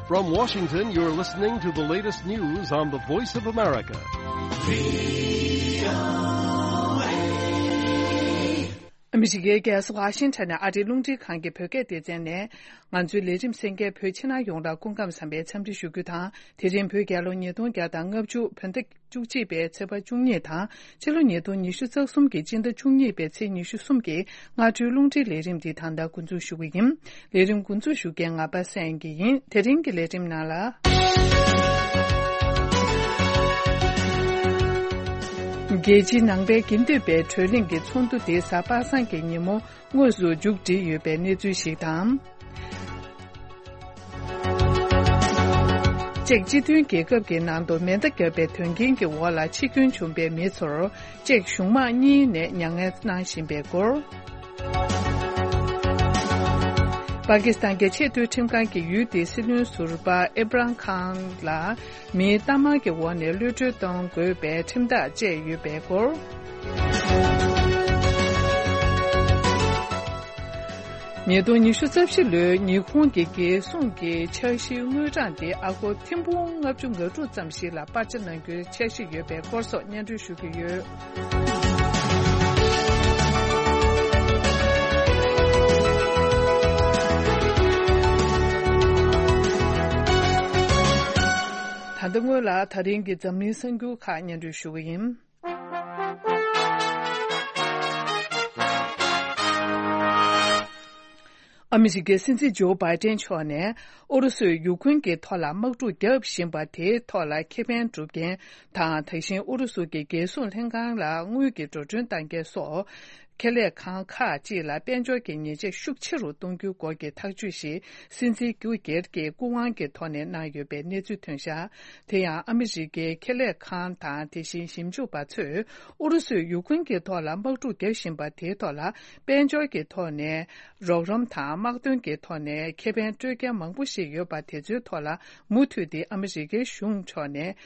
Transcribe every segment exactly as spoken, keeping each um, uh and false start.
From Washington, you're listening to the latest news on the Voice of America. ཨ་མི་རི་ཀའི་རྒྱལ་ས་ཝ་ཤིང་ཊོན་ནས་ཨ་རིའི་རླུང་འཕྲིན་ཁང་གི་བོད་སྐད་སྡེ་ཚན་ནས། ང་ཚོའི་ལས་རིམ་གསན་མཁན་བོད་ཕྱི་ནང་ཡོངས་ལ་སྐུ་ཁམས་བཟང་བའི་འཚམས་འདྲི་ཞུ་རྒྱུ་དང་། དེ་རིང་བོད་རྒྱལ་ལོ་ཉིས་སྟོང་བརྒྱ་དང་ལྔ་བཅུ་བོད་ཟླ་བཅུ་གཅིག་པའི་ཚེས་པ་བཅུ་གཉིས་དང་། ཕྱི་ལོ་ཉིས་སྟོང་ཉི་ཤུ་རྩ་གསུམ་གྱི་སྤྱི་ཟླ་བཅུ་གཉིས་པའི་ཚེས་ཉི་ཤུ་གསུམ་གྱི་སྔ་དྲོའི་རླུང་འཕྲིན་ལས་རིམ་འདི་ད་ལྟ་འགོ་འཛུགས་ཞུ་གི་ཡིན། ལས་རིམ་འགོ་འཛུགས་ཞུ་མཁན་ང་པ་སངས་དགེ་ཡིན། དེ་རིང་གི་ལས་རིམ་ནང་ལ། རྒྱལ་སྤྱིའི་ནང་པའི་དགེ་འདུན་པའི་གྲོས་གླེང་གི་ཚོགས་འདུ་དེ་གཟའ་པ་སངས་ཀྱི་ཉིན་མོ་དངོས་སུ་མཇུག་བསྒྲིལ་ཡོད་པའི་གནས་ཚུལ་ཞིག་དང་། ཅེཀ་སྤྱི་མཐུན་རྒྱལ་ཁབ་ཀྱི་ནང་དུ་མེ་མདའ་བརྒྱབ་པའི་དོན་རྐྱེན་གྱི་འོག་ལ་འཆི་སྐྱོན་བྱུང་པའི་མི་ཚོར་ཅེཀ་གཞུང་དམངས་གཉིས་ནས་མྱ་ངན་གནང་བཞིན་པའི་སྐོར། པ་ཀི་སི་ཐན་གྱི་ཆེས་མཐོའི་ཁྲིམས་ཁང་གིས་ཡུལ་དེའི་སྲིད་བློན་ཟུར་པ་ཨེབ་རམ་ཁཱན་ལ་མིའི་གཏའ་མར་གྱི་འོག་ནས་གློད་གྲོལ་གཏོང་དགོས་པའི་ཁྲིམས་ཐག་བཅད་ཡོད་པའི་སྐོར། ཉིས་སྟོང་ཉི་ཤུ་རྩ་བཞི་ལོའི་ཉི་ཧོང་གི་རྒྱལ་སྲུང་གི་འཆར་གཞིའི་དངུལ་གྲངས་དེ་ཨ་སྒོར་ཐེར་འབུམ་ལྔ་བཅུ་ང་དྲུག་ཙམ་ཞིག་ལ་སྤར་ཆ་གནང་རྒྱུའི་འཆར་གཞི་ཡོད་པའི་སྐོར་སོགས་སྙན་སྒྲོན་ཞུ་གི་ཡོད། ད་ལྟ་སྔོན་ལ་ད་རིང་གི་འཛམ་གླིང་གསར་འགྱུར་ཁག་སྙན་སྒྲོན་ཞུ་གི་ཡིན། ཨ་མི་རི་ཀའི་སྲིད་འཛིན་ཇོ་བྷའི་ཏན་མཆོག་ནས་ཨུ་རུ་སུས་ཡུ་ཁུན་གྱི་ཐོག་ལ་དམག་འཁྲུག་བརྒྱབ་བཞིན་པ་དེའི་ཐོག་ལ་ཁེ་ཕན་སྒྲུབ་མཁན་དང་། དེ་བཞིན་ཨུ་རུ་སུ་གྱི་རྒྱལ་སྲུང་ལྷན་ཁང་ལ་དངུལ་གྱི་འགྲོ་གྲོན་གཏང་མཁན་སོགས། ཁེ་ལས་ཁང་ཁག་ཅིག་ལ་དཔལ་འབྱོར་གྱི་ཉེས་ཆད་ཤུགས་ཆེ་རུ་གཏོང་རྒྱུའི་སྐོར་གྱི་ཐག་གཅོད་ཞིག་སྲིད་འཛིན་ཀུ་གེར་གྱི་སྐུ་དབང་གི་ཐོག་ནས་གནང་ཡོད་པའི་གནས་ཚུལ་ཐོན་བཞག་དེ་ཡང་ཨ་མི་རི་ཀའི་ཁེ་ལས་ཁང་དང་། དེ་བཞིན་ཞིབ་འཇུག་པ་ཚོས་ཨུ་རུ་སུས་ཡུ་ཁུན་གྱི་ཐོག་ལ་དམག་འཁྲུག་བརྒྱབ་བཞིན་པ་དེའི་ཐོག་ལ་དཔལ་འབྱོར་གྱི་ཐོག་ནས་རོགས་རམ་དང་། དམག་དོན་གྱི་ཐོག་ནས་ཁེ་ཕན་སྤྲོད་མཁན་མང་པོ་ཞིག་ཡོད་པ་དེ་ཚོའི་ཐོག་ལ་མུ་མཐུད་དེ་ཨ་མི་རི་ཀའི་གཞུང་ཕྱོགས་ནས།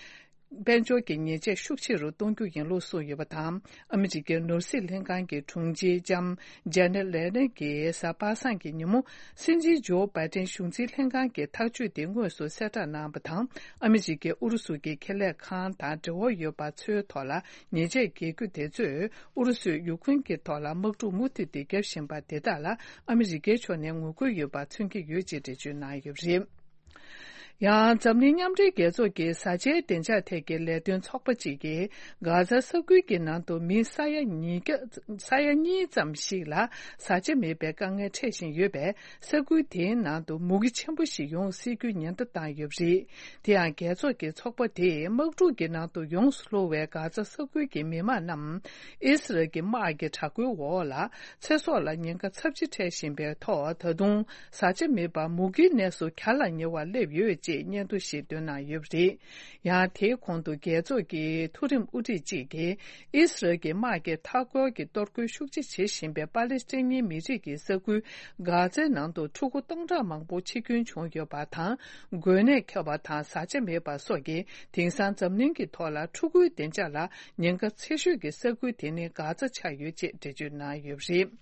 དཔལ་འབྱོར་གྱི་ཉེས་ཆད་ཤུགས་ཆེ་རུ་གཏོང་རྒྱུ་ཡིན་ལུགས་གསུངས་ཡོད་པ་དང་། ཨ་མི་རི་ཀའི་ནོར་སྲིད་ལྷན་ཁང་གི་དྲུང་ཆེ་ལྕམ་ཇེ་ནེ་ལེ་ནེ་གིས་གཟའ་པ་སངས་ཀྱི་ཉིན་མོ། སྲིད་འཛིན་ཇོ་བྷའི་ཏན་གཞུང་འཛིན་ལྷན་ཁང་གི་ཐག་གཅོད་དེ་དངོས་སུ་གསལ་བསྒྲགས་གནང་བ་དང་། ཨ་མི་རི་ཀས་ཨུ་རུ་སུ་གྱི་ཁེ་ལས་ཁང་དང་འབྲེལ་བ་ཡོད་པ་ཚོའི་ཐོག་ལ་ཉེས་ཆད་འགེལ་རྒྱུ་དེ་ཚོས་ཨུ་རུ་སུས་ཡུ་ཁུན་གྱི་ཐོག་ལ་དམག་འཁྲུག་མུ་མཐུད་དེ་བརྒྱབ་བཞིན་པ་དེ་དག་ལ་ཨ་མི་རི་ཀའི་ཕྱོགས་ནས་ངོ་རྒོལ་ཡོད་པ་མཚོན་གྱི་ཡོད་ཅེས་འགྲེལ་བརྗོད་གནང་ཡོད་པ་རེད། ཡང་འཛམ་གླིང་མཉམ་འབྲེལ་རྒྱལ་ཚོགས་ཀྱི་བཟའ་བཅའི་བདེ་འཇགས་ཐད་ཀྱི་ལས་དོན་ཚོགས་པ་གཅིག་གིས་གྷ་ཛ་ས་ཁུལ་གྱི་ནང་དུ་མི་ས་ཡ་ཉིས་བརྒྱ་ས་ཡ་གཉིས་ཙམ་ཞིག་ལ་བཟའ་བཅའ་མེད་པའི་དཀའ་ངལ་འཕྲད་བཞིན་ཡོད་པས། ས་ཁུལ་དེའི་ནང་དུ་མུ་གེ་ཆེན་པོ་ཞིག་ཡོང་སྲིད་རྒྱུའི་ཉེན་བརྡ་བཏང་ཡོད་པ་རེད། དེ་ཡང་རྒྱལ་ཚོགས་ཀྱི་ཚོགས་པ་དེས་དམག་འཁྲུག་གི་ནང་དུ་ཡོངས་སུ་ལྷུང་བའི་གྷ་ཛ་ས་ཁུལ་གྱི་མི་མང་རྣམས་ཨི་སི་རལ་གྱི་དམག་གི་དྲག་རྒོལ་འོག་ལ་ཚེ་སྲོག་ལ་ཉེན་ཁ་ཚབས་ཆེ་འཕྲད་བཞིན་པའི་ཐོག་ད་དུང་བཟའ་བཅའ་མེད་པར་མུ་གེའི་གནས་སུ་གྱ་ལ་ཉེ་བར་སླེབས་ཡོད་ཅེས་སྙན་ཐོ་ཞིག་བཏོན་གནང་ཡོད་པ་རེད། ཡང་དེའི་གོང་དུ་རྒྱལ་ཚོགས་ཀྱི་མཐོ་རིམ་དབུ་ཁྲིད་ཅིག་གིས་ཨི་སི་རལ་གྱི་དམག་གིས་མཐའ་འཁོར་གྱི་གཏོར་རྒོལ་ཤུགས་ཆེ་བྱེད་བཞིན་པའི་པ་ལེ་སི་ཐན་མི་རིགས་ཀྱི་ས་ཁུལ་གྷ་ཛའི་ནང་དུ་ཕྲུ་གུ་སྟོང་ཕྲག་མང་པོ་འཆི་སྐྱོན་བྱུང་ཡོད་པ་དང་། འགོས་ནད་ཁྱབ་པ་དང་བཟའ་བཅའ་མེད་པ་སོགས་ཀྱིས་དེང་སང་འཛམ་གླིང་གི་ཐོག་ལ་ཕྲུ་གུའི་བདེ་འཇགས་ལ་ཉེན་ཁ་ཆེ་ཤོས་ཀྱི་ས་ཁུལ་དེ་ནི་གྷ་ཛ་ཆགས་ཡོད་ཅེས་འགྲེལ་བརྗོད་གནང་ཡོད་པ་རེད།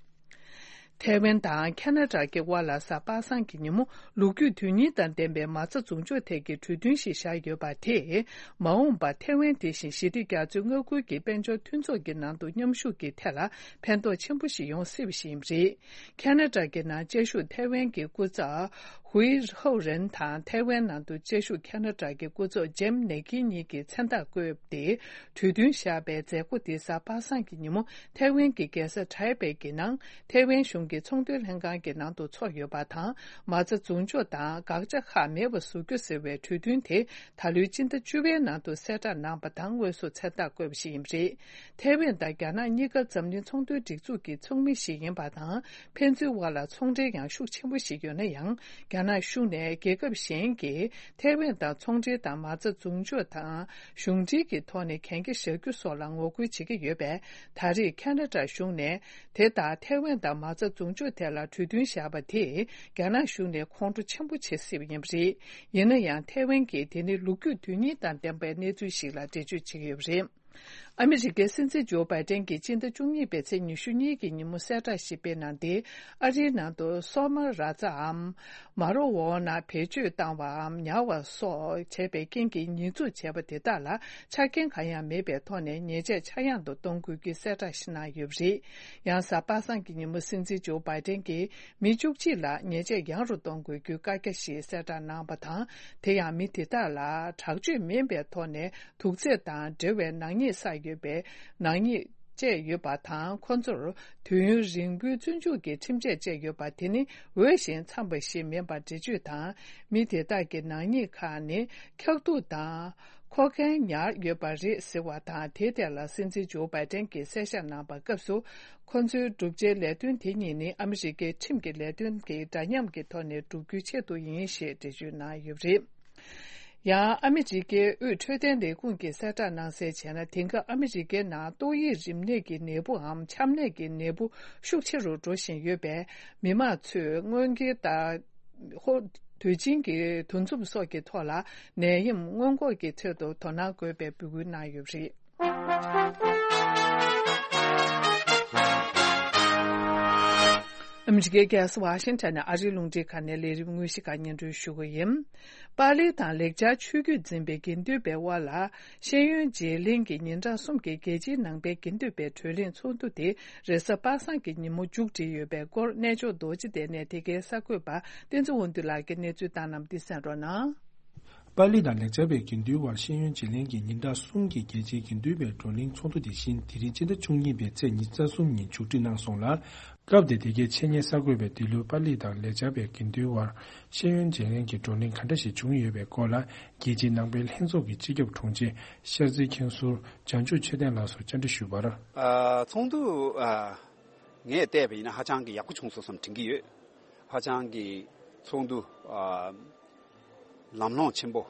ཐའེ་ཝན་དང་ཁ་ན་ཌ་གི་དབར་ལ་གཟའ་པ་སངས་ཀྱི་ཉིན་མོ་ལོ་རྒྱུས་དོན་སྙིང་དང་ལྡན་པའི་མ་རྩ་འཛུགས་འཇོག་ཐད་ཀྱི་གྲོས་མཐུན་ཞིག་བཞག་ཡོད་པ་དེས། མ་འོངས་པར་ཐའེ་ཝན་དེ་བཞིན་ཞི་བདེ་རྒྱ་མཚོའི་མངའ་ཁུལ་གྱི་དཔལ་འབྱོར་མཐུན་ཚོགས་ཀྱི་ནང་དུ་མཉམ་ཞུགས་ཀྱི་ཐད་ལ་ཕན་ཐོགས་ཆེན་པོ་ཞིག་ཡོང་སྲིད་པ་ཞིག་ཡིན་པ་རེད། ཁ་ན་ཌ་གི་ནང་བཅའ་བཞུགས་ཐའེ་ཝན་གྱི་སྐུ་ཚབ་ཧུའེ་ཧའོ་རེན་དང་། ཐའེ་ཝན་ནང་དུ་བཅའ་བཞུགས་ཁ་ན་ཌ་གི་སྐུ་ཚབ་ཇེམ་ནེ་ཀི་གཉིས་ཀྱིས་མཚན་རྟགས་བཀོད་དེ། གྲོས་མཐུན་བཞག་པའི་མཛད་སྒོ་དེ་གཟའ་པ་སངས་ཀྱི་ཉིན་མོ་ཐའེ་ཝན་གྱི་རྒྱལ་ས་ཐའེ་པེ་གྱི་ནང་ཐའེ་ཝན་གཞུང་གི་ཚོང་དོན་ལྷན་ཁང་གི་ནང་དུ་ཚོགས་ཡོད་པ་དང་། མ་རྩ་འཛུགས་འཇོག་དང་དགག་བྱ་ཁག་མེད་པ་བཟོ་རྒྱུ་ཟེར་བའི་གྲོས་མཐུན་དེ་ད་ལོའི་སྤྱི་ཟླ་བཅུ་པའི་ནང་དུ་གསལ་བསྒྲགས་གནང་པ་དང་། དངོས་སུ་མཚན་རྟགས་བཀོད་པ་ཞིག་ཡིན་པ་རེད། ཐའེ་ཝན་དང་རྒྱ་ནག་གཉིས་ཀ་འཛམ་གླིང་ཚོང་དོན་སྒྲིག་འཛུགས་ཀྱི་ཚོགས་མི་ཞིག་ཡིན་པ་དང་། ཕན་ཚུན་དབར་ལ་ཚོང་འབྲེལ་ཡང་ཤུགས་ཆེན་པོ་ཞིག་ཡོད་ན་ཡང་། རྒྱ་ནག་གཞུང་ནས་རྒྱལ་ཁབ་གཞན་གྱིས་ཐའེ་ཝན་དང་ཚོང་འབྲེལ་དང་མ་རྩ་འཛུགས་འཇོག་དང་གཞུང་འབྲེལ་གྱི་ཐོག་ནས་གན་རྒྱ་བཞག་རྒྱུ་སོགས་ལ་ངོ་རྒོལ་བྱེད་ཀྱི་ཡོད་པས། ད་རེས་ཁ་ན་ཌ་གཞུང་ནས་དེ་ལྟར་ཐའེ་ཝན་དང་མ་རྩ་འཛུགས་འཇོག་ཐད་ལ་གྲོས་མཐུན་བཞག་པ་དེས་རྒྱ་ནག་གཞུང་ནས་ཁོང་ཁྲོ་ཆེན་པོ་བྱེད་སྲིད་པ་ཡིན་པ་རེད། ཡིན་ན་ཡང་ཐའེ་ཝན་གྱིས་དེ་ནི་ལོ་རྒྱུས་དོན་སྙིང་དང་ལྡན་པའི་གནས་ཚུལ་ཞིག་ལ་འགྲེལ་བརྗོད་བྱེད་ཀྱི་ཡོད་པ་རེད། ཨ་མི་རི་ཀའི་སྲིད་འཛིན་ཇོ་བྷའི་ཏན་གྱིས་སྤྱི་ཟླ་བཅུ་གཉིས་པའི་ཚེས་ཉི་ཤུ་གཉིས་ཀྱི་ཉིན་མོ་གསལ་བསྒྲགས་ཤིག་སྤེལ་གནང་སྟེ། ཨ་རིའི་ནང་དུ་སོག་མ་ར་ཛའམ་མ་རོ་ཝོ་ན་བེད་སྤྱོད་བཏང་བའམ་ཉར་བ་སོགས་བྱས་པའི་རྐྱེན་གྱིས་ཉེས་འཛུགས་བྱས་པ་དེ་དག་ལ་ཆ་རྐྱེན་གང་ཡང་མེད་པའི་ཐོག་ནས་ཉེས་ཆད་ཆག་ཡང་དུ་གཏོང་དགོས་རྒྱུའི་གསལ་བསྒྲགས་ཤིག་གནང་ཡོད་པ་རེད། ཡང་གཟའ་པ་སངས་ཀྱི་ཉིན་མོ་སྲིད་འཛིན་ཇོ་བྷའི་ཏན་གྱིས་མི་བཅུ་གཅིག་ལ་ཉེས་ཆད་ཡང་རུ་གཏོང་དགོས་རྒྱུའི་བཀའ་རྒྱ་ཞིག་གསལ་བསྒྲགས་གནང་བ་དང་། དེ་ཡང་མི་དེ་དག་ལ་དྲག་སྤྱོད་མིན་པའི་ཐོག་ནས། དུག་རྫས་དང་འབྲེལ་བའི་ནག་ཉེས་བསགས་ཡོད་པའི་ནག་ཉེས་བཅས་ཡོད་པ་དང་། ཁོ་ཚོར་དུས་ཡུན་རིང་པོའི་བཙོན་འཇུག་གི་ཁྲིམས་ཆད་བཅད་ཡོད་པ་དེ་ནི་འོས་ཤིང་འཚམས་པ་ཞིག་མིན་པར་འགྲེལ་བརྗོད་དང་། མི་དེ་དག་གི་ནག་ཉེས་ཁག་ནི་འཁྱག་ཐུག་དང་ཁོ་ཁེན་ཉར་ཡོད་པ་རེད་ཟེར་བ་དང་། དེའི་ཐད་ལ་སྲིད་འཛིན་ཇོ་བྷའི་ཏན་གྱིས་གསལ་བཤད་གནང་བའི་སྐབས་སུ། ཁོ་ཚོའི་བསྒྲུབ་བྱའི་ལས་དོན་དེ་གཉིས་ནི་ཨ་མི་རི་ཀའི་ཁྲིམས་ཀྱི་ལས་དོན་གྱི་འདྲ་མཉམ་གྱི་ཐོག་ནས་བསྒྲུབ་རྒྱུའི་ཆེད་དུ་ཡིན་ཞེས་འགྲེལ་བརྗོད་གནང་ཡོད་པ་རེད། ཡང་ཨ་མི་རི་ཀའི་དབུས་འཕྲོད་བསྟེན་ལས་ཁུངས་ཀྱིས་གསལ་བསྒྲགས་གནང་གསལ་བྱས་ན། དེང་སྐབས་ཨ་མི་རི་ཀའི་ནང་ཏོག་དབྱིབས་རིམས་ནད་ཀྱི་ནད་འབུའམ་ཆམ་ནད་ཀྱི་ནད་འབུ་ཤུགས་ཆེ་རུ་འགྲོ་བཞིན་ཡོད་པས། མི་མང་ཚོས་སྔོན་འགོག་དང་ཧོ་དུས་ཆེན་གྱི་འདུ་འཛོམས་སོགས་ཀྱི་ཐོག་ལ་ནད་ཡམས་སྔོན་འགོག་གི་ཆེད་དུ་དོ་སྣང་དགོས་པའི་འབོད་སྐུལ་གནང་ཡོད་པ་རེད། ཨ་མི་རི་ཀའི་རྒྱལ་ས་ཝ་ཤིང་ཊོན་ནས་ཨ་རིའི་རླུང་འཕྲིན་ཁང་ནས་ལས་རིམ་དངོས་གཞི་ཁག་སྙན་སྒྲོན་ཞུ་གི་ཡིན། པཱ་ལི་དང་ལེགས་སྦྱར་ཆོས་བརྒྱུད་འཛིན་པའི་དགེ་འདུན་པའི་དབར་ལ་ཤེས་ཡོན་བརྗེ་ལེན་གྱི་ཉིན་གྲངས་གསུམ་གྱི་རྒྱལ་སྤྱིའི་ནང་པའི་དགེ་འདུན་པའི་བགྲོ་གླེང་ཚོགས་འདུ་དེ་རེས་གཟའ་པ་སངས་ཀྱི་ཉིན་མོ་མཇུག་སྒྲིལ་ཡོད་པའི་སྐོར། རྣལ་འབྱོར་རྡོ་རྗེ་གདན་ནས་དེ་གའི་གསར་འགོད་པ་བསྟན་འཛིན་དབང་འདུས་ལགས་ཀྱིས་གནས་ཚུལ་བཏང་གནང་བ་འདི་གསན་རོགས་གནང་། པཱ་ལི་དང་ལེགས་སྦྱར་བའི་དགེ་འདུན་དབར་ཤེས་ཡོན་བརྗེ་ལེན་གྱི་ཉིན་གྲངས་གསུམ་གྱི་རྒྱལ་སྤྱིའི་དགེ་འདུན་པའི་བགྲོ་གླེང་ཚོགས་འདུ་དེ་བཞིན་དེ་རིང་སྤྱི་ཟླ་བཅུ་གཉིས་པའི་ཚེས་ཉི་ཤུ་རྩ་གསུམ་ཉིན་མཇུག་སྒྲིལ་གནང་སོང་ལ། སྐབས་དེར་དེ་གའི་འཆད་ཉན་གསར་འགོད་པས་འདི་ལོའི་པཱ་ལི་དང་ལེགས་སྦྱར་བའི་དགེ་འདུན་དབར་ཤེས་ཡོན་བརྗེ་ལེན་གྱི་བགྲོ་གླེང་ག་འདྲ་ཞིག་བྱུང་ཡོད་པའི་སྐོར་ལ། རྒྱལ་སྤྱིའི་ནང་པའི་ལྷན་ཚོགས་ཀྱི་སྤྱི་ཁྱབ་དྲུང་ཆེ་ཤར་རྩེའི་མཁན་ཟུར་བྱང་ཆུབ་ཆོས་ལྡན་ལགས་སུ་བཅར་འདྲི་ཞུས་པར། ཨ། ཚོགས་འདུ། ཨ། ངས་བལྟས་པ་ཡིན་ན་ཧ་ཅང་གི་ཡག་པོ་བྱུང་སོང་བསམ་དྲན་གྱི་ཡོད། ཧ་ཅང་གི་ཚོགས་འདུ། ཨ། ལམ་ལྷོང་ཆེན་པོ།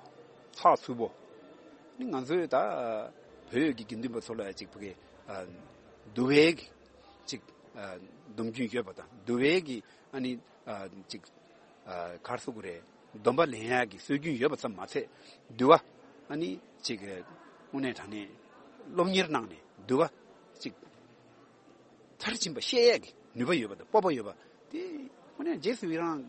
ཚགས་ཚུད་པོ། ནི་ང་ཚོའི་ད་བོད་ཀྱི་དགེ་འདུན་པ་ཚོ་ལ་ཅིག་ཕ་གི། ཨ། འདུལ་བའི་ཅིག་ཨ། སྡོམ་རྒྱུན་ཡོད་པ་དང་། འདུལ་བའི་གི་ཨ་ནི། ཨ། ཅིག་ཨ། ག་རེ་ཟེར་དགོས་རེད། སྡོམ་པ་ལེན་ཡག་གི་སྲོལ་རྒྱུན་ཡོད་པ་ཙམ་མ་ཚད། འདུལ་བ་ཨ་ནི་ཅིག་དངོས་གནས་དྲང་གནས་སློབ་གཉེར་གནང་ནས་འདུལ་བ་ཅིག་མཐར་ཕྱིན་པ་ཤེས་ཡས་ཀྱི་ནུས་པ་ཡོད་པ་དང་སྤོབས་པ་ཡོད་པ་དེ་དངོས་གནས་རྗེས་སུ་ཡི་རང་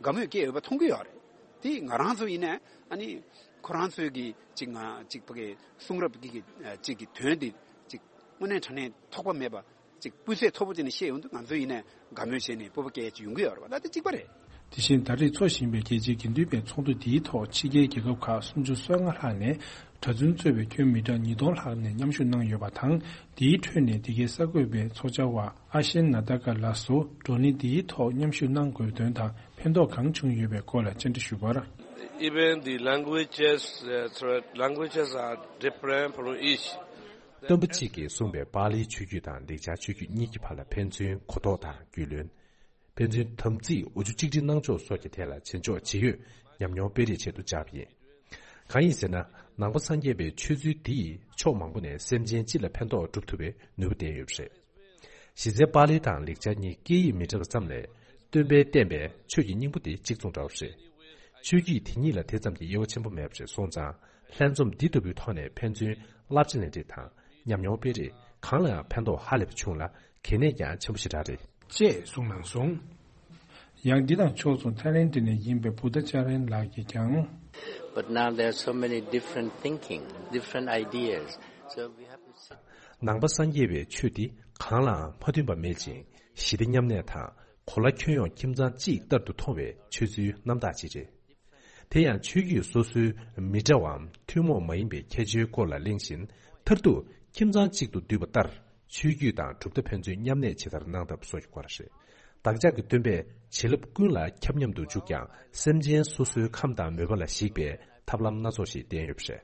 དགའ་མོས་སྐྱེ་ཡོད་པ་མཐོང་གི་ཡོད་རེད། དེ་ང་རང་ཚོ་ཡིན་ནའི་ཨ་ནི་ཁོ་རང་ཚོའི་གི་ཅིག་ང་ཅིག་ཕ་གི་གསུང་རབ་ཀྱི་གི་ཅིག་གི་དོན་དེ་ཅིག་དངོས་གནས་དྲང་གནས་ཐོགས་པ་མེད་པ་ཅིག་སྤུས་ཚད་མཐོ་པོ་དེ་ནས་བཤད་ཡོང་དུས་ང་ཚོ་ཡིན་ནའི་དགའ་མོས་བྱས་ནས་སྤོབས་པ་སྐྱེ་ཡས་ཅིག་ཡོང་གི་ཡོད་རེད་བ། ད་དེ་གཅིག་པ་རེད། དེ་བཞིན་ད་རེས་འཚོགས་བཞིན་པའི་རྒྱལ་སྤྱིའི་དགེ་འདུན་པའི་ཚོགས་འདུ་འདིའི་ཐོག་ཕྱི་རྒྱལ་རྒྱལ་ཁབ་ཁག་སུམ་ཅུ་སོ་ལྔ་ལྷག་ནས་གྲྭ་བཙུན་གཙོས་པའི་ཁྱོན་མི་གྲངས་ཉིས་སྟོང་ལྷག་ནས་མཉམ་ཞུགས་གནང་ཡོད་པ་དང་། འདིའི་ཁྲོད་ནས་འདི་གའི་གསར་འགོད་པའི་ཚོགས་བཅར་བ་ཨ་ཤེན་ན་ཏཱ་ཀ་ལགས་སུ་བགྲོ་གླེང་འདིའི་ཐོག་མཉམ་ཞུགས་གནང་དགོས་དོན་དང་ཕན་ཐོགས་གང་བྱུང་ཡོད་པའི་སྐོར་ལ་བཅར་འདྲི་ཞུས་པར། Even the languages, uh, threat, languages are different from each. སྟོན་པ་གཅིག་གིས་གསུངས་པའི་པཱ་ལིའི་ཆོས་བརྒྱུད་དང་ལེགས་སྦྱར་ཆོས་བརྒྱུད་གཉིས་ཀྱི་བར་ལ་ཕན་ཚུན་གོ་རྟོགས་དང་རྒྱུས་ལོན། ཕན་ཚུན་དམ་ཚིག་འོ་ཆུ་གཅིག་སྒྲིལ་གནང་ཕྱོགས་སོགས་ཀྱི་ཐད་ལ་བྱེད་ཕྱོགས་ཇི་ཡོད་ཉམས་མྱོང་སྤེལ་རེས་ཆེད་དུ་བཅར་བ་ཡིན། གང་ཡིན་ཟེར་ན། ནང་པ་སངས་རྒྱས་པའི་ཆོས་ཚུལ་འདི་ཡིས་ཕྱོགས་མང་པོ་ནས་སེམས་ཅན་སྤྱི་ལ་ཕན་ཐོགས་སྒྲུབ་ཐུབ་པའི་ནུས་པ་ལྡན་ཡོད་པ་རེད། གཞི་རྩའི་པཱ་ལི་དང་ལེགས་སྦྱར་གཉིས་སྐད་ཡིག་མི་འདྲ་བ་ཙམ་ལས། སྟོན་པས་བསྟན་པའི་ཆོས་ཀྱི་སྙིང་པོ་དེ་གཅིག་མཚུངས་འདྲ་བ་རེད། ཆོས་བརྒྱུད་དེ་གཉིས་ལ་དེ་ཙམ་གྱི་དབྱེ་བ་ཆེན་པོ་མེད་པ་རེད་སོང་ཙང་། ལྷན་འཛོམས་འདི་ལྟ་བུའི་ཐོག་ནས་ཕན་ཚུན་བསླབ་བྱ་ལེན་རེས་དང་ཉམས་མྱོང་སྤེལ་རེས་གང་ལའང་ཕན་ཐོགས་ཧ་ལས་པ་བྱུང་ལ་གལ་གནད་ཀྱང་ཆེན་པོ་ཞེ་དྲག་རེད། ཅེས་གསུངས་གནང་སོང་། ཡང་འདི་དང་ཕྱོགས་མཚུངས་ཐའི་ལེན་ཌི་ནས་ཡིན་པའི་བུ་ད་ཅཱ་རན་ལགས་ཀྱིས་ཀྱང་། But now there are so many different thinking, different ideas. So we have to sit. ནང་པ་སངས་རྒྱས་པའི་ཆོས་འདི་གང་ལའང་མ་མཐུན་པ་མེད་ཅིང་ཞི་བདེ་མཉམ་གནས་དང་གོ་ལ་ཁྱོན་ཡོངས་ཁྱིམ་ཚང་གཅིག་ལྟར་དུ་མཐོང་བའི་ཆོས་ཚུལ་རྣམ་དག་ཅིག་རེད། དེ་ཡང་ཆོས་བརྒྱུད་སོ་སོའི་མི་འདྲ་བའམ་ཐུན་མོང་མ་ཡིན་པའི་ཁྱད་ཆོས་སྐོར་ལ་གླེང་བཞིན་མཐར་ཐུག་ཁྱིམ་ཚང་གཅིག་ཏུ་འདུས་པ་ལྟར་ཆོས་བརྒྱུད་དང་གྲུབ་མཐའ་ཕན་ཚུན་མཉམ་གནས་ཇི་ལྟར་གནང་ཐབས་སོགས་ཀྱི་སྐོར་རེད། བདག་ཅག་གི་སྟོན་པས་བྱིན་རླབས་ཀུན་ལ་ཁྱབ་མཉམ་དུ་འཇུག་ཀྱང་སེམས་ཅན་སོ་སོའི་ཁམས་དང་མོས་པ་ལ་གཞིགས་པའི་ཐབས་ལམ་སྣ་ཚོགས་ཤིག་བསྟན་ཡོད་པ་རེད།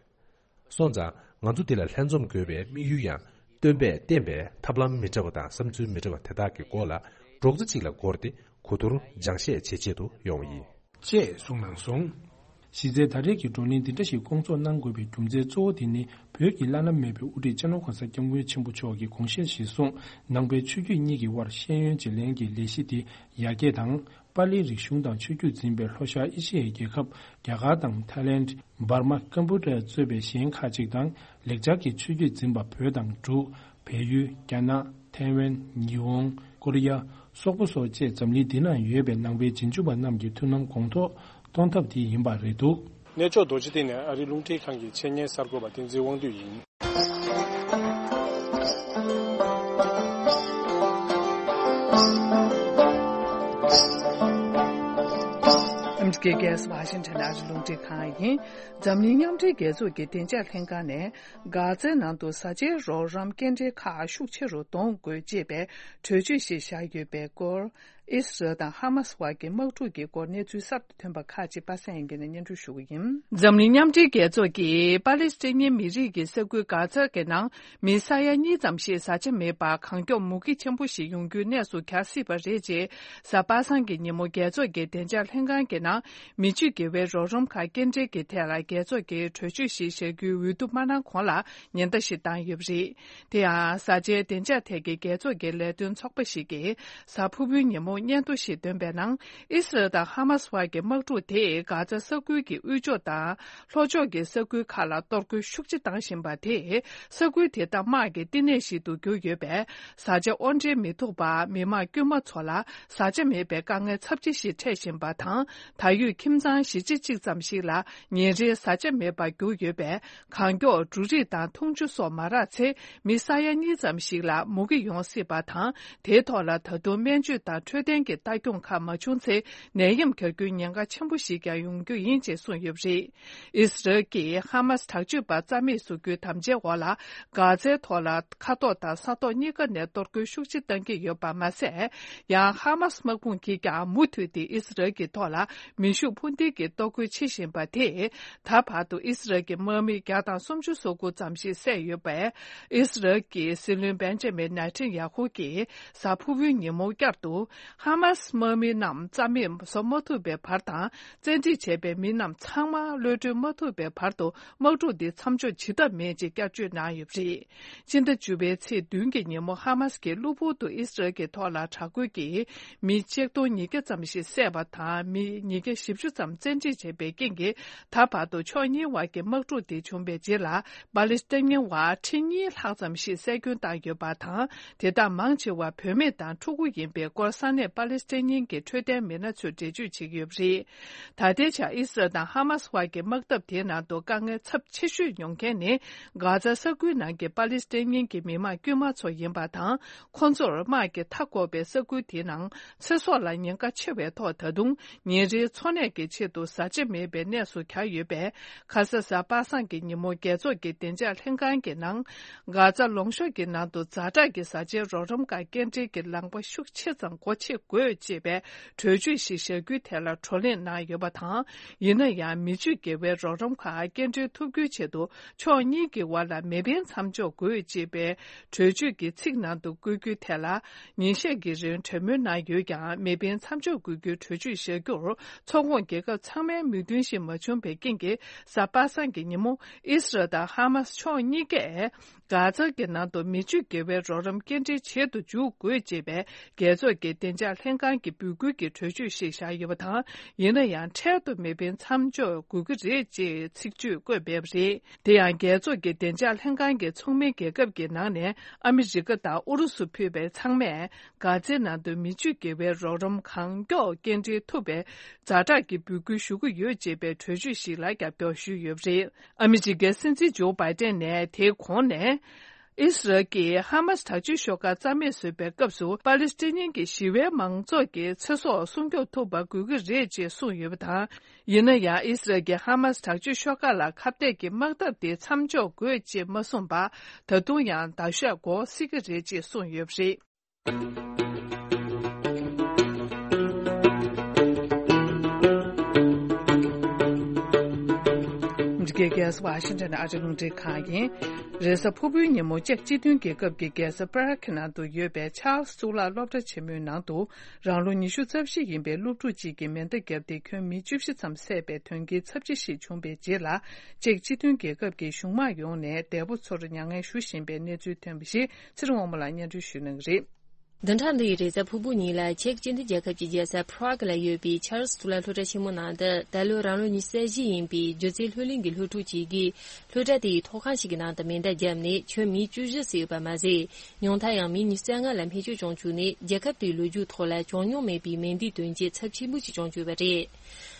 སོང་ཙང་ང་ཚོ་འདི་ལ་ལྷན་འཛོམས་དགོས་པའི་དམིགས་ཡུལ་ཡང་སྟོན་པས་བསྟན་པའི་ཐབས་ལམ་མི་འདྲ་བ་དང་བསམ་ཚུལ་མི་འདྲ་བ་དེ་དག་གི་སྐོར་ལ་རྡོག་རྩ་གཅིག་ལ་བསྐོར་ཏེ་གོ་བསྡུར་སྦྱང་བཤད་བྱེད་ཆེད་དུ་ཡོང་བ་ཡིན། ཅེས་གསུངས་གནང་སོང་། གཞི་རྩའི་ད་རེས་ཀྱི་བགྲོ་གླེང་འདི་འདྲ་ཞིག་སྐོང་ཚོགས་གནང་དགོས་པའི་རྒྱུ་མཚན་གཙོ་བོ་དེ་ནི། བོད་ཀྱི་བླ་ན་མེད་པའི་དབུ་ཁྲིད་སྤྱི་ནོར་གོང་ས་སྐྱབས་མགོན་ཆེན་པོ་མཆོག་གིས་དགོངས་བཞེས་གཞིར་བཟུང་། ནང་པའི་ཆོས་བརྒྱུད་གཉིས་ཀྱི་དབར་ཤེས་ཡོན་བརྗེ་ལེན་གྱི་ལས་གཞི་དེ་ཡར་རྒྱས་དང་། པཱ་ལིའི་རིག་གཞུང་དང་ཆོས་བརྒྱུད་འཛིན་པའི་ལྷོ་ཤར་ཨེ་ཤི་ཡའི་རྒྱལ་ཁབ་རྒྱ་གར་དང་ཐའི་ལེནྜ། འབར་མ། ཀམ་པུ་ཊ་གཙོས་པའི་གཞན་ཁག་ཅིག་དང་། ལེགས་སྦྱར་གྱི་ཆོས་བརྒྱུད་འཛིན་པ་བོད་དང་འབྲུག་བལ་ཡུལ། རྒྱ་ནག་ཐའེ་ཝན། ཉི་ཧོང་། ཀོ་རི་ཡ། སོག་པོ་སོགས་བཅས་འཛམ་གླིང་འདི་ན་ཡོད་པའི་ནང་པའི་རྗེས་འཇུག་པ་རྣམས་ཀྱི་མཐུན་ལམ་གོང་མཐོར་གཏོང་ཐབས་དེ་ཡིན་པ་རེད་འདུག། གནས་མཆོག་རྡོ་རྗེ་གདན་ནས་ཨ་རིའི་རླུང་འཕྲིན་ཁང་གི་ཆེད་གཉེར་གསར་འགོད་པ་བསྟན་འཛིན་དབང་འདུས་ཡིན། ཨ་མི་རི་ཀའི་རྒྱལ་ས་ཝ་ཤིང་ཊོན་ཨ་རིའི་རླུང་འཕྲིན་ཁང་ཡིན། འཛམ་གླིང་མཉམ་འབྲེལ་རྒྱལ་ཚོགས་ཀྱི་བདེ་འཇགས་ལྷན་ཁང་ནས། གྷ་ཛའི་ནང་དུ་བཟའ་བཅའི་རོགས་རམ་སྐྱེལ་འདྲེན་ཁག་ཤུགས་ཆེ་རུ་གཏོང་དགོས་ཅེས་པའི་གྲོས་ཆོད་ཞིག་བཞག་ཡོད་པའི་སྐོར། ཨི་སི་རལ་དང་ཧ་མ་སི་དབར་གྱི་དམག་འཁྲུག་གི་སྐོར་གནས་ཚུལ་གསར་དུ་ཐོན་པ་ཁག་ཅིག་པ་སངས་དབྱངས་སྐྱིད་ནས་སྙན་སྒྲོན་ཞུ་གི་ཡིན། འཛམ་གླིང་མཉམ་འབྲེལ་རྒྱལ་ཚོགས་ཀྱིས་པ་ལི་སི་ཐན་མི་རིགས་ཀྱི་ས་ཁུལ་གྷ་ཛ་གི་ནང་མི་ས་ཡ་གཉིས་ཙམ་ཞིག་བཟའ་བཅའ་མེད་པར་གང་མགྱོགས་མུ་གེ་ཆེན་པོ་ཞིག་ཡོང་རྒྱུའི་གནས་སུ་གྱར་སྲིད་པ་རེད་ཅེས། གཟའ་པ་སངས་ཀྱི་ཉིན་མོ་རྒྱལ་ཚོགས་ཀྱི་བདེ་འཇགས་ལྷན་ཁང་གི་ནང་མི་ཆོས་དགེ་བའི་རོགས་རམ་ཁག་སྐྱེལ་འདྲེན་གྱི་ཐད་ལ་རྒྱལ་ཚོགས་ཀྱིས་གྲོས་ཆོད་ཞིག་བཞག་རྒྱུའི་འོས་བསྡུ་མ་གནང་གོང་ལ་ཉེན་བརྡ་ཞིག་བཏང་ཡོད་པ་རེད། དེ་ཡང་། བཟའ་བཅའི་བདེ་འཇགས་ཐད་ཀྱི་རྒྱལ་ཚོགས་ཀྱི་ལས་དོན་ཚོགས་པ་ཞིག་གིས་གཟའ་ཕུར་བུའི་ཉིན་མོ་སྙན་ཐོ་ཞིག་བཏོན་པའི་ནང་། ཨི་སི་རལ་དང་ཧ་མ་སི་བར་གྱི་དམག་འཁྲུག་དེས་གྷ་ཛ་ས་ཁུལ་གྱི་དབུས་ཕྱོགས་དང་ལྷོ་ཕྱོགས་ཀྱི་ས་ཁུལ་ཁག་ལ་གཏོར་རྒོལ་ཤུགས་ཆེ་བཏང་བཞིན་པ་དེས། ས་ཁུལ་དེ་དག་དམག་གི་བསྟི་གནས་ཤིག་ཏུ་གྱུར་ཡོད་པས། བཟའ་བཅའ་དབོར་འདྲེན་མི་ཐུབ་པར་མི་དམངས་དཀྱུས་མ་ཚོ་ལ་བཟའ་བཅའ་མེད་པའི་དཀའ་ངལ་ཚབས་ཆེ་ཞིག་འཕྲད་བཞིན་པ་དང་། ད་ཡོད་ཁྱིམ་ཚང་བཞི་བཅུ་གཅིག་ཙམ་ཞིག་ལ་ཉིན་རེའི་བཟའ་བཅའ་མེད་པར་གྱུར་ཡོད་པས། གང་མགྱོགས་འབྲུ་རིགས་དང་འཐུང་ཆུ་སོགས་མ་རག་ཚེ། མི་ས་ཡ་གཉིས་ཙམ་ཞིག་ལ་མུ་གེ་ཡོང་སྲིད་པ་དང་། དེའི་ཐོག་ལ་ད་དུང་སྨན་བཅོས་དང་འཕྲོད་བསྟེན་གྱི་ལྟ་སྐྱོང་ཁག་མ་བྱུང་ཚེ། ནད་ཡམས་གྱར་རྒྱུའི་ཉེན་ཁ་ཆེན་པོ་ཞིག་ཀྱང་ཡོང་རྒྱུ་ཡིན་ཅེས་གསུངས་ཡོད་པ་རེད། ཨི་སི་རལ་གྱིས་ཧ་མ་སི་དྲག་སྤྱོད་པ་རྩ་མེད་བཟོ་རྒྱུའི་དམ་བཅའི་འོག་ལ། གྷ་ཛའི་ཐོག་ལ་མཁའ་ཐོག་དང་ས་ཐོག་གཉིས་ཀ་ནས་གཏོར་རྒོལ་ཤུགས་ཆེ་བཏང་གི་ཡོད་པ་མ་ཟད། ཡང་ཧ་མ་སི་དམག་དཔུང་གིས་ཀྱང་མུ་མཐུད་དེ་ཨི་སི་རལ་གྱི་ཐོག་ལ་མེ་ཤུགས་འཕུར་མདེལ་གྱིས་གཏོར་རྒོལ་བྱེད་བཞིན་པ་དེས། ད་བར་དུ་ཨི་སི་རལ་གྱི་དམག་མི་བརྒྱ་དང་སུམ་ཅུ་སོ་དགུ་ཙམ་ཞིག་བསད་ཡོད་པས། ཨི་སི་རལ་གྱི་སྲིད་བློན་བེན་ཇ་མིན་ནེ་ཐན་ཡ་ཧུ་གིས་གཟའ་ཕུར་བུའི་ཉིན་མོ་བསྐྱར་དུ། ཧ་མ་སི་དམག་མི་རྣམས་རྩ་མེད་བཟོ་མ་ཐུབ་པའི་བར་དང་། བཙན་ཁྲིད་བྱས་པའི་མི་རྣམས་ཚང་མ་གློད་གྲོལ་མ་ཐུབ་པའི་བར་དུ། དམག་འཁྲུག་འདི་མཚམས་འཇོག་བྱེད་ཐབས་མེད་ཅེས་བསྐྱར་བརྗོད་གནང་ཡོད་པ་རེད། ཕྱི་ཟླ་བཅུ་པའི་ཚེས་བདུན་གྱི་ཉིན་མོ་ཧ་མ་སི་གིས་གློ་བུར་དུ་ཨི་སི་རལ་གྱི་ཐོག་ལ་དྲག་རྒོལ་གྱིས་མི་ཆིག་སྟོང་ཉིས་བརྒྱ་ཙམ་ཞིག་བསད་པ་དང་། མི་ཉིས་བརྒྱ་བཞི་བཅུ་ཙམ་བཙན་ཁྲིད་བྱས་པའི་རྐྱེན་གྱིས། ད་བར་དུ་ཕྱོགས་གཉིས་བར་གྱི་དམག་འཁྲུག་དེ་བྱུང་བའི་རྗེས་ལ། པ་ལི་སི་ཐན་བར་ཁྲི་གཉིས་ལྷག་ཙམ་ཞིག་བསད་སྐྱོན་བཏང་ཡོད་པ་དང་། དེ་དག་མང་ཆེ་བ་བུད་མེད་དང་ཕྲུ་གུ་ཡིན་པའི་སྐོར་ས་གནས་པ་ལི་སི་ཐན་གྱི་འཕྲོད་བསྟེན་མི་སྣ་ཚོས་འགྲེལ་བརྗོད་བྱེད་ཀྱི་ཡོད་པ་རེད། ད་ལྟའི་ཆར་ཨི་སི་རལ་དང་ཧ་མ་སི་བར་གྱི་དམག་འཐབ་དེའི་ནང་དུ་དཀའ་ངལ་ཚབས་ཆེ་ཤོས་ཡོང་མཁན་ནི། གྷ་ཛ་ས་ཁུལ་ནང་གི་པ་ལི་སི་ཐན་གྱི་མི་དམངས་དཀྱུས་མ་ཚོ་ཡིན་པ་དང་། ཁོ་ཚོར་དམག་གིས་མཐའ་བསྐོར་བའི་ས་ཁུལ་དེའི་ནང་ཚེ་སྲོག་ལ་ཉེན་ཁ་ཆེ་བའི་ཐོག་ད་དུང་ཉིན་རེའི་འཚོ་གནས་ཀྱི་ཆེད་དུ་བཟའ་བཅའ་མེད་པའི་གནས་སུ་གྱར་ཡོད་པས། ཁ་ས་གཟའ་པ་སངས་ཀྱི་ཉིན་མོ་རྒྱལ་ཚོགས་ཀྱི་བདེ་འཇགས་ལྷན་ཁང་གི་ནང་། གྷ་ཛ་ལུང་གཤོང་གི་ནང་དུ་ཛ་དྲག་གི་བཟའ་བཅའི་རོགས་རམ་ཁག་སྐྱེལ་འདྲེན་གྱི་ལམ་ཁ་ཤུགས་ཆེ་ཙམ་སྒོ་ཕྱེ་དགོས་ཅེས་པའི་གྲོས་ཆོད་ཞིག་བཞག་རྒྱུའི་ཐད་ལ་བགྲོ་གླེང་གནང་ཡོད་པ་དང་། ཡིན་ན་ཡང་། མི་ཆོས་དགེ་བའི་རོགས་རམ་ཁག་སྐྱེལ་འདྲེན་ཐུབ་རྒྱུའི་ཆེད་དུ། ཕྱོགས་གཉིས་ཀྱི་དབར་ལ་མེ་འཕེན་མཚམས་འཇོག་དགོས་ཅེས་པའི་གྲོས་ཆོད་ཀྱི་ཚིག་ནང་དུ་བཀོད་རྒྱུའི་ཐད་ལ། ཉིན་ཤས་ཀྱི་རིང་གྲོས་མོལ་གནང་ཡོད་ཀྱང་། མེ་འཕེན་མཚམས་འཇོག་དགོས་རྒྱུའི་གྲོས་ཆོད་བཞག་རྒྱུར། ཚོགས་ཁོངས་རྒྱལ་ཁབ་ཚང་མའི་མོས་མཐུན་ཞིག་མ་བྱུང་བའི་རྐྱེན་གྱིས། གཟའ་པ་སངས་ཀྱི་ཉིན་མོ། ཨི་སི་རལ་དང་ཧ་མ་སི་ཕྱོགས་གཉིས་ཀས། གྷ་ཛ་གི་ནང་དུ་མི་ཆོས་དགེ་བའི་རོགས་རམ་སྐྱེལ་འདྲེན་བྱེད་དུ་འཇུག་དགོས་ཅེས་པའི་རྒྱལ་ཚོགས་ཀྱི་བདེ་འཇགས་ལྷན་ཁང་གི་འབོད་སྐུལ་གྱི་གྲོས་ཆོད་ཞིག་བཞག་ཡོད་པ་དང་། ཡིན་ན་ཡང་། འཕྲལ་དུ་མེ་འཕེན་མཚམས་འཇོག་དགོས་ཀྱི་རེད་ཅེས་ཚིག་བརྗོད་བཀོད་ཡོད་པ་རེད། དེ་ཡང་། རྒྱལ་ཚོགས་ཀྱི་བདེ་འཇགས་ལྷན་ཁང་གི་ཚོགས་མི་རྒྱལ་ཁབ་ཀྱི་ནང་ནས་ཨ་མི་རི་ཀ་དང་ཨུ་རུ་སུ་ཕུད་པའི་ཚང་མས། གྷ་ཛའི་ནང་དུ་མི་ཆོས་དགེ་བའི་རོགས་རམ་གང་མགྱོགས་སྐྱེལ་འདྲེན་ཐུབ་པའི་ཛ་དྲག་གི་འབོད་སྐུལ་ཞུ་གི་ཡོད་ཅེས་པའི་གྲོས་ཆོད་ཞིག་ལ་རྒྱབ་སྐྱོར་ཞུས་ཡོད་པ་རེད། ཨ་མི་རི་ཀའི་སྲིད་འཛིན་ཇོ་བྷའི་ཏན་ནས་དེའི་གོང་ནས། ཨི་སི་རལ་གྱིས་ཧ་མ་སི་དྲག་སྤྱོད་ཤོག་ཁག་རྩ་མེད་བཟོས་པའི་སྐབས་སུ། པ་ལི་སི་ཐན་གྱི་ཞི་བའི་མང་ཚོགས་ཀྱི་ཚེ་སྲོག་སྲུང་སྐྱོབ་ཐུབ་པ་དགོས་ཀྱི་རེད་ཅེས་གསུངས་ཡོད་པ་དང་། ཡིན་ན་ཡང་། ཨི་སི་རལ་གྱིས་ཧ་མ་སི་དྲག་སྤྱོད་ཤོག་ཁག་ལ་ཁ་གཏད་ཀྱི་དམག་འཐབ་དེ་མཚམས་འཇོག་དགོས་ཅེས་མ་གསུངས་པར། ད་དུང་ཡང་ཟླ་ཤས་འགོར་སྲིད་ཀྱི་རེད་ཅེས་གསུངས་ཡོད་པ་རེད། འདི་ རྒྱལ་ས་ཝ་ཤིང་ཊོན་ཨ་རི་རླུང་འཕྲིན་ཁང་ཡིན། རེས་གཟའ་ཕུར་བུའི་ཉིན་མོ་ཅེཀ་སྤྱི་མཐུན་རྒྱལ་ཁབ་ཀྱི་རྒྱལ་ས་པ་རག་གི་ནང་དུ་ཡོད་པའི་ཆཱལ་སི་གཙུག་ལག་སློབ་གྲྭ་ཆེན་མོའི་ནང་དུ། རང་ལོ་ཉི་ཤུ་རྩ་བཞི་ཡིན་པའི་སློབ་ཕྲུག་ཅིག་གིས་མེ་མདའ་བརྒྱབ་སྟེ། ཁྱོན་མི་བཅུ་བཞི་ཙམ་བསད་པའི་དོན་རྐྱེན་ཚབས་ཆེ་ཞིག་བྱུང་བའི་རྗེས་ལ། ཅེཀ་སྤྱི་མཐུན་རྒྱལ་ཁབ་ཀྱི་གཞུང་དམག་ཡོངས་ནས་འདས་པོ་ཚོར་མྱ་ངན་ཞུ་བཞིན་པའི་གནས་ཚུལ་ཐོན་པ་ཞིག་ཚེ་རིང་དབང་མོ་ལགས་སྙན་སྒྲོན་ཞུ་གནང་གི་རེད། བདུན་ཕྲག་འདིའི་རེས་གཟའ་ཕུར་བུ་ཉིན་ལ་ཅེཀ་སྤྱི་མཐུན་རྒྱལ་ཁབ་ཀྱི་རྒྱལ་ས་པ་རག་ལ་ཡོད་པའི་ཆཱལ་སི་གཙུག་ལག་སློབ་གྲྭ་ཆེན་མོ་ནང་དུ། ད་ལོ་རང་ལོ་ཉི་ཤུ་རྩ་བཞི་ཡིན་པའི་སྒྱུ་རྩལ་སློབ་གླིང་གི་སློབ་ཕྲུག་ཅིག་གིས། སློབ་གྲྭ་དེའི་ཐོག་ཁང་ཞིག་གི་ནང་དུ་མེ་མདའ་བརྒྱབ་ནས། ཁྱོན་མི་བཅུ་བཞི་བསད་ཡོད་པ་མ་ཟད། ཉུང་མཐར་ཡང་མི་ཉི་ཤུ་རྩ་ལྔ་ལ་རྨས་སྐྱོན་བྱུང་བཅུག་ནས། རྒྱལ་ཁབ་དེའི་ལོ་རྒྱུས་ཐོག་ལ་བྱུང་མྱོང་མེད་པའི་མེ་མདའི་དོན་རྐྱེན་ཚབས་ཆེན་པོ་ཞིག་བྱུང་བཅུག་པ་རེད།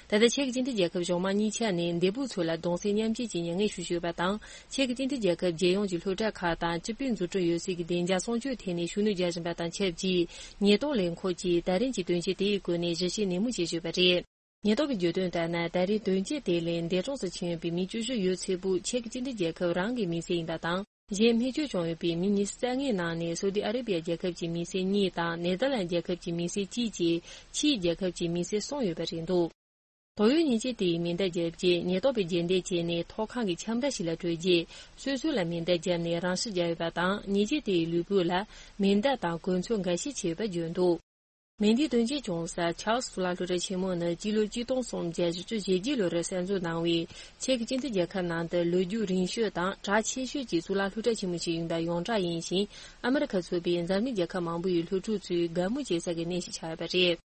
ད་ལྟ་ཆེག་སྤྱི་མཐུན་རྒྱལ་ཁབ་གཞུང་དམངས་གཉིས་ཆ་ནས་འདས་པོ་ཚོ་ལ་གདུང་སེམས་མཉམ་སྐྱེད་ཀྱི་མྱ་ངན་ཞུ་བཞིན་ཡོད་པ་དང་། ཆེག་སྤྱི་མཐུན་རྒྱལ་ཁབ་རྒྱལ་ཡོངས་ཀྱི་སློབ་གྲྭ་ཁག་དང་སྤྱི་པའི་འཛུགས་སྐྲུན་ཡོད་སའི་གི་བདེ་འཇགས་སྲུང་སྐྱོབ་ཐད་ནས་ཤུགས་སྣོན་རྒྱག་བཞིན་པ་དང་ཆབས་ཅིག་ཉེན་རྟོག་ལས་ཁུངས་ཀྱིས་ད་རིང་གི་དོན་རྐྱེན་དེའི་སྐོར་ནས་ཞིབ་བཤེར་ནན་མོ་བྱེད་བཞིན་ཡོད་པ་རེད། ཉེན་རྟོག་གིས་བརྗོད་དོན་ལྟར་ན། ད་རེས་དོན་རྐྱེན་དེ་ལས་འདས་གྲོངས་སུ་ཕྱིན་ཡོད་པའི་མི་བཅུ་བཞི་ཡོད་ཚད་པོ་ཆེག་སྤྱི་མཐུན་རྒྱལ་ཁབ་རང་གི་མི་སེར་ཡིན་པ་དང་། གཞན་རྨས་སྐྱོན་བྱུང་ཡོད་པའི་མི་ཉི་ཤུ་རྩ་ལྔའི་ནང་ནས་སོ་ཏི་ཨ་རེ་བི་ཡ་རྒྱལ་ཁབ་ཀྱི་མི་སེར་གཉིས་དང་ནེ་ཐར་ལན་རྒྱལ་ཁབ་ཀྱི་མི་སེར་གཅིག་བཅས་ཕྱིའི་རྒྱལ་ཁབ་ཀྱི་མི་སེར་གསུམ་ཡོད་པ་རེད་འདུག་དོགས་ཡོད་ཉེས་ཅན་དེ་ཡིས་མེ་མདའ་བརྒྱབ་རྗེས། ཉེན་རྟོག་པས་རྗེས་འདེད་བྱས་ནས་ཐོག་ཁང་གི་ཁྱམས་ར་ཞིག་ལ་བྲོས་རྗེས། སོ་སོ་ལ་མེ་མདའ་བརྒྱབ་ནས་རང་ཤི་བརྒྱབ་ཡོད་པ་དང་། ཉེས་ཅན་དེ་ཡི་ལུས་པོ་ལ་མེ་མདའ་དང་གོས་ཚོས་འགའ་ཤས་ཕྱེ་ཡོད་པ་བརྗོད་འདུག་མེ་འདིའི་དོན་རྐྱེན་བྱུང་ས་ཆཱལ་སི་གཙུག་ལག་སློབ་གྲྭ་ཆེན་མོ་ནི་སྤྱི་ལོ་གཅིག་སྟོང་སུམ་བརྒྱ་བཞི་བཅུ་ཞེ་བརྒྱད་ལོ་རུ་གསར་འཛུགས་གནང་བའི་ཆེག་སྤྱི་མཐུན་རྒྱལ་ཁབ་ནང་དུ་ལོ་རྒྱུས་རིང་ཤོས་དང་གྲགས་ཆེ་ཤོས་ཀྱི་གཙུག་ལག་སློབ་གྲྭ་ཆེན་མོ་ཞིག་ཡིན་པ་ཡོངས་གྲགས་ཡིན་ཞིང་། ཨ་མི་རི་ཁ་ཚུད་པའི་འཛམ་གླིང་རྒྱལ་ཁབ་མང་པོ་ཡི་སློབ་ཕྲུག་ཚོས་དགའ་མོས་བྱེད་ས་གི་གནས་ཤིག་ཆགས་ཡོད་པ་རེད།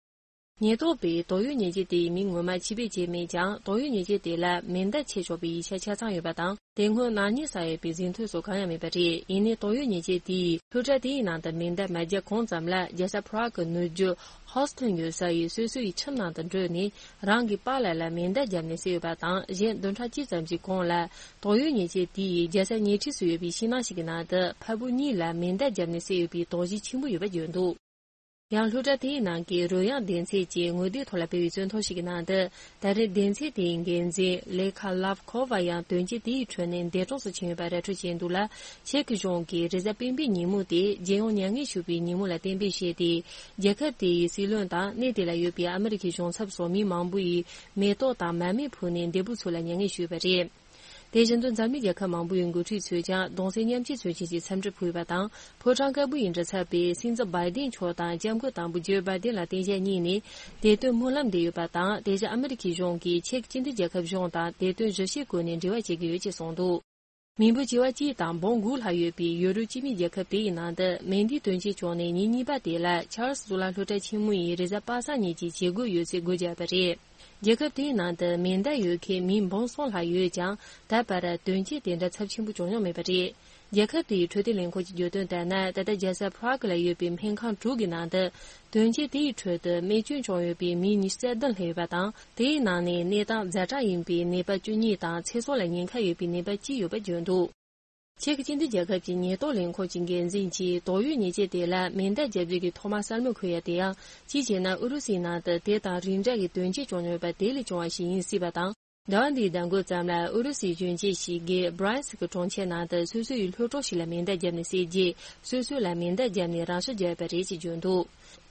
ཉེན་རྟོག་པས་དོགས་ཡོད་ཉེས་ཅན་དེའི་མིང་ངོ་མ་ཕྱི་སྦས་བྱས་མེད་ཀྱང་། དོགས་ཡོད་ཉེས་ཅན་དེ་ལ་མེ་མདའ་ཕྱེ་ཆོག་པའི་ཡིག་ཆ་ཆ་ཚང་ཡོད་པ་དང་། དེ་སྔོན་ནག་ཉེས་བསགས་ཡོད་པའི་ཟིན་ཐོ་སོགས་གང་ཡང་མེད་པ་རེད། ཡིན་ནའི་དོགས་ཡོད་ཉེས་ཅན་དེས་སློབ་གྲྭ་དེའི་ནང་དུ་མེ་མདའ་མ་བརྒྱབ་གོང་ཙམ་ལ། རྒྱལ་ས་པ་རག་གི་ནུབ་རྒྱུད་ཧོ་སི་ཐོན་ཡོད་ས་ཡི་སོ་སོ་ཡི་ཁྱིམ་ནང་དུ་འགྲོ་ནས་རང་གི་པཱ་ལགས་ལ་མེ་མདའ་བརྒྱབ་ནས་བསད་ཡོད་པ་དང་། གཞན་བདུན་ཕྲག་གཅིག་ཙམ་གྱི་གོང་ལ། དོགས་ཡོད་ཉེས་ཅན་དེ་ཡིས་རྒྱལ་ས་ཉེ་འཁྲིས་སུ་ཡོད་པའི་ཤིང་ནགས་ཤིག་གི་ནང་དུ་ཕ་བུ་གཉིས་ལ་མེ་མདའ་བརྒྱབ་ནས་བསད་ཡོད་པའི་དོགས་གཞི་ཆེན་པོ་ཡོད་པ་བརྗོད་འདུག་ཡང་སློབ་གྲྭ་དེའི་ནང་གི་རོལ་དབྱངས་ལྡན་ཚད་ཀྱི་ངོ་དེབ་ཐོག་ལ་སྤེལ་བའི་བརྙན་ཐུང་ཞིག་གི་ནང་དུ། ད་རེས་ལྡན་ཚད་དེའི་འགན་འཛིན་ལེ་ཁ་ལབ་ཁོ་ཝ་ཡང་དོན་རྐྱེན་དེའི་ཁྲོད་ནས་འདས་གྲོངས་སུ་ཕྱིན་ཡོད་པ་ར་འཕྲོད་བྱས་འདུག་ལ། ཆེག་གི་གཞུང་གིས་རེས་གཟའ་སྤེན་པའི་ཉིན་མོ་དེ་རྒྱལ་ཡོངས་མྱ་ངན་ཞུ་བའི་ཉིན་མོ་ལ་གཏན་འབེབས་བྱས་ཏེ། རྒྱལ་ཁབ་དེ་ཡི་སྲིད་བློན་དང་གནས་དེ་ལ་ཡོད་པའི་ཨ་མི་རི་ཁའི་གཞུང་ཚབ་སོགས་མི་མང་པོ་ཡིས་མེ་ཏོག་དང་མར་མེ་ཕུལ་ནས་འདས་པོ་ཚོ་ལ་མྱ་ངན་ཞུས་པ་རེད། དེ་བཞིན་དུ་འཛམ་གླིང་རྒྱལ་ཁབ་མང་པོ་ཡི་འགོ་ཁྲིད་ཚོས་ཀྱང་གདུང་སེམས་མཉམ་སྐྱེད་མཚོན་ཆེད་ཀྱི་འཚམས་འདྲི་ཕུལ་བ་དང་། ཕོ་བྲང་དཀར་པོ་ཡི་མགྲིན་ཚབ་པས་སྲིད་འཛིན་བྷའི་ཏིན་མཆོག་དང་སྐྱབས་མགོན་དང་པོ་ཇོ་བྷའི་ཏིན་ལ་བསྟན་བཤད་གཉིས་ནས་བདེ་དོན་སྨོན་ལམ་འདེབས་ཡོད་པ་དང་། དེ་བཞིན་ཨ་མི་རི་ཁའི་གཞུང་གིས་ཆེག་སྤྱི་མཐུན་རྒྱལ་ཁབ་གཞུང་དང་བདེ་དོན་གཞི་བྱེས་སྒོ་ནས་འབྲེལ་བ་བྱེད་ཀྱི་ཡོད་ཅེས་གསུངས་འདུག་མི་འབོར་བྱེ་བ་གཅིག་དང་འབུམ་དགུ་ལྷག་ཡོད་པའི་ཡུ་རོབ་སྤྱི་མིའི་རྒྱལ་ཁབ་དེ་ཡི་ནང་དུ་མེ་འདིའི་དོན་རྐྱེན་བྱུང་ནས་ཉིན་གཉིས་པ་དེ་ལ་ཆཱལ་སི་གཙུག་ལག་སློབ་གྲྭ་ཆེན་མོ་ཡིས་རེས་གཟའ་པ་སངས་ཉིན་གྱི་བྱེད་སྒོ་ཡོད་ཚད་སྒོ་བརྒྱབ་པ་རེད། རྒྱལ་ཁབ་དེའི་ནང་དུ་མེ་མདའ་ཡོད་མཁན་མི་འབུམ་གསུམ་ལྷག་ཡོད་ཀྱང་། ད་བར་དོན་རྐྱེན་དེ་འདྲ་ཚབས་ཆེན་པོ་བྱུང་མྱོང་མེད་པ་རེད། རྒྱལ་ཁབ་དེའི་འཕྲོད་བསྟེན་ལས་ཁུངས་ཀྱིས་བརྗོད་དོན་ལྟར་ན། ད་ལྟ་རྒྱལ་ས་པ་རག་ལ་ཡོད་པའི་སྨན་ཁང་དྲུག་གི་ནང་དུ་དོན་རྐྱེན་དེའི་ཁྲོད་དུ་རྨས་སྐྱོན་བྱུང་ཡོད་པའི་མི་ཉི་ཤུ་རྩ་བདུན་སླེབས་ཡོད་པ་དང་། དེའི་ནང་ནས་གནས་སྟངས་ཛ་དྲག་ཡིན་པའི་ནད་པ་བཅུ་གཉིས་དང་། ཚེ་སྲོག་ལ་ཉེན་ཁ་ཡོད་པའི་ནད་པ་གཅིག་ཡོད་པ་བརྗོད་འདུག་ཆེག་སྤྱི་མཐུན་རྒྱལ་ཁབ་ཀྱི་ཉེན་རྟོག་ལས་ཁུངས་ཀྱི་འགན་འཛིན་གྱིས་དོགས་ཡོད་ཉེས་ཅན་དེ་ལ་མེ་མདའ་བརྒྱབ་རྒྱུ་གི་ཐོག་མ་གསལ་མོ་འཁོད་ཡ་དེ་ཡང་། གཅིག་བྱས་ན་ཨུ་རུ་སུའི་ནང་དུ་དེ་དང་རིགས་འདྲ་གི་དོན་རྐྱེན་བྱུང་ཡོད་པ་དེ་ལས་བྱུང་བ་ཞིག་ཡིན་སྲིད་པ་དང་། ཟླ་བ་འདིའི་ཟླ་འགོ་ཙམ་ལ་ཨུ་རུ་སུའི་གཞོན་སྐྱེས་ཤིག་གིས་བྷ་རན་སི་གི་གྲོང་ཁྱེར་ནང་དུ་སོ་སོ་ཡི་སློབ་གྲོགས་ཤིག་ལ་མེ་མདའ་བརྒྱབ་ནས་བསད་རྗེས། སོ་སོ་ལ་མེ་མདའ་བརྒྱབ་ནས་རང་ཤི་བརྒྱབ་པ་རེད་ཅེས་བརྗོད་འདུག་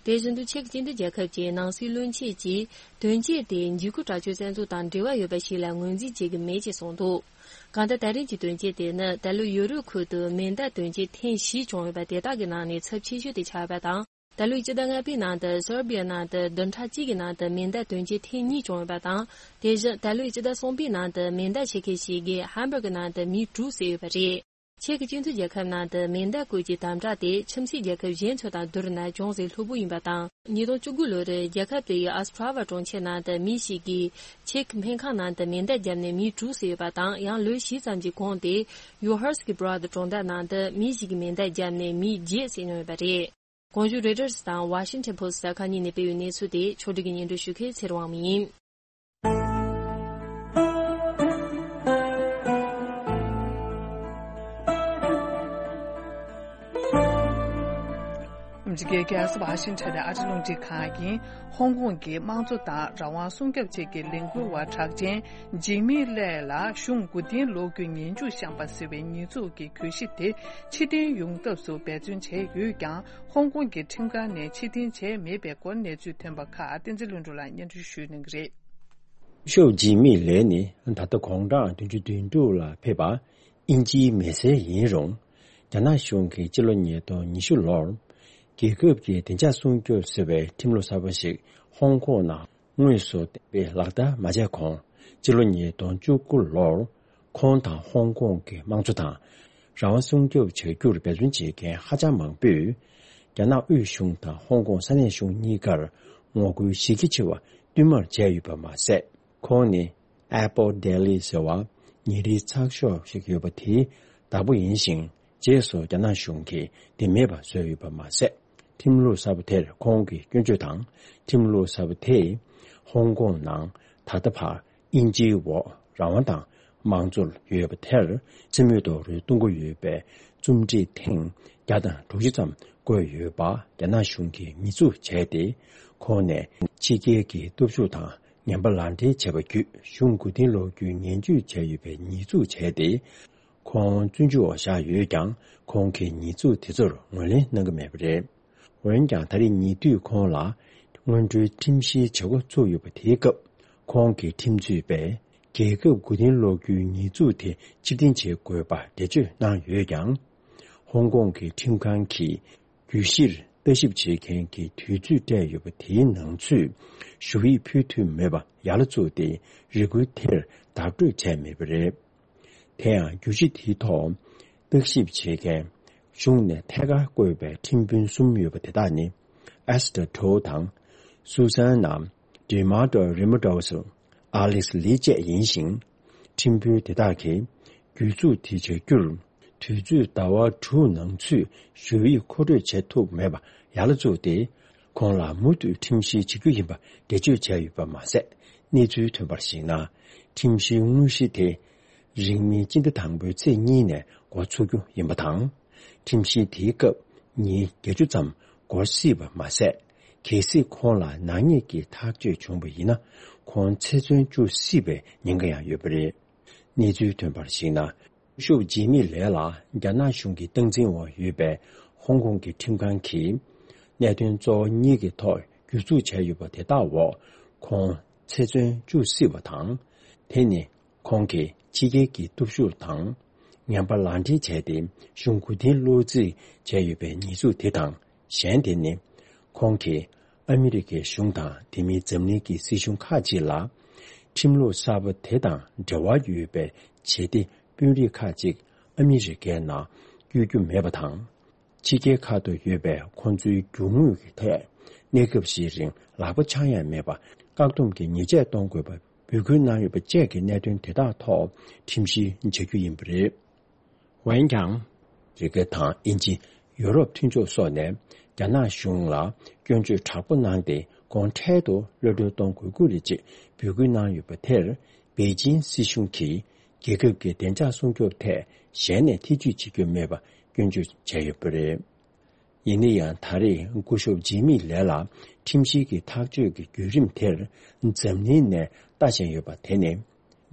དེ་བཞིན་དུ་ཆེག་སྤྱི་མཐུན་རྒྱལ་ཁབ་ཀྱི་ནང་སྲིད་བློན་ཆེན་གྱིས་དོན་རྐྱེན་དེ་འཇིགས་སྐུལ་དྲག་སྤྱོད་བཙན་འཛུལ་དང་འབྲེལ་བ་ཡོད་པ་ཞིག་ལ་ངོས་འཛིན་བྱེད་ཀྱི་མེད་ཅེས་གསུངས་འདུག་གང་ལྟར་ད་རིང་གི་དོན་རྐྱེན་དེ་ནི་ད་ལོ་ཡོ་རོབ་ཁུལ་དུ་མེ་མདའ་དོན་རྐྱེན་ཐེངས་བཞི་བྱུང་ཡོད་པ་དེ་དག་གི་ནང་ནས་ཚབས་ཆེ་ཤོས་དེ་ཆགས་ཡོད་པ་དང་། ད་ལོའི་སྤྱི་ཟླ་ལྔ་པའི་ནང་དུ་སོར་བི་ཡ་ནང་དུ་བདུན་ཕྲག་གཅིག་གི་ནང་དུ་མེ་མདའ་དོན་རྐྱེན་ཐེངས་གཉིས་བྱུང་ཡོད་པ་དང་། དེ་བཞིན་ད་ལོའི་སྤྱི་ཟླ་གསུམ་པའི་ནང་དུ་མེ་མདའ་ཕྱེད་ཀ་ཞིག་གིས་ཧམ་བྷག་གི་ནང་དུ་མི་དྲུག་བསད་ཡོད་པ་རེད། ཆེག་གི་སྤྱི་མཐུན་རྒྱལ་ཁབ་ནང་དུ་མེ་མདའ་བཀོལ་གྱི་དམ་དྲག་དེ་ཁྱིམ་མཚེས་རྒྱལ་ཁབ་གཞན་ཚོ་དང་བསྡུར་ན་ཅུང་ཟད་ལྷུག་པོ་ཡིན་པ་དང་། ཉིས་སྟོང་བཅུ་དགུ་ལོར་རྒྱལ་ཁབ་དེའི་ཨོས་ཊ་ར་ཝ་གྲོང་ཁྱེར་ནང་དུ་མི་ཞིག་གིས་ཆེག་སྨན་ཁང་ནང་དུ་མེ་མདའ་བརྒྱབ་ནས་མི་དྲུག་བསད་ཡོད་པ་དང་། ཡང་ལོ་བཞི་ཙམ་གྱི་གོང་དེ་ཡུ་ཧར་སི་ཀི་བྷ་ར་ཏི་གྲོང་རྡལ་ནང་དུ་མི་ཞིག་གིས་མེ་མདའ་བརྒྱབ་ནས་མི་བརྒྱད་བསད་མྱོང་ཡོད་པ་རེད། གོང་ཞུས་རོའི་ཊར་སི་དང་ཝ་ཤིང་ཊོན་པོ་སི་ཊི་གསར་ཁང་གཉིས་ནས་སྤེལ་བའི་གནས་ཚུལ་དེ་ཕྱོགས་སྒྲིག་གིས་སྙན་སྒྲོན་ཞུ་མཁན་ཚེ་རིང་དབང་མོ་ཡིན། རྒྱལ་ས་ཝ་ཤིང་ཊོན་ནས་ཨ་རི་རླུང་འཕྲིན་ཁང་ཡིན། ཧོང་ཀོང་གི་དམངས་གཙོ་དང་རང་དབང་སྲུང་སྐྱོབ་ཆེད་ཀྱི་ལས་འགུལ་བ་གྲགས་ཅན་ཇིང་མི་ལེ་ལ་གཞུང་མགོ་རྟིང་སློག་རྒྱུའི་ངན་ཇུས་བཤམས་པ་ཟེར་བའི་ཉེས་འཛུགས་ཀྱི་གྱོད་གཞི་དེ་ཕྱིར་འཐེན་ཡོང་ཐབས་སུ་འབད་བརྩོན་བྱས་ཡོད་ཀྱང་། ཧོང་ཀོང་གི་ཁྲིམས་ཁང་ནས་ཕྱིར་འཐེན་བྱས་མེད་པའི་སྐོར་གནས་ཚུལ་ཐོན་པ་ཁག་བསྟན་འཛིན་ལྷུན་གྲུབ་ལགས་སྙན་སྒྲོན་ཞུ་གནང་གི་རེད། ཤོབ་ཇི་མི་ལེ་ནི་ད་ལྟ་དགུང་གྲངས་བདུན་ཅུ་དོན་དྲུག་ལ་ཕེབས་པ་དབྱིན་ཇིའི་མི་སེར་ཡིན་རུང་། རྒྱ་ནག་གཞུང་གིས་སྤྱི་ལོ་ཉིས་སྟོང་ཉི་ཤུ་ལོར་རྒྱལ་ཁབ་ཀྱི་བདེ་འཇགས་སྲུང་སྐྱོབ་ཟེར་བའི་ཁྲིམས་ལུགས་གསར་པ་ཞིག་ཧོང་ཀོང་ནང་དངོས་སུ་གཏན་འབེབས་ལག་བསྟར་མ་བྱས་གོང་། སྤྱི་ལོ་ཉིས་སྟོང་བཅུ་དགུ་ལོར་ཁོང་དང་ཧོང་ཀོང་གི་དམངས་གཙོ་དང་། རང་དབང་སྲུང་སྐྱོབ་བྱ་རྒྱུར་འབད་བརྩོན་བྱེད་མཁན་ཧ་ཅང་མང་པོས། རྒྱ་ནག་དབུས་གཞུང་དང་ཧོང་ཀོང་ས་གནས་གཞུང་གཉིས་ཀར་ངོ་རྒོལ་གཞི་རྒྱ་ཆེ་བ་བསྟུད་མར་བྱས་ཡོད་པ་མ་ཟད། ཁོང་ནི་Apple Daily ཟེར་བ་ཉིན་རེའི་ཚགས་ཤོག་ཞིག་ཡོད་པ་དེའི་བདག་པོ་ཡིན་ཞིང་། རྗེས་སུ་རྒྱ་ནག་གཞུང་གིས་དེ་མེད་པར་བཟོས་ཡོད་པ་མ་ཟད། ཁྲིམས་ལུགས་གསར་པ་དེར་ཁོང་གི་སྐྱོན་བརྗོད་དང་། ཁྲིམས་ལུགས་གསར་པ་དེས་ཧོང་ཀོང་ནང་ད་ལྟ་བར་དབྱིན་ཇིའི་འོག་རང་དབང་དང་དམངས་གཙོ་ཡོད་པ་དེར་རྩིས་མེད་དུ་རུལ་གཏོང་གི་ཡོད་པའི་རྩོམ་སྒྲིག་ཐེངས་བརྒྱ་དང་དྲུག་ཅུ་ཙམ་བཀོད་ཡོད་པ་རྒྱ་ནག་གཞུང་གིས་ཉེས་འཛུགས་བྱས་ཏེ། ཁོང་ནས་ཕྱི་རྒྱལ་གྱི་སྟོབས་ཤུགས་དང་ངན་པ་ལག་འབྲེལ་བྱས་པ་བརྒྱུད་གཞུང་མགོ་རྟིང་སློག་རྒྱུའི་ངན་ཇུས་བྱས་ཡོད་པའི་ཉེས་འཛུགས་བྱས་ཏེ། ཁོང་བཙོན་འཇུག་འོག་བཞག་ཡོད་ཀྱང་། ཁོང་གིས་ཉེས་འཛུགས་དེ་ཚོར་ངོས་ལེན་གནང་གི་མེད་པ་རེད། འོན་ཀྱང་། ད་རེས་ཉེ་དུས་ཁོང་ལ་སྔོན་འགྲོའི་ཁྲིམས་བཤེར་བྱེད་འགོ་ཚུགས་ཡོད་པ་དེའི་སྐབས། ཁོང་གི་ཁྲིམས་རྩོད་པས་རྒྱལ་ཁབ་མགོ་རྟིང་སློག་རྒྱུའི་ཉེས་འཛུགས་དེ་ཕྱིར་འཐེན་བྱེད་དགོས་པར་འགྲེལ་བརྗོད་གནང་ཡོད་ཀྱང་། ཧོང་ཀོང་གི་ཁྲིམས་ཁང་གིས་གྱོད་གཞིར་ལྟ་ཞིབ་བྱེད་མཁན་གྱི་དུས་ཚོད་སྤྲད་ཡོད་པ་དེའི་ནང་ཚུད་ཞུ་ཡིག་ཕུལ་ཐུབ་མེད་པ་ཡར་ལ་བཙུགས་ཏེ། རེ་སྐུལ་དེར་བརྡ་སྤྲོད་བྱས་མེད་པ་རེད། དེ་ཡང་། གྱོད་གཞི་དེའི་ཐོག་བརྟག་ཞིབ་བྱེད་མཁན་གཞུང་ནས་ཐད་ཀར་བསྐོས་པའི་ཁྲིམས་དཔོན་གསུམ་ཡོད་པ་དེ་དག་ནི། Esther To དང་། Susana D'Amato Ramirez། Alex Lee བཅས་ཡིན་ཞིང་། ཁྲིམས་དཔོན་དེ་དག་གིས་གྱོད་འཛུགས་དེ་བྱ་རྒྱུར། དུས་ཚོད་ཟླ་བ་དྲུག་ནང་ཚུད་ཞུ་ཡིག་མཁོ་སྤྲོད་བྱེད་ཐུབ་མེད་པ་ཡར་ལ་བཙུགས་ཏེ། ཁོང་ལ་མུ་མཐུད་ཁྲིམས་བཤེར་བྱེད་རྒྱུ་ཡིན་པ་འགྲེལ་བརྗོད་བྱས་ཡོད་པ་མ་ཟད། གནས་ཚུལ་ཐོན་པར་གཞིགས་ན། ཁྲིམས་བཤེར་དངོས་གཞི་དེ་རིང་མིན་སྤྱི་ཟླ་དང་པོའི་ཚེས་གཉིས་ནས་འགོ་ཚུགས་རྒྱུ་ཡིན་པ་དང་། ཁྲིམས་བཤེར་དེའི་སྐབས་ཉིན་བརྒྱད་ཅུ་ཙམ་འགོར་སྲིད་པ་མ་ཟད། གལ་སྲིད་ཁོང་ལ་ནག་ཉེས་ཀྱི་ཐག་གཅོད་བྱུང་བ་ཡིན་ན། ཁོང་ཚེ་བཙོན་བཅུག་སྲིད་པའི་ཉེན་ཁ་ཡང་ཡོད་པ་རེད། གནས་ཚུལ་ཐོན་པར་གཞིགས་ན། སྐུ་ཞབས་ཇི་མི་ལེ་ལ་རྒྱ་ནག་གཞུང་གི་སྟངས་འཛིན་འོག་ཡོད་པའི་ཧོང་ཀོང་གི་ཁྲིམས་ཁང་གིས་གནད་དོན་གཙོ་བོ་གཉིས་ཀྱི་ཐོག་གྱོད་འཛུགས་བྱས་ཡོད་པ་དེ་དག་འོག་ཁོང་ཚེ་བཙོན་བཅུག་སྲིད་པ་དང་། དེ་ནི་ཁོང་གིས་ཕྱི་རྒྱལ་གྱི་སྟོབས་ཤུགས་དང་ངན་པ་ལག་འབྲེལ་བྱས་ཏེ་གཞུང་མགོ་རྟིང་སློག་རྩིས་བྱས་ཡོད་པའི་ཉེས་འཛུགས་དེ་དང་། གཞན་དེ་ནི་ཁོང་གིས་ཨ་མི་རི་ཀའི་གཞུང་དང་དེ་མིན་འཛམ་གླིང་གི་སྲིད་གཞུང་ཁག་ཅིག་ལ་ཁྲིམས་ལུགས་གསར་པ་དེ་དང་འབྲེལ་བ་ཡོད་པའི་བྱེད་གཏེ་དཔོན་རིགས་ཁག་ཅིག་ཨ་མི་རི་ཀའི་ནང་བསྐྱོད་རྒྱུ་མེད་པ་དང་། ཕྱི་རྒྱལ་ཁག་ཏུ་ཡོད་པའི་ཁོང་ཚོའི་རྒྱུ་དངོས་ཀྱི་ཐད་གནས་སྐབས་ཤིག་རིང་ལག་པ་འཆང་ཡ་མེད་པར་བཀག་སྡོམ་གྱི་ཉེས་ཆད་གཏོང་དགོས་པ་འབོད་སྐུལ་གནང་ཡོད་པ་བཅས་ཀྱི་གནད་དོན་དེ་དག་ཐོག་ཁྲིམས་བཤེར་བྱ་རྒྱུ་ཡིན་པ་རེད། འོན་ཀྱང་། ཨ་མི་རི་ཀ་དང་དབྱིན་ཇི། ཡོ་རོབ་མཐུན་ཕྱོགས་སོགས་ནས་རྒྱ་ནག་གཞུང་ལ་སྐྱོན་བརྗོད་དྲག་པོ་གནང་སྟེ། གོང་འཕྲལ་དུ་གློད་གྲོལ་གཏོང་དགོས་སྐོར་རེ་བཅས་འབོད་སྐུལ་གནང་ཡོད་པ་དེར། པེ་ཅིན་སྲིད་གཞུང་གིས་རྒྱལ་ཁབ་ཀྱི་བདེ་འཇགས་སྲུང་སྐྱོབ་ཐད་གཞན་ནས་ཐེ་ཇུས་བྱེད་རྒྱུ་མེད་པ་སྐྱོན་བརྗོད་བྱས་ཡོད་པ་རེད། ཡིན་ན་ཡང་། ད་རེས་སྐུ་ཞབས་ཇི་མི་ལེ་ལ་ཁྲིམས་བཤེར་གྱི་ཐག་གཅོད་ཀྱི་བརྒྱུད་རིམ་དེར་འཛམ་གླིང་ནས་ལྟ་བཞིན་ཡོད་པ་དེ་ནི།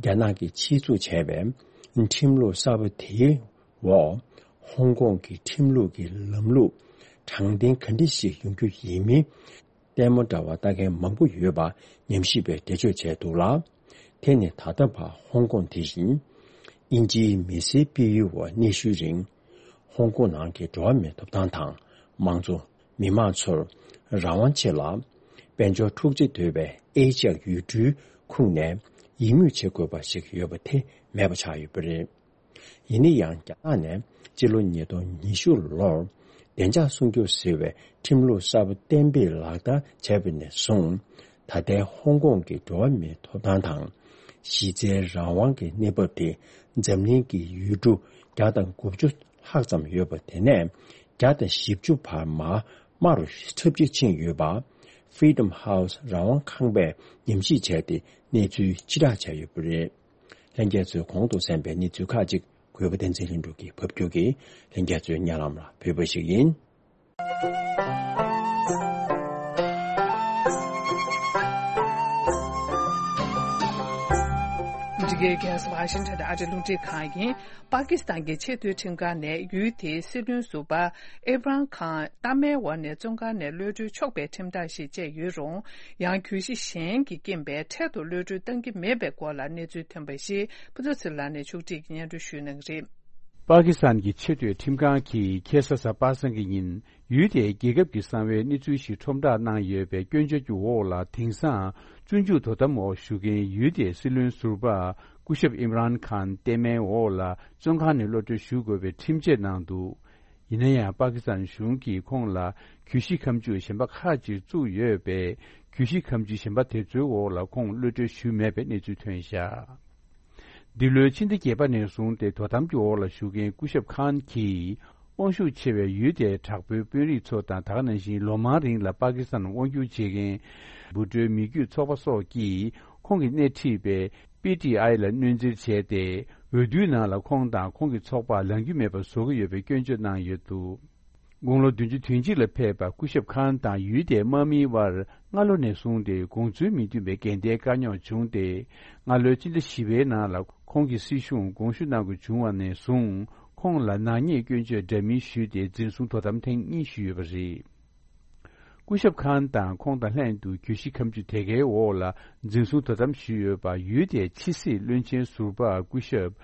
རྒྱ་ནག་གིས་ཆེད་འཛུགས་བྱས་པའི་ཁྲིམས་ལུགས་གསར་པ་དེའི་འོག་ཧོང་ཀོང་གི་ཁྲིམས་ལུགས་ཀྱི་ལམ་ལུགས་དྲང་བདེན་ག་འདྲ་ཞིག་ཡོང་རྒྱུ་ཡིན་མིན། ལྟད་མོ་འདྲ་བ་ལྟ་མཁན་མང་པོ་ཡོད་པ་ཉམས་ཞིབ་པས་འགྲེལ་བརྗོད་བྱས་འདུག་ལ། དེ་ནི་ད་ལྟ་བར་ཧོང་ཀོང་དེ་བཞིན་དབྱིན་ཇིའི་མི་སེར་སྤེལ་ཡུལ་འོག་གནས་ཤུལ་རིང་། ཧོང་ཀོང་ནང་གི་འགྲོ་བ་མིའི་ཐོབ་ཐང་དང་། དམངས་གཙོ། མི་དམངས་ཚོར་རང་དབང་ཆེད་ལ་དཔལ་འབྱོར་འཁྲུག་ཆ་དོད་པའི་ཨེ་ཤ་ཡ་ཡུལ་གྲུའི་ཁོངས་ནས་ཡིད་མོས་བྱེད་དགོས་པ་ཞིག་ཡོད་པ་དེ་མེད་པ་ཆགས་ཡོད་པ་རེད། ཡིན་ན་ཡང་། རྒྱ་ནག་ནས་སྤྱི་ལོ་ཉིས་སྟོང་ཉི་ཤུ་ལོར་བདེ་འཇགས་སྲུང་སྐྱོབ་ཟེར་བའི་ཁྲིམས་ལུགས་གསར་པ་གཏན་འབེབས་ལག་བསྟར་བྱས་པ་ནས་བཟུང་། ད་ལྟའི་ཧོང་ཀོང་གི་འགྲོ་བ་མིའི་ཐོབ་ཐང་དང་། གཞི་རྩའི་རང་དབང་གི་གནས་བབ་དེ་འཛམ་གླིང་གི་ཡུལ་གྲུ་བརྒྱ་དང་དགུ་བཅུ་ལྷག་ཙམ་ཡོད་པ་དེ་ནས་བརྒྱ་དང་བཞི་བཅུ་བར་མར་དམའ་རུ་འཁྲབ་སྤྱོད་ཕྱིན་ཡོད་པ། Freedom House རང་དབང་ཁང་པས་ཉམས་ཞིབ་བྱས་ཏེ་གནས་ཚུལ་ཕྱིར་བསྒྲགས་བྱས་ཡོད་པ་རེད། ལྷན་རྒྱས་ཚོས་གོང་དུ་གསན་པའི་གནས་ཚུལ་ཁག་ཅིག་གུས་པ་བསྟན་འཛིན་ལྷུན་གྲུབ་ཀྱིས་ཕབ་སྒྱུར་གྱིས་ལྷན་རྒྱས་ཚོའི་སྙན་ལམ་ལ་ཕུལ་བ་ཞིག་ཡིན། གི་རྒྱལ་ས་ཝ་ཤིང་ཊོན་དུ་ཨ་རིའི་རླུང་འཕྲིན་ཁང་ཡིན། པ་ཀི་སི་ཐན་གྱི་ཆེས་མཐོའི་ཁྲིམས་ཁང་ནས་ཡུལ་དེའི་སྲིད་བློན་ཟུར་པ་ཨེབ་རམ་ཁཱན་གཏའ་མའི་འོག་ནས་བཙོན་ཁང་ནས་གློད་གྲོལ་ཆོག་པའི་ཁྲིམས་ཐག་ཞིག་བཅད་ཡོད་རུང་། ཡང་གྱོད་གཞི་གཞན་གྱིས་རྐྱེན་པས་འཕྲལ་དུ་གློད་གྲོལ་གཏང་གི་མེད་པའི་སྐོར་ལ་གནས་ཚུལ་ཐོན་པ་ཞིག་ཕུན་ཚོགས་ཚེ་རིང་ལགས་ནས་ཕྱོགས་སྒྲིག་གིས་སྙན་སྒྲོན་ཞུ་གནང་གི་རེད། པ་ཀི་སི་ཐན་གྱི་ཆེས་མཐོའི་ཁྲིམས་ཁང་གིས་ཁ་སང་གཟའ་པ་སངས་ཀྱི་ཉིན། ཡུལ་དེའི་རྒྱལ་ཁབ་ཀྱི་གསང་བའི་གནས་ཚུལ་ཞིག་ཁྲོམ་བསྒྲགས་གནང་ཡོད་པའི་སྐྱོན་བརྗོད་ཀྱི་འོག་ལ། དེང་སང་བཙོན་འཇུག་དོ་དམ་འོག་བཞུགས་མཁན་ཡུལ་དེའི་སྲིད་བློན་ཟུར་པ་སྐུ་ཞབས་ཨིམ་རཱན་ཁཱན་གཏའ་མའི་འོག་ལ་བཙོན་ཁང་ནས་གློད་གྲོལ་ཞུ་དགོས་པའི་ཁྲིམས་ཆད་གནང་འདུག། ཡིན་ན་ཡང་། པ་ཀི་སི་ཐན་གཞུང་གིས་ཁོང་ལ་གྱོད་གཞི་ཁ་མཆུ་གཞན་པ་ཁག་ཅིག་བཙུགས་ཡོད་པས། གྱོད་གཞི་ཁ་མཆུ་གཞན་པ་དེ་ཚོའི་འོག་ལ་ཁོང་གློད་གྲོལ་ཞུས་མེད་པའི་གནས་ཚུལ་ཐོན་བཞག། འདི་ལོའི་ཕྱི་ཟླ་བརྒྱད་པ་ནས་བཟུང་སྟེ་དོ་དམ་གྱི་འོག་ལ་བཞུགས་མཁན་སྐུ་ཞབས་ཁཱན་གྱིས། དབང་ཤུགས་ཆེ་བའི་ཡུལ་དེའི་དྲག་པོའི་དཔོན་རིགས་ཚོ་དང་། ད་ག་ནང་བཞིན་ལོ་མང་རིང་ལ་པ་ཀི་སི་ཐན་དབང་སྒྱུར་བྱེད་མཁན་འབུར་འགྲོའི་མི་རྒྱུད་ཚོགས་པ་སོགས་ཀྱིས་ཁོང་གིས་སྣེ་ཁྲིད་པའི་པི་ཊི་ཨའི་ལ་གནོན་འཛིན་བྱས་ཏེ། འོས་བསྡུའི་ནང་ལ་ཁོང་དང་ཁོང་གི་ཚོགས་པ་ལངས་རྒྱུ་མེད་པ་བཟོ་གི་ཡོད་པའི་སྐྱོན་བརྗོད་གནང་ཡོད་འདུག། དགུང་ལོ་བདུན་ཅུ་དོན་གཅིག་ལ་ཕེབས་པ་སྐུ་ཞབས་ཁཱན་དང་ཡུལ་དེའི་དམག་མིའི་དབར་སྔ་ལོ་ནས་བཟུང་སྟེ་དགོངས་ཚུལ་མི་མཐུན་པའི་འགལ་ཟླའི་དཀའ་རྙོག་བྱུང་སྟེ། སྔ་ལོའི་ཕྱི་ཟླ་བཞི་པའི་ནང་ལ་ཁོང་གི་སྲིད་གཞུང་དགོངས་ཞུ་གནང་དགོས་བྱུང་བ་ནས་བཟུང་། ཁོང་ལ་ནག་ཉེས་སྐྱོན་བརྗོད་འདྲ་མིན་ཞུས་ཏེ། འཛིན་བཟུང་དོ་དམ་ཐེངས་གཉིས་ཞུས་ཡོད་པ་རེད། སྐུ་ཞབས་ཁཱན་དང་ཁོང་དང་ལྷན་དུ་གྱོད་གཞི་ཁ་མཆུ་དེ་གའི་འོག་ལ་འཛིན་བཟུང་དོ་དམ་ཞུས་ཡོད་པ། ཡུལ་དེའི་ཕྱི་སྲིད་བློན་ཆེན་ཟུར་པ་སྐུ་ཞབས་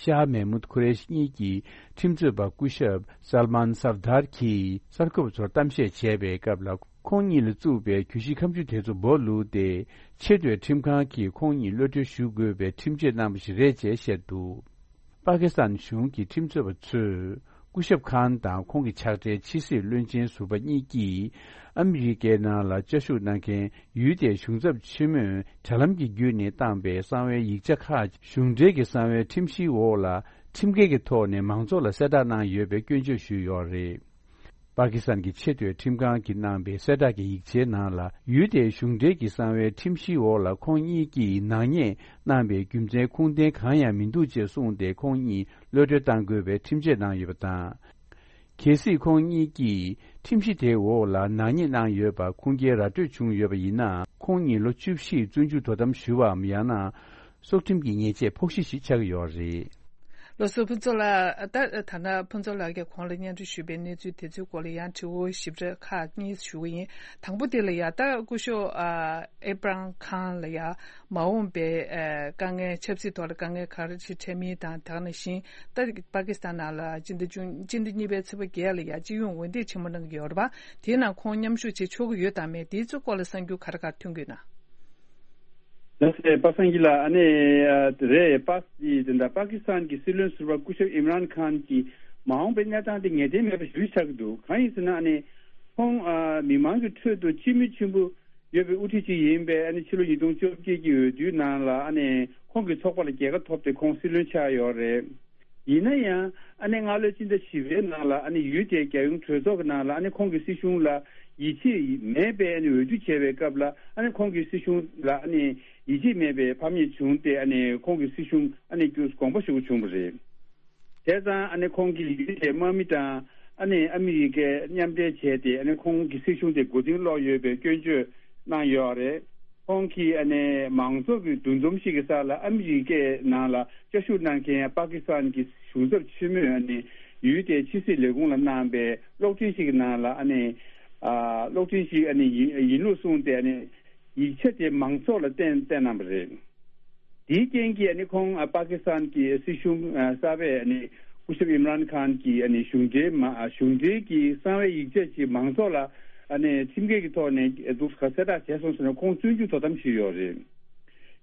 ཤཱ་མེ་མུད་ཁུ་རེ་ཤི་གཉིས་ཀྱི་ཁྲིམས་རྩོད་པ་སྐུ་ཞབས་སལ་མཱན་སར་དར་གྱིས་གསར་འགོད་པ་ཚོར་གཏམ་བཤད་བྱས་པའི་སྐབས་ལ། ཁོང་གཉིས་ལ་བཙུགས་པའི་གྱོད་གཞི་ཁ་མཆུ་དེ་ཚོ་སྦོ་ལུགས་ཏེ། ཆེས་མཐོའི་ཁྲིམས་ཁང་གིས་ཁོང་གཉིས་གློད་གྲོལ་ཞུ་དགོས་པའི་ཁྲིམས་ཆད་གནང་བ་ཞིག་རེད་ཅེས་བཤད་འདུག། པ་ཀི་སི་ཐན་གཞུང་གི་ཁྲིམས་རྩོད་པ་ཚོས། སྐུ་ཞབས་ཁཱན་དང་ཁོང་གི་ཕྱག་སྦྲེལ་ཕྱི་སྲིད་བློན་ཆེན་ཟུར་པ་གཉིས་ཀྱིས། ཨ་མི་རི་ཀའི་ནང་ལ་བཅའ་བཞུགས་གནང་མཁན་ཡུལ་དེའི་གཞུང་ཚབ་ཆེན་མོས་དྲ་ལམ་གྱི་བརྒྱུད་ནས་བཏང་པའི་གསང་བའི་ཡིག་ཆ་ཁག་གཞུང་འབྲེལ་གྱི་གསང་བའི་ཁྲིམས་གཞིའི་འོག་ལ། ཁྲིམས་འགལ་གྱི་ཐོག་ནས་མང་ཚོགས་ལ་གསལ་བསྒྲགས་གནང་ཡོད་པའི་སྐྱོན་བརྗོད་ཞུས་ཡོད་རེད། པ་ཀི་སི་ཐན་གྱི་ཆེས་མཐོའི་ཁྲིམས་ཁང་གིས་གནང་པའི་གསལ་བསྒྲགས་ཀྱི་ཡིག་ཆའི་ནང་ལ། ཡུལ་དེའི་གཞུང་འབྲེལ་གྱི་གསང་བའི་ཁྲིམས་གཞིའི་འོག་ལ་ཁོང་གཉིས་ཀྱིས་ནག་ཉེས་གནང་པའི་རྒྱུ་མཚན་ཁུངས་ལྡན་གང་ཡང་མི་འདུག་ཅེས་གསུངས་ཏེ། ཁོང་གཉིས་གློད་གྲོལ་གཏང་དགོས་པའི་ཁྲིམས་ཆད་གནང་ཡོད་པ་དང་། གལ་སྲིད་ཁོང་གཉིས་ཀྱིས་ཁྲིམས་གཞི་དེའི་འོག་ལ་ནག་ཉེས་གནང་ཡོད་པ་ཁུངས་སྐྱེལ་ར་སྤྲོད་བྱུང་ཡོད་པ་ཡིན་ན། ཁོང་གཉིས་ལོ་བཅུ་བཞི་བཙོན་འཇུག་དོ་དམ་ཞུ་བའམ། ཡང་ན། སྲོག་ཁྲིམས་ཀྱི་ཉེས་ཆད་ཕོག་གཞི་ཞིག་ཆགས་ཀྱི་ཡོད་རེད། ལགས་སོ། ཕུན་ཚོགས་ལགས། ད་ཐ་ན་ཕུན་ཚོགས་ལགས་ཀྱིས་གོང་ལ་སྙན་སྒྲོན་ཞུས་པའི་གནས་ཚུལ་དེ་ཚོའི་སྐོར་ལ་ཡང་དྲི་བ་ཞིབ་ཕྲ་ཁག་གཉིས་ཞུ་གི་ཡིན། དང་པོ་དེ་ལ་ཡ། ད་སྐུ་ཞབས་ཨ་ཨེབ་རམ་ཁཱན་ལ་ཡ། མ་འོངས་པའི་ཨ་དཀའ་ངལ། ཆབ་སྲིད་ཐོག་ལ་དཀའ་ངལ་ག་རེ་ཞིག་འཕྲད་མིན་དང་། དེ་ནང་བཞིན་ད་པ་ཀི་སི་ཐན་ནང་ལ་སྤྱི་ཟླ་ཅུང་། སྤྱི་ཟླ་གཉིས་པའི་ཚེས་པ་བརྒྱད་ལ་ཡ་སྤྱི་ཡོངས་འོས་འདེམས་ཆེན་མོ་གནང་གི་ཡོད་རེད་པ། དེའི་ནང་ཁོང་མཉམ་ཞུགས་བྱེད་ཆོག་གི་ཡོད་དམ་མེད། དེའི་ཚོ་སྐོར་ལ་གསར་འགྱུར་ག་རེ་ག་རེ་ཐོན་གྱི་ཡོད་ན། ལགས་སོ། པ་སངས་སྐྱིད་ལགས། ཨ་ནི་ཨ་རེད། པ་སི་དེ་འདྲ་པ་ཀི་སི་ཐན་གྱི་སྲིད་བློན་ཟུར་པ་སྐུ་ཞབས་ཨིམ་རཱན་ཁཱན་གྱི་མ་འོངས་པའི་གནས་སྟངས་དེ་ངེས་གཏན་མེད་པ་ཞིག་ཆགས་ཀྱི་འདུག། གང་ཡིན་ཟེར་ན། ཨ་ནི་ཁོང་ཨ་མི་མང་གི་ཁྲོད་དུ་སྤྱི་མོས་ཆེན་པོ་ཡོད་པའི་དབུ་ཁྲིད་ཅིག་ཡིན་པས། ཨ་ནི་ཕྱི་ལོ་ཉིས་སྟོང་བཅོ་བརྒྱད་ཀྱི་འོས་བསྡུའི་ནང་ལ། ཨ་ནི་ཁོང་གི་ཚོགས་པ་ལ་རྒྱལ་ཁ་ཐོབ་སྟེ་ཁོང་སྲིད་བློན་ཆགས་ཡོད་རེད། ཡིན་ན་ཡང་། ཨ་ནི་སྔ་ལོའི་ཕྱི་ཟླ་བཞི་པའི་ནང་ལ། ཨ་ནི་ཡུལ་དེའི་རྒྱལ་ཡོངས་གྲོས་ཚོགས་ཀྱི་ནང་ལ། ཨ་ནི་ཁོང་གི་སྲིད་གཞུང་ལ་ཡིད་ཆེས་མེད་པའི་ཨ་ནི་འོས་བསྡུ་བྱས་པའི་སྐབས་ལ། ཨ་ནི་ཁོང་གི་སྲིད་གཞུང་ལ་ཨ་ནི་ཡིད་ཆེས་མེད་པའི་ཕམ་ཉེས་བྱུང་སྟེ། ཨ་ནི་ཁོང་གི་སྲིད་གཞུང་ཨ་ནི་བསྐྱུར། དགོངས་པ་ཞུ་དགོས་བྱུང་བ་རེད། བྱས་ཙང་། ཨ་ནི་ཁོང་གིས་ཡུལ་དེའི་དམག་མི་དང་། ཨ་ནི་ཨ་མི་རི་ཀས་མཉམ་འབྲེལ་བྱས་ཏེ། ཨ་ནི་ཁོང་གི་སྲིད་གཞུང་དེ་མགོ་རྟིང་སློག་ཡོད་པའི་སྐྱོན་བརྗོད་གནང་ཡོད་རེད། ཁོང་གིས་ཨ་ནི་མང་ཚོགས་ཀྱི་འདུ་འཛོམས་ཤིག་གི་སར་ལ། ཨ་མི་རི་ཀའི་ནང་ལ་བཅའ་བཞུགས་གནང་མཁན་པ་ཀི་སི་ཐན་གྱི་གཞུང་ཚབ་ཆེན་མོས། ཨ་ནི་ཡུལ་དེའི་ཕྱི་སྲིད་ལས་ཁུངས་ལ་གནང་པའི་གློག་འཕྲིན་ཞིག་གི་ནང་ལ། ཨ་ནི་ཨ་གློག་འཕྲིན་ཞིག་ཨ་ནི་ཡིན་ཡིན་ལུགས་གསུངས་ཏེ། ཨ་ནི་ཡིག་ཆ་དེ་མང་ཚོགས་ལ་བསྟན་བསྟན་གནང་བ་རེད། དེའི་རྐྱེན་གྱིས་ཨ་ནི་ཁོང་ཨ་པ་ཀི་སི་ཐན་གྱི་སྲིད་གཞུང་ཨ་གསར་པས་ཨ་ནི་སྐུ་ཞབས་ཨིམ་རཱན་ཁཱན་གྱི་ཨ་ནི་གཞུང་འབྲེལ་མ་ཨ་གཞུང་འབྲེལ་གྱི་གསང་བའི་ཡིག་ཆ་ཞིག་མང་ཚོགས་ལ་ཨ་ནི་ཁྲིམས་འགལ་གྱི་ཐོག་ནས་འདུག་ག་གསལ་བསྒྲགས་བྱས་སོང་ཟེར་ནས་ཁོང་བཙོན་འཇུག་དོ་དམ་ཞུས་ཡོད་རེད།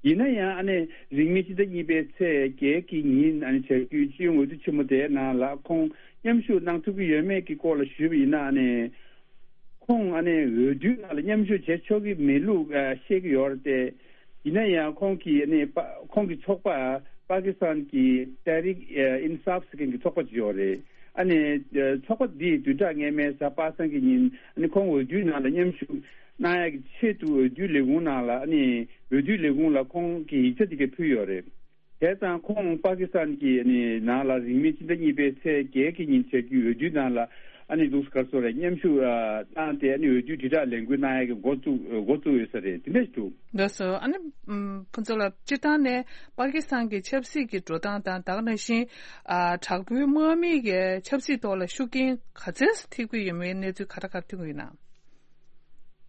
ཡིན་ན་ཡང་། ཨ་ནི་རིང་མིན་ཕྱི་ཟླ་གཉིས་པའི་ཚེས་བརྒྱད་ཀྱི་ཉིན་ཨ་ནི་བྱ་རྒྱུའི་སྤྱི་ཡོངས་འོས་བསྡུ་ཆེན་མོ་དེའི་ནང་ལ་ཁོང་མཉམ་ཞུགས་གནང་ཐུབ་ཀྱི་ཡོད་མེད་ཀྱི་སྐོར་ལ་ཞུས་པ་ཡིན་ན། ཨ་ནི་ཁོང་ཨ་ནི་འོས་བསྡུའི་ནང་ལ་མཉམ་ཞུགས་བྱེད་ཆོག་གི་མེད་ལུགས་ཨ་བཤད་ཀྱི་ཡོད་རེད་དེ། ཡིན་ན་ཡང་ཁོང་གིས་ཨ་ནི་པ་ཁོང་གི་ཚོགས་པ་པ་ཀི་སི་ཐན་གྱི་ཏེ་རིག་ཨིན་སཱབ་ཟེར་མཁན་གྱི་ཚོགས་པ་ཅིག་ཡོད་རེད། ཨ་ནི་ཚོགས་པ་འདིས་བདུན་ཕྲག་སྔོན་མའི་གཟའ་པ་སངས་ཀྱི་ཉིན་ཨ་ནི་ཁོང་འོས་བསྡུའི་ནང་ལ་མཉམ་ཞུགས་གནང་ཡག་གི་ཆེད་དུ་འོས་བསྡུའི་ལས་ཁུངས་ནང་ལ། ཨ་ནི་འོས་བསྡུའི་ལས་ཁུངས་ལ་ཁོང་གིས་ཡིག་ཆ་དེ་ག་ཕུལ་ཡོད་རེད། བྱས་ཙང་ཁོང་པ་ཀི་སི་ཐན་གྱི་ཨ་ནི་ནང་ལ་རིང་མིན་ཕྱི་ཟླ་གཉིས་པའི་ཚེས་བརྒྱད་ཀྱི་ཉིན་བྱ་རྒྱུའི་འོས་བསྡུའི་ནང་ལ་ ཨ་ནི་འདུག་ག་སོ་རེད། མཉམ་ཞུགས་ཨ་བཏང་སྟེ། ཨ་ནི་འོས་བསྡུའི་དྲིལ་བསྒྲགས་ལས་འགུལ་གནང་ཡག་གི་འགོ་བཙུགས་འགོ་བཙུགས་ཡོད་ས་རེད། དེ་འདྲ་ཞིག་འདུག་ལགས་སོ། ཨ་ནི་ཨམ་ཕུན་ཚོགས་ལགས། སྤྱིར་བཏང་ནས་པ་ཀི་སི་ཐན་གྱི་ཆབ་སྲིད་ཀྱི་འགྲོ་སྟངས་དང་། ད་ག་ནང་བཞིན་ཨ་དྲག་པོའི་དམག་མི་གི་ཆབ་སྲིད་ཐོག་ལ་ཤུགས་རྐྱེན་ག་ཚད་ཐེབས་ཀྱི་ཡོད་མེད་གནས་ཚུལ་ག་འདྲ་ག་འདྲ་ཐོན་གྱི་ཡོད་ན།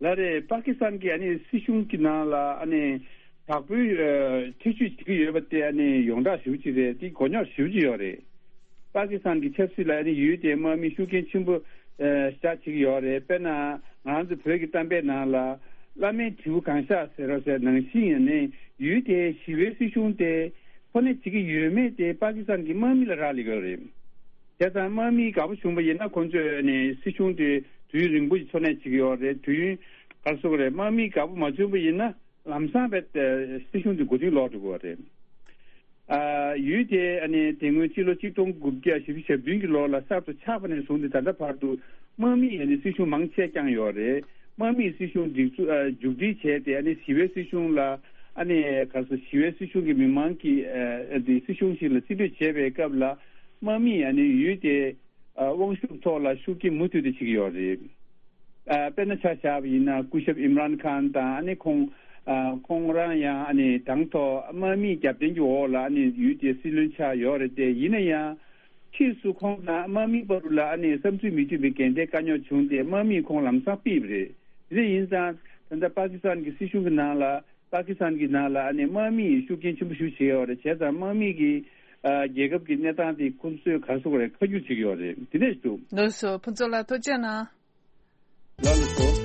ལགས་རེད། པ་ཀི་སི་ཐན་གྱི་ཨ་ནི་སྲིད་གཞུང་གི་ནང་ལ་ཨ་ནི་དྲག་པོའི་ཨ་ཐེ་བྱུས་བྱེད་ཀྱི་ཡོད་པ་དེ་ཨ་ནི་ཡོངས་གྲགས་ཞེ་པོ་ཅིག་རེད། དེ་མགོ་རྙོག་ཞེ་པོ་ཅིག་ཡོད་རེད། པ་ཀི་སི་ཐན་གྱི་ཆབ་སྲིད་ལ་ཨ་ནི་ཡུལ་དེའི་དམག་མིས་ཤུགས་རྐྱེན་ཆེན་པོ་ཨ་བཞག་བྱེད་ཀྱི་ཡོད་རེད། དཔེར་ན་ང་ཚོ་བོད་ཀྱི་གཏམ་དཔེ་ནང་ལ་བླ་མའི་དྲིལ་བུ་གང་བཞག་ཟེར་རོ་ཟེར་ནང་བཞིན། ཨ་ནི་ཡུལ་དེའི་ཞི་བའི་སྲིད་གཞུང་དེ་ཁོ་ནས་བྱེད་ཀྱི་ཡོད་མེད་དེ་པ་ཀི་སི་ཐན་གྱི་དམག་མི་ལ་རག་ལས་ཀྱི་ཡོད་རེད། བྱས་ཙང་དམག་མི་དགའ་པོ་བྱུང་བ་ཡིན་ན། ཁོ་ཚོས་ནི་སྲིད་གཞུང་དེ་དུས་ཡུན་རིང་པོ་ཞིག་འཚོ་གནས་བྱེད་ཀྱི་ཡོད་རེད། དུས་ཡུན་ག་རེ་ཟེར་དགོས་རེད། དམག་མི་དགའ་པོ་མ་བྱུང་བ་ཡིན་ན། ལམ་སང་བས་སྲིད་གཞུང་དེ་མགོ་རྟིང་སློག་འགྲོ་གི་ཡོད་རེད། ཨ་ཡུལ་དེ་ཨ་ནི་དེ་སྔོན་སྤྱི་ལོ་གཅིག་སྟོང་དགུ་བརྒྱ་བཞི་བཅུ་ཞེ་བདུན་གྱི་ལོ་ལ་གསར་དུ་ཆགས་པ་ནས་བཟུང་སྟེ་ད་ལྟ་བར་དུ་དམག་མིས་ཨ་ནི་སྲིད་གཞུང་མང་ཆེ་བསྐྱངས་ཡོད་རེད། དམག་མིས་སྲིད་གཞུང་སྒྲིག་འཛུགས་ཨ་མཇུག་སྒྲིལ་བྱས་ཏེ། ཨ་ནི་ཞི་བའི་སྲིད་གཞུང་ལ། ཨ་ནི་ག་རེ་ཟེར། ཞི་བའི་སྲིད་གཞུང་གི་མི་མང་གིས་ཨ་དེ་སྲིད་གཞུང་ཞིག་ལ་རྩིས་སྤྲོད་བྱེད་པའི་སྐབས་ལ། དམག་མིས་ཨ་ནི་ཡུལ་དེ་ཨ་དབང་ཤུགས་ཐོག་ལ་ཤུགས་རྐྱེན་མུ་མཐུད་དུ་བྱེད་ཀྱི་ཡོད་རེད། ཨ་དཔེར་ན་ཆ་བཞག་པ་ཡིན་ན། སྐུ་ཞབས་ཨིམ་རཱན་ཁཱན་དང་། ཨ་ནི་ཁོང་ཨ་ཁོང་རང་ཡང་ཨ་ནི་དང་ཐོག་དམག་མིའི་རྒྱབ་རྟེན་གྱི་འོག་ལ་ཨ་ནི་ཡུལ་དེའི་སྲིད་བློན་ཆགས་ཡོད་རེད་དེ། ཡིན་ན་ཡང་ཕྱིས་སུ་ཁོང་དང་དམག་མི་བར་ལ་ཨ་ནི་བསམ་ཚུལ་མི་མཐུན་པའི་འགལ་ཟླའི་དཀའ་རྙོག་བྱུང་སྟེ། དམག་མིས་ཁོང་ལམ་སང་ཕུད་པ་རེད། དེ་འདྲ་ཡིན་ཙང་། ད་ལྟ་པ་ཀི་སི་ཐན་གྱི་སྲིད་གཞུང་གི་ནང་ལ། པ་ཀི་སི་ཐན་གྱི་ནང་ལ་ཨ་ནི་དམག་མིས་ཤུགས་རྐྱེན་ཆེན་པོ་ཞིག་བྱས་ཡོད་རེད། བྱས་ཙང་དམག་མི་གིས་ཨ་རྒྱལ་ཁབ་ཀྱི་གནས་སྟངས་དེ་ཁོ་ཚོས་ག་རེ་ཟེར་དགོས་རེད། ཁ་བསྒྱུར་བྱེད་ཀྱི་ཡོད་རེད། དེ་འདྲ་ཞིག་འདུག་ལགས་སོ། ཕུན་ཚོགས་ལགས་ཐུགས་རྗེ་གནང་། ལགས་ལགས་སོ།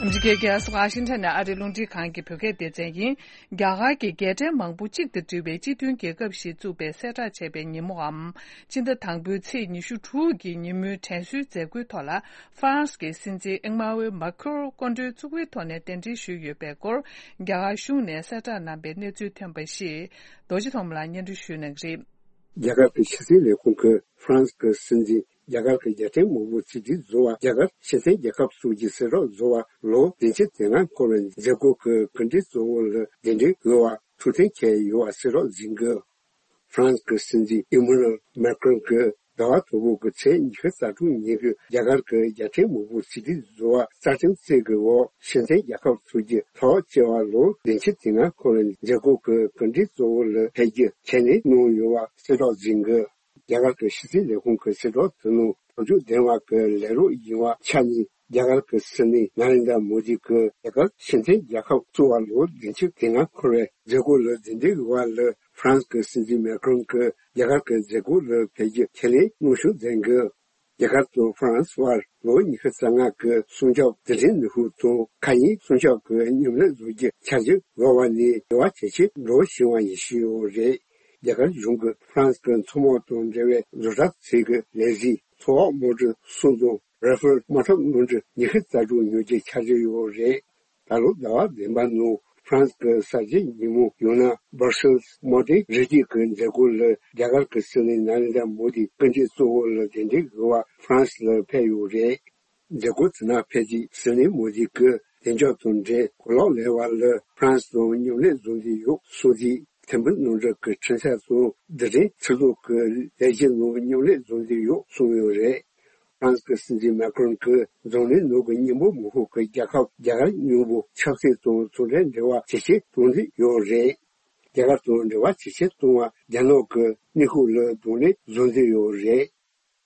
ཨ་མི་རི་ཀའི་རྒྱལ་ས་ཝ་ཤིང་ཊོན་ནས་ཨ་རིའི་རླུང་འཕྲིན་ཁང་གི་བོད་སྐད་སྡེ་ཚན་ཡིན། རྒྱ་གར་གྱི་རྒྱལ་ཕྲན་མང་པོ་གཅིག་ཏུ་བསྡུས་པའི་སྤྱི་མཐུན་རྒྱལ་ཁབ་ཞིག་བཙུགས་པའི་གསལ་བསྒྲགས་བྱས་པའི་ཉིན་མོའམ། སྤྱི་ཟླ་དང་པོའི་ཚེས་ཉི་ཤུ་དྲུག་གི་ཉིན་མོའི་དྲན་གསོའི་མཛད་སྒོའི་ཐོག་ལ། ཧྥ་རན་སི་གི་སྲིད་འཛིན་ཨེ་མ་ཝེ་མཱ་ཁུར་སྐུ་མགྲོན་གཙོ་བོའི་ཐོག་ནས་གདན་འདྲེན་ཞུས་ཡོད་པའི་སྐོར། རྒྱ་གར་གཞུང་ནས་གསལ་བསྒྲགས་གནང་པའི་གནས་ཚུལ་ཐོན་པ་ཞིག་རྡོ་རྗེ་ཐོགས་མེད་ལགས་སྙན་སྒྲོན་ཞུ་གནང་གི་རེད། རྒྱ་གར་གྱི་ཕྱི་སྲིད་ལས་ཁུངས་ཀྱིས་ཧྥ་རན་སི་གི་སྲིད་འཛིན། རྒྱ་གར་གྱི་རྒྱལ་ཕྲན་མང་པོ་གཅིག་སྒྲིལ་བཟོ་བ། རྒྱ་གར་སྤྱི་མཐུན་རྒྱལ་ཁབ་སོགས་ཀྱི་གསལ་བསྒྲགས་བཟོ་བ་ལོ་བདུན་ཅུ་དོན་ལྔ་འཁོར་བའི་མཛད་སྒོ་གི་གོ་སྒྲིག་གཙོ་བོ་ལ་གདན་འདྲེན་ཡོད་པ་ཐུགས་གཏན་འཁེལ་ཡོད་པ་གསལ་བསྒྲགས་ཟིན་གྱི། ཧྥ་རན་སི་གི་སྲིད་འཛིན་ཨི་མ་ནུ་ཨེལ་མཱ་ཀྲོན་གྱིས་ཟླ་བ་དང་པོ་གི་ཚེས་ཉི་ཤུ་རྩ་དྲུག་ཉིན་གྱི་རྒྱ་གར་གྱི་རྒྱལ་ཕྲན་མང་པོ་གཅིག་སྒྲིལ་བཟོ་བ་རྩ་ཁྲིམས་གསེར་གྱི་འོག་སྤྱི་མཐུན་རྒྱལ་ཁབ་ཚོགས་ཀྱི་ལྷག་བཅས་པ་ལོ་བདུན་ཅུ་དོན་ལྔ་འཁོར་བའི་མཛད་སྒོ་གི་གོ་སྒྲིག་གཙོ་བོ་ལ་ཕེབས་རྒྱུ་ཁས་ལེན་གནང་ཡོད་པ་གསལ་བསྒྲགས་ཟིན་གྱི། རྒྱ་གར་གྱི་ཕྱི་སྲིད་ལས་ཁུངས་ཀྱི་གསལ་བསྒྲགས་དེ་ནང་དོན་ཚན་བདུན་པ་གི་ལས་རོགས་ཡིན་པ་ཆགས་ནས། རྒྱ་གར་གྱི་སྲིད་བློན་ནཱ་རེན་དྲ་མོ་དི་གིས་རྒྱ་གར་སྤྱི་མཐུན་རྒྱལ་ཁབ་བཙུགས་པ་ལོ་བདུན་ཅུ་དོན་ལྔ་འཁོར་བའི་མཛད་སྒོ་ལ་གདན་འདྲེན་ཡོད་པ་ལ་ཧྥ་རན་སི་གི་སྲིད་འཛིན་མཱ་ཀྲོན་གྱིས་རྒྱ་གར་གྱི་མཛད་སྒོ་ལ་ཕེབས་རྒྱུ་ཁས་ལེན་གནང་ཞུ་མཛད་གི། རྒྱ་གར་དང་ཧྥ་རན་སི་བར་ལོ་ཉི་ཤུ་རྩ་ལྔ་གི་སྲུང་སྐྱོབ་རྡུལ་ཕྲན་ནུས་ཤུགས་དང་མཁའ་དབྱིངས་སྲུང་སྐྱོབ་ཀྱི་མཉམ་ལས་བཟོ་རྒྱུ་འཆར་གཞི་ཡོད་པ་ནས་འབྲེལ་བ་ཇེ་ཆེར་འགྲོ་བཞིན་པ་ཡིན་ཞུས་ཡོད་རེད། རྒྱ་གར་གཞུང་གིས་ཧྥ་རན་སི་གི་མཚོ་དམག་དང་འབྲེལ་བའི་བཟོ་གྲྭ་ཚོའི་ལས་གཞི་མཚོ་འོག་དམག་གྲུ་གསུམ་དང་ར་ཧྥེལ་དམག་འཁྲབ་དམག་གྲུ་ཉི་ཤུ་རྩ་དྲུག་ཉོ་རྒྱུའི་འཆར་གཞི་ཡོད་རེད། ད་ལོ་ཟླ་བ་བདུན་པ་ནང་ཧྥ་རན་སི་གི་གསར་བརྗེའི་ཉིན་མོ་ཡང་ན་སྦར་སེལ་སི་དམག་དོན་རི་རྒྱུད་ཀྱི་མཛད་སྒོ་ལ་རྒྱ་གར་གྱི་སྲིད་བློན་ནཱ་རེན་དྲ་མོ་དི་སྐུ་མགྲོན་གཙོ་བོ་ལ་གདན་འདྲེན་ཡོད་པ་ཧྥ་རན་སི་ལ་ཕེབས་ཡོད་རེད། མཛད་སྒོ་དེ་ནང་ཕེབས་རྗེས་སྲིད་བློན་མོ་དི་གིས་བདེ་འཇགས་དང་འབྲེལ་གོ་ལོག་ལེན་པ་ལ་ཧྥ་རན་སི་དང་མཉམ་ལས་བཟོ་འདོད་ཡོད་གསུངས་རྗེས། ཐེར་འབུམ་གནམ་གྲུ་གི་འཕྲུལ་ཆས་སོགས་རྡུལ་ཕྲན་ཚིག་ཐོག་གི་ལས་གཞི་ནང་མཉམ་ལས་བཟོ་འདོད་ཡོད་གསུངས་ཡོད་རེད། ཧྥ་རན་སི་གི་སྲིད་འཛིན་མཱ་ཀྲོན་གྱིས་འཛམ་གླིང་ནང་གི་མཉམ་པོ་མང་ཤོས་ཀྱི་རྒྱལ་ཁབ་རྒྱ་གར་མཉམ་པོ་ཆབ་སྲིད་དང་ཚོང་འབྲེལ་འབྲེལ་བ་ཇེ་ཆེར་གཏོང་འདོད་ཡོད་རེད། རྒྱ་གར་དང་འབྲེལ་བ་ཇེ་ཆེར་གཏོང་བར་རྒྱ་ནག་གི་གནས་སྐབས་ལ་གདོང་ལེན་བཟོ་འདོད་ཡོད་རེད།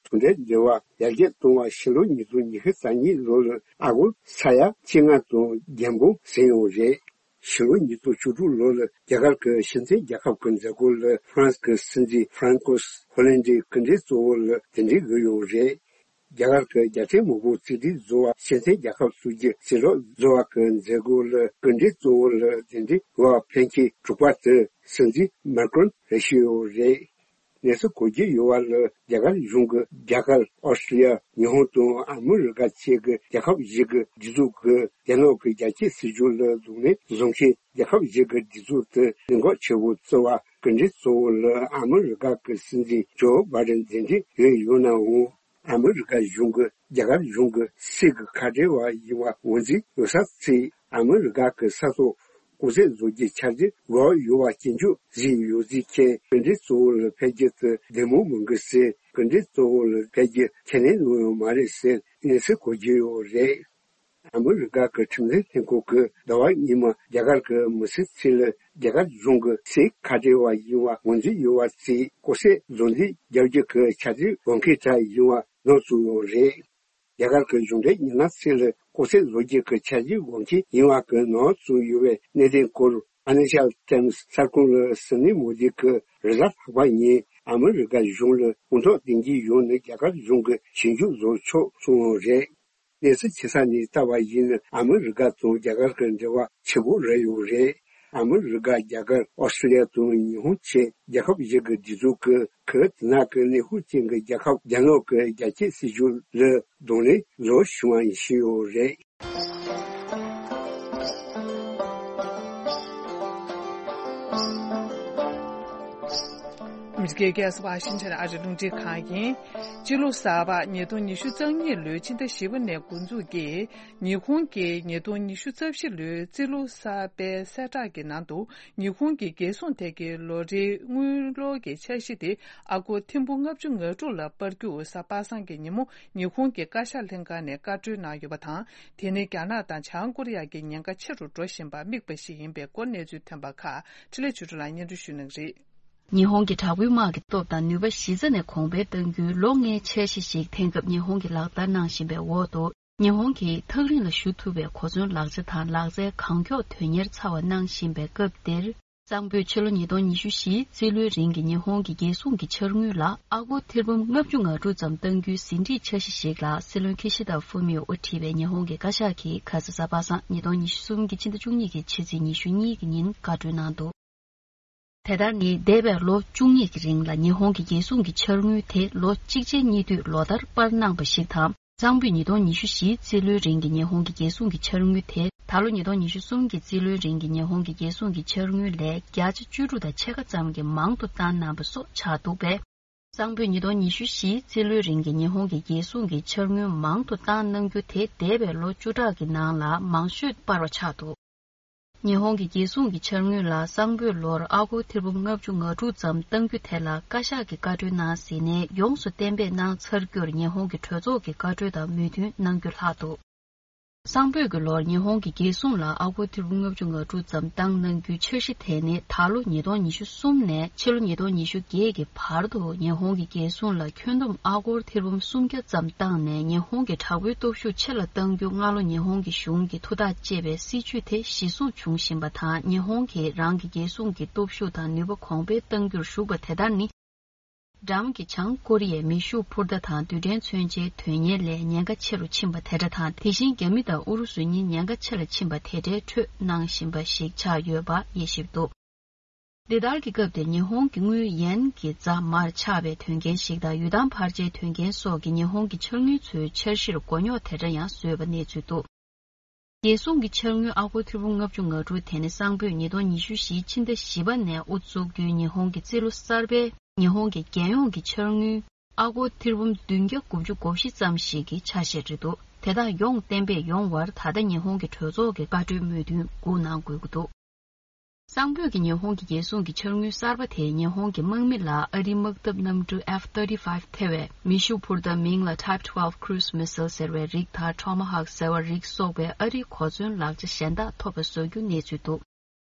ཚོང་འབྲེལ་འབྲེལ་བ་ཡར་རྒྱས་གཏོང་བར་ཕྱི་ལོ་ཉིས་སྟོང་ཉི་ཤུ་རྩ་གཉིས་ལོ་ལ་ཨ་སྒོར་ས་ཡ་བཅོ་ལྔ་དང་རྒྱན་འབུམ་ཟིན་ཡོད་རེད། ཕྱི་ལོ་ཉིས་སྟོང་བཅུ་དྲུག་ལོ་ལ་རྒྱ་གར་གྱི་སྤྱི་མཐུན་རྒྱལ་ཁབ་ཀྱི་མཛད་སྒོ་ལ་ཧྥ་རན་སི་གི་སྲིད་འཛིན་ཧྥ་རན་ཀོས་ཧོ་ལན་ཌིའི་སྐུ་མགྲོན་གཙོ་བོ་ལ་གདན་འདྲེན་ཡོད་ཡོད་རེད། རྒྱ་གར་གྱི་རྒྱལ་ཕྲན་མང་པོ་གཅིག་སྒྲིལ་བཟོ་བ་སྤྱི་མཐུན་རྒྱལ་ཁབ་སོགས་ཀྱི་གསལ་བསྒྲགས་བཟོ་བ་གི་མཛད་སྒོ་ལ་སྐུ་མགྲོན་གཙོ་བོ་ལ་གདན་འདྲེན་ཡོད་པ་ཕེབས་མཁན་དྲུག་པ་དེ་སྲིད་འཛིན་མཱ་ཀྲོན་རེད་ཞུས་ཡོད་རེད། གནས་ཚུལ་གོ་རྒྱུ་ཡོད་པ་ལ་རྒྱ་གར་གཞུང་གིས་རྒྱ་གར། ཨོ་སི་ཀྲི་ལི་ཡ། ཉི་ཧོང་དང་ཨ་མི་རི་ཀ་བཅས་ཀྱི་རྒྱལ་ཁབ་བཞི་གི་སྒྲིག་འཛུགས་ཀྱིས་རྒྱ་ནག་གི་རྒྱལ་གཅེས་སྲིད་ཇུས་ལ་གདོང་ལེན་བཟོ་མཁན་རྒྱལ་ཁབ་བཞི་གི་སྒྲིག་འཛུགས་དེ་ལས་འགུལ་ཆེ་བོ་བརྩི་བར་སྐུ་མགྲོན་གཙོ་བོ་ལ་ཨ་མི་རི་ཀ་གི་སྲིད་འཛིན་ཇོ་བྷའི་ཌེན་གདན་འདྲེན་ཡོད་ཡོད་ནའང་། ཨ་མི་རི་ཀ་གཞུང་གིས་རྒྱ་གར་གཞུང་གི་སྲིད་ཀྱི་ཁ་བྲལ་བ་ཡིན་པ་ངོས་འཛིན་ཡོད་ས་བརྩིས། ཨ་མི་རི་ཀ་གི་ས་ཐོག་ གོང་ཚད་བཟོ་རྒྱུའི་འཆར་གཞི་འགོ་ཡོད་པ་ཇེ་མགྱོགས་བཟོས་ཡོད་ཟེར་མཁན་གུང་ཁྲན་གཙོ་བོ་ལ་ཕེབས་རྒྱུ་དེ་བདེ་མོ་མི་འགྲོ་ཟེར། གུང་ཁྲན་གཙོ་བོ་ལ་ཕེབས་རྒྱུ་ཁས་ལེན་གནང་ཡོད་མ་རེད་ཟེར་གནས་ཚུལ་གོ་རྒྱུ་ཡོད་རེད། ཨ་མི་རི་ཀ་གི་ཁྲིམས་འཛིན་ལྷན་ཁང་གིས་ཟླ་བ་སྔོན་མ་རྒྱ་གར་གྱི་མི་སེར་ཚོ་ལ་རྒྱ་གར་གཞུང་གིས་སེམས་ཁ་བྲལ་བ་ཡིན་པ་ངོས་འཛིན་ཡོད་པ་ཚོས་ལྐོག་ཟ་བཟོ་འདྲེན་རྒྱག་རྒྱུ་གི་འཆར་གཞི་འགོ་འཁྱེར་གྲབས་ཡིན་པ་ནང་བཙུགས་ཡོད་རེད། རྒྱ་གར་གྱི་གཞུང་འབྲེལ་ཉི་ལམ་ཚོ་ལ་ལྐོག་ཟ་བཟོ་རྒྱུ་གི་འཆར་གཞི་འགོ་འཁྱེར་ཡིན་པ་གི་ནང་བཙུགས་ཡོད་པའི་གནད་དོན་སྐོར་ཕའི་ནན་ཤལ་ཊའིམ་སི་གསར་ཁང་ལ་སོང་ནས་མོ་དི་གིས་རེས་གཟའ་ལྷག་པ་ཉིན་ཨ་མི་རི་ཀ་གཞུང་ལ་དགོངས་དག་འདེགས་འབུལ་ཡོང་ནས་རྒྱ་གར་གཞུང་གིས་ཞིབ་འཇུག་བཟོ་ཆོག་གསུངས་ཡོད་རེད། གནས་ཚུལ་ཆེ་ས་ནས་ལྟ་བ་ཡིན་ན་ཨ་མི་རི་ཀ་དང་རྒྱ་གར་གྱི་འབྲེལ་བ་ཆེ་པོ་རེད་ཡོད་རེད། ཨ་མི་རི་ཀ། རྒྱ་གར། ཨོ་སི་ཀྲི་ལི་ཡ་དང་ཉི་ཧོང་བཅས་རྒྱལ་ཁབ་བཞི་གི་སྒྲིག་འཛུགས་ཀྱིས་ཁུལ་དེ་དག་གི་གནས་སྤོ་ཅན་གྱི་རྒྱལ་ཁབ་རྒྱ་ནག་གི་རྒྱ་སྐྱེད་སྲིད་ཇུས་ལ་གདོང་ལེན་བཟོ་བཞིན་པ་ཡིན་ཞུས་ཡོད་རེད། ཨ་མི་རི་ཀའི་རྒྱལ་ས་ཝ་ཤིང་ཊོན་ཨ་རིའི་རླུང་འཕྲིན་ཁང་ཡིན། སྤྱི་ལོ་གསར་པ་ཉིས་སྟོང་ཉི་ཤུ་རྩ་གཉིས་ལོའི་ཕྱི་ཟླ་བཞི་པ་ནས་འགོ་འཛུགས་ཀྱིས། ཉི་ཧོང་གིས་ཉིས་སྟོང་ཉི་ཤུ་རྩ་བཞི་ལོའི་རྩིས་ལོ་གསར་པའི་གསལ་བསྒྲགས་ཀྱི་ནང་དུ། ཉི་ཧོང་གི་རྒྱལ་སྲུང་ཐད་ཀྱི་ལོ་རེའི་དངུལ་ལོར་གྱི་འཆར་གཞི་དེ་ཨ་སྒོར་ཐེར་འབུམ་ལྔ་བཅུ་ང་དྲུག་ལ་སྤར་རྒྱུ་གཟའ་པ་སངས་ཀྱི་ཉིན་མོ་ཉི་ཧོང་གི་བཀའ་ཤག་ལྷན་ཁང་ནས་བཀའ་འཁྲོལ་གནང་ཡོད་པ་དང་། དེ་ནི་རྒྱ་ནག་དང་བྱང་ཀོ་རི་ཡ་གི་ཉེན་ཁ་ཆེ་རུ་འགྲོ་བཞིན་པར་དམིགས་པ་ཞིག་ཡིན་པའི་སྐོར་གནས་ཚུལ་ཐོན་པ་ཁག་འཕྲིན་ལས་ཆོས་སྒྲོན་ལགས་སྙན་སྒྲོན་ཞུ་གནང་གི་རེད། ཉི་ཧོང་གི་དྲག་པོའི་དམག་གི་སྟོབས་དང་ནུས་པ་གཞི་རྩ་ནས་གོང་འཕེལ་གཏང་རྒྱུའི་ལོ་ལྔའི་འཆར་གཞི་ཞིག་དེང་སྐབས་ཉི་ཧོང་གིས་ལག་བསྟར་གནང་བཞིན་པའི་འོག་ཏུ། ཉི་ཧོང་གིས་ཐག་རིང་ལ་ཞུ་ཐུབ་པའི་གོ་མཚོན་ལག་ཆ་དང་ལག་རྩལ་གང་མགྱོགས་དོན་གཉེར་ཚར་བ་གནང་བཞིན་པའི་སྐབས་འདིར། གཙང་པོས་ཕྱི་ལོ་ཉིས་སྟོང་ཉི་ཤུ་བཞིའི་རྩིས་ལོའི་རིང་གི་ཉི་ཧོང་གི་རྒྱལ་སྲུང་གི་འཆར་དངུལ་ལ་ཨ་སྒོར་ཐེར་འབུམ་ལྔ་བཅུ་ང་དྲུག་ཙམ་གཏང་རྒྱུའི་ཟིན་བྲིས་འཆར་གཞི་ཞིག་ལ་སྲིད་བློན་ཁི་ཤི་ད་ཧྥུ་མིའོ་དབུ་ཁྲིད་པའི་ཉི་ཧོང་གི་བཀའ་ཤག་གིས་ཁ་ས་གཟའ་པ་སངས་ཉིས་སྟོང་ཉི་ཤུ་གསུམ་གྱི་ཕྱི་ཟླ་བཅུ་གཉིས་ཀྱི་ཕྱི་ཚེས་ཉི་ཤུ་གཉིས་ཀྱི་ཉིན་བཀའ་འཁྲོལ་གནང་འདུག་དེ་ལྟར་ནི་འདས་པའི་ལོ་བཅུ་གཉིས་ཀྱི་རིང་ལ་ཉི་ཧོང་གི་རྒྱལ་སྲུང་གི་འཆར་དངུལ་དེ་ལོ་གཅིག་རྗེས་གཉིས་མཐུད་ལོ་ལྟར་སྤར་གནང་པ་ཞིག་དང་། གཙང་པོས་ཉིས་སྟོང་ཉི་ཤུ་བཞིའི་རྩིས་ལོའི་རིང་གི་ཉི་ཧོང་གི་རྒྱལ་སྲུང་གི་འཆར་དངུལ་དེ་ད་ལོ་ཉིས་སྟོང་ཉི་ཤུ་གསུམ་གྱི་རྩིས་ལོའི་རིང་གི་ཉི་ཧོང་གི་རྒྱལ་སྲུང་གི་འཆར་དངུལ་ལས་བརྒྱ་ཆ་བཅུ་དྲུག་དང་ཕྱེད་ཀ་ཙམ་གྱིས་མང་དུ་བཏང་གནང་པ་སོགས་ཆགས་འདུག་པས། གཙང་པོས་ཉིས་སྟོང་ཉི་ཤུ་བཞིའི་རྩིས་ལོའི་རིང་གི་ཉི་ཧོང་གི་རྒྱལ་སྲུང་གི་འཆར་དངུལ་མང་དུ་བཏང་གནང་རྒྱུ་དེ་འདས་པའི་ལོ་བཅུ་ཕྲག་གི་ནང་ལ་མང་ཤོས་སྤར་བ་ཆགས་འདུག་ཉི་ཧོང་གི་རྒྱལ་སྲུང་གི་འཆར་དངུལ་ལ་གཙང་པོས་ལོར་ཨ་སྒོར་ཐེར་འབུམ་ལྔ་བཅུ་ང་དྲུག་ཙམ་གཏང་རྒྱུ་དེ་ལ་བཀའ་ཤག་གིས་བཀའ་འཁྲོལ་གནང་ཟིན་ནས་ཡོངས་སུ་གཏན་འབེབས་གནང་ཚར་རྒྱུར་ཉི་ཧོང་གི་གྲོས་ཚོགས་ཀྱི་བཀའ་འཁྲོལ་དང་མོས་མཐུན་གནང་རྒྱུ་ལྷག་འདུག་གཙང་པོས་ཀྱི་ལོར་ཉི་ཧོང་གི་རྒྱལ་སྲུང་ལ་ཨ་སྒོར་ཐེར་འབུམ་ལྔ་བཅུ་ང་དྲུག་ཙམ་བཏང་གནང་རྒྱུའི་འཆར་གཞི་དེ་ནི་ད་ལོ་ཉིས་སྟོང་ཉི་ཤུ་གསུམ་ནས་ཕྱི་ལོ་ཉིས་སྟོང་ཉི་ཤུ་བརྒྱད་ཀྱི་བར་དུ་ཉི་ཧོང་གི་རྒྱལ་སྲུང་ལ་ཁྱོན་བསྡོམས་ཨ་སྒོར་ཐེར་འབུམ་སུམ་བརྒྱ་ཙམ་བཏང་ནས་ཉི་ཧོང་གི་དྲག་པོའི་སྟོབས་ཤུགས་ཆེ་ལ་གཏང་རྒྱུ་སྔ་ལོ་ཉི་ཧོང་གི་གཞུང་གིས་ཐུགས་ཐག་བཅད་པའི་སྲིད་ཇུས་དེ་གཞི་བཟུང་བྱུང་བཞིན་པ་དང་། ཉི་ཧོང་གིས་རང་གི་རྒྱལ་སྲུང་གི་སྟོབས་ཤུགས་དང་ནུས་པ་གོང་འཕེལ་གཏང་རྒྱུར་ཞུགས་པ་དེ་ལྟར་ནི། འགྲམ་གྱི་བྱང་ཀོ་རི་ཡའི་མེ་ཤུགས་འཕུར་མདའ་དང་རྡུལ་ཕྲན་མཚོན་ཆའི་དོན་གཉེར་ལས་ཉེན་ཁ་ཆེ་རུ་ཕྱིན་པ་དེ་འདྲ་དང་། དེ་བཞིན་རྒྱ་མི་དང་ཨུ་རུ་སུ་གཉིས་ཉེན་ཁ་ཆེ་ལ་ཕྱིན་པ་དེ་འདྲའི་ཁྲོད་གནང་བཞིན་པ་ཞིག་ཆགས་ཡོད་པ་དབྱེ་ཞིབ་འདུག་འདི་ལྟར་གྱི་སྐབས་དེར་ཉི་ཧོང་གི་དངུལ་ཡན་གྱི་རྫ་མར་ཆག་པའི་དོན་རྐྱེན་ཞིག་དང་། ཡུལ་ཐང་འཕར་ཆའི་དོན་རྐྱེན་སོགས་ཀྱིས་ཉི་ཧོང་གི་འཆར་དངུལ་ཚོའི་འཆར་གཞིར་མགོ་རྙོག་དེ་འདྲ་ཡང་བཟོས་པ་གནས་ཚུལ་འདུག་རྒྱལ་སྲུང་གི་འཆར་དངུལ་ཨ་སྒོར་ཐེར་འབུམ་ལྔ་བཅུ་ང་དྲུག་དེ་ནི་གཙང་པོས་ཉིས་སྟོང་ཉི་ཤུ་བཞིའི་ཕྱི་ཟླ་བཞི་པ་ནས་དབུ་བཙུགས་རྒྱུའི་ཉི་ཧོང་གི་རྩིས་ལོ་གསར་པའི་ཉི་ཧོང་གི་རྒྱལ་ཡོངས་ཀྱི་འཆར་དངུལ་ཨ་སྒོར་ཐེར་འབུམ་བདུན་བརྒྱ་དགུ་བཅུ་གོ་བཞི་ཙམ་ཞིག་གི་ཆ་ཤས་རེད་འདུག་དེ་དག་ཡོངས་གཏན་འབེབས་ཡོང་བར་ད་ལྟ་ཉི་ཧོང་གི་གྲོས་ཚོགས་ཀྱི་བཀའ་འཁྲོལ་མོས་མཐུན་སྒུག་གནང་དགོས་ཀྱི་འདུག་གཙང་པོས་ཀྱི་ཉི་ཧོང་གི་རྒྱལ་སྲུང་གི་འཆར་དངུལ་གསར་པ་དེས་ཉི་ཧོང་གི་དམག་མི་ལ་ཨ་རིའི་དམག་འཐབ་གནམ་གྲུ་F thirty-five ཐེ་བའི་མེ་ཤུགས་འཕུར་མདའ་མིང་ལ་Type twelve Cruise Missile ཟེར་བའི་རིགས་དང་Tomahawk ཟེར་བ་རིགས་སོགས་པའི་ཨ་རིའི་གོ་མཚོན་ལག་ཆ་གཞན་དག་ཐོབ་པ་བཟོ་རྒྱུ་གནས་ཚུལ་འདུག་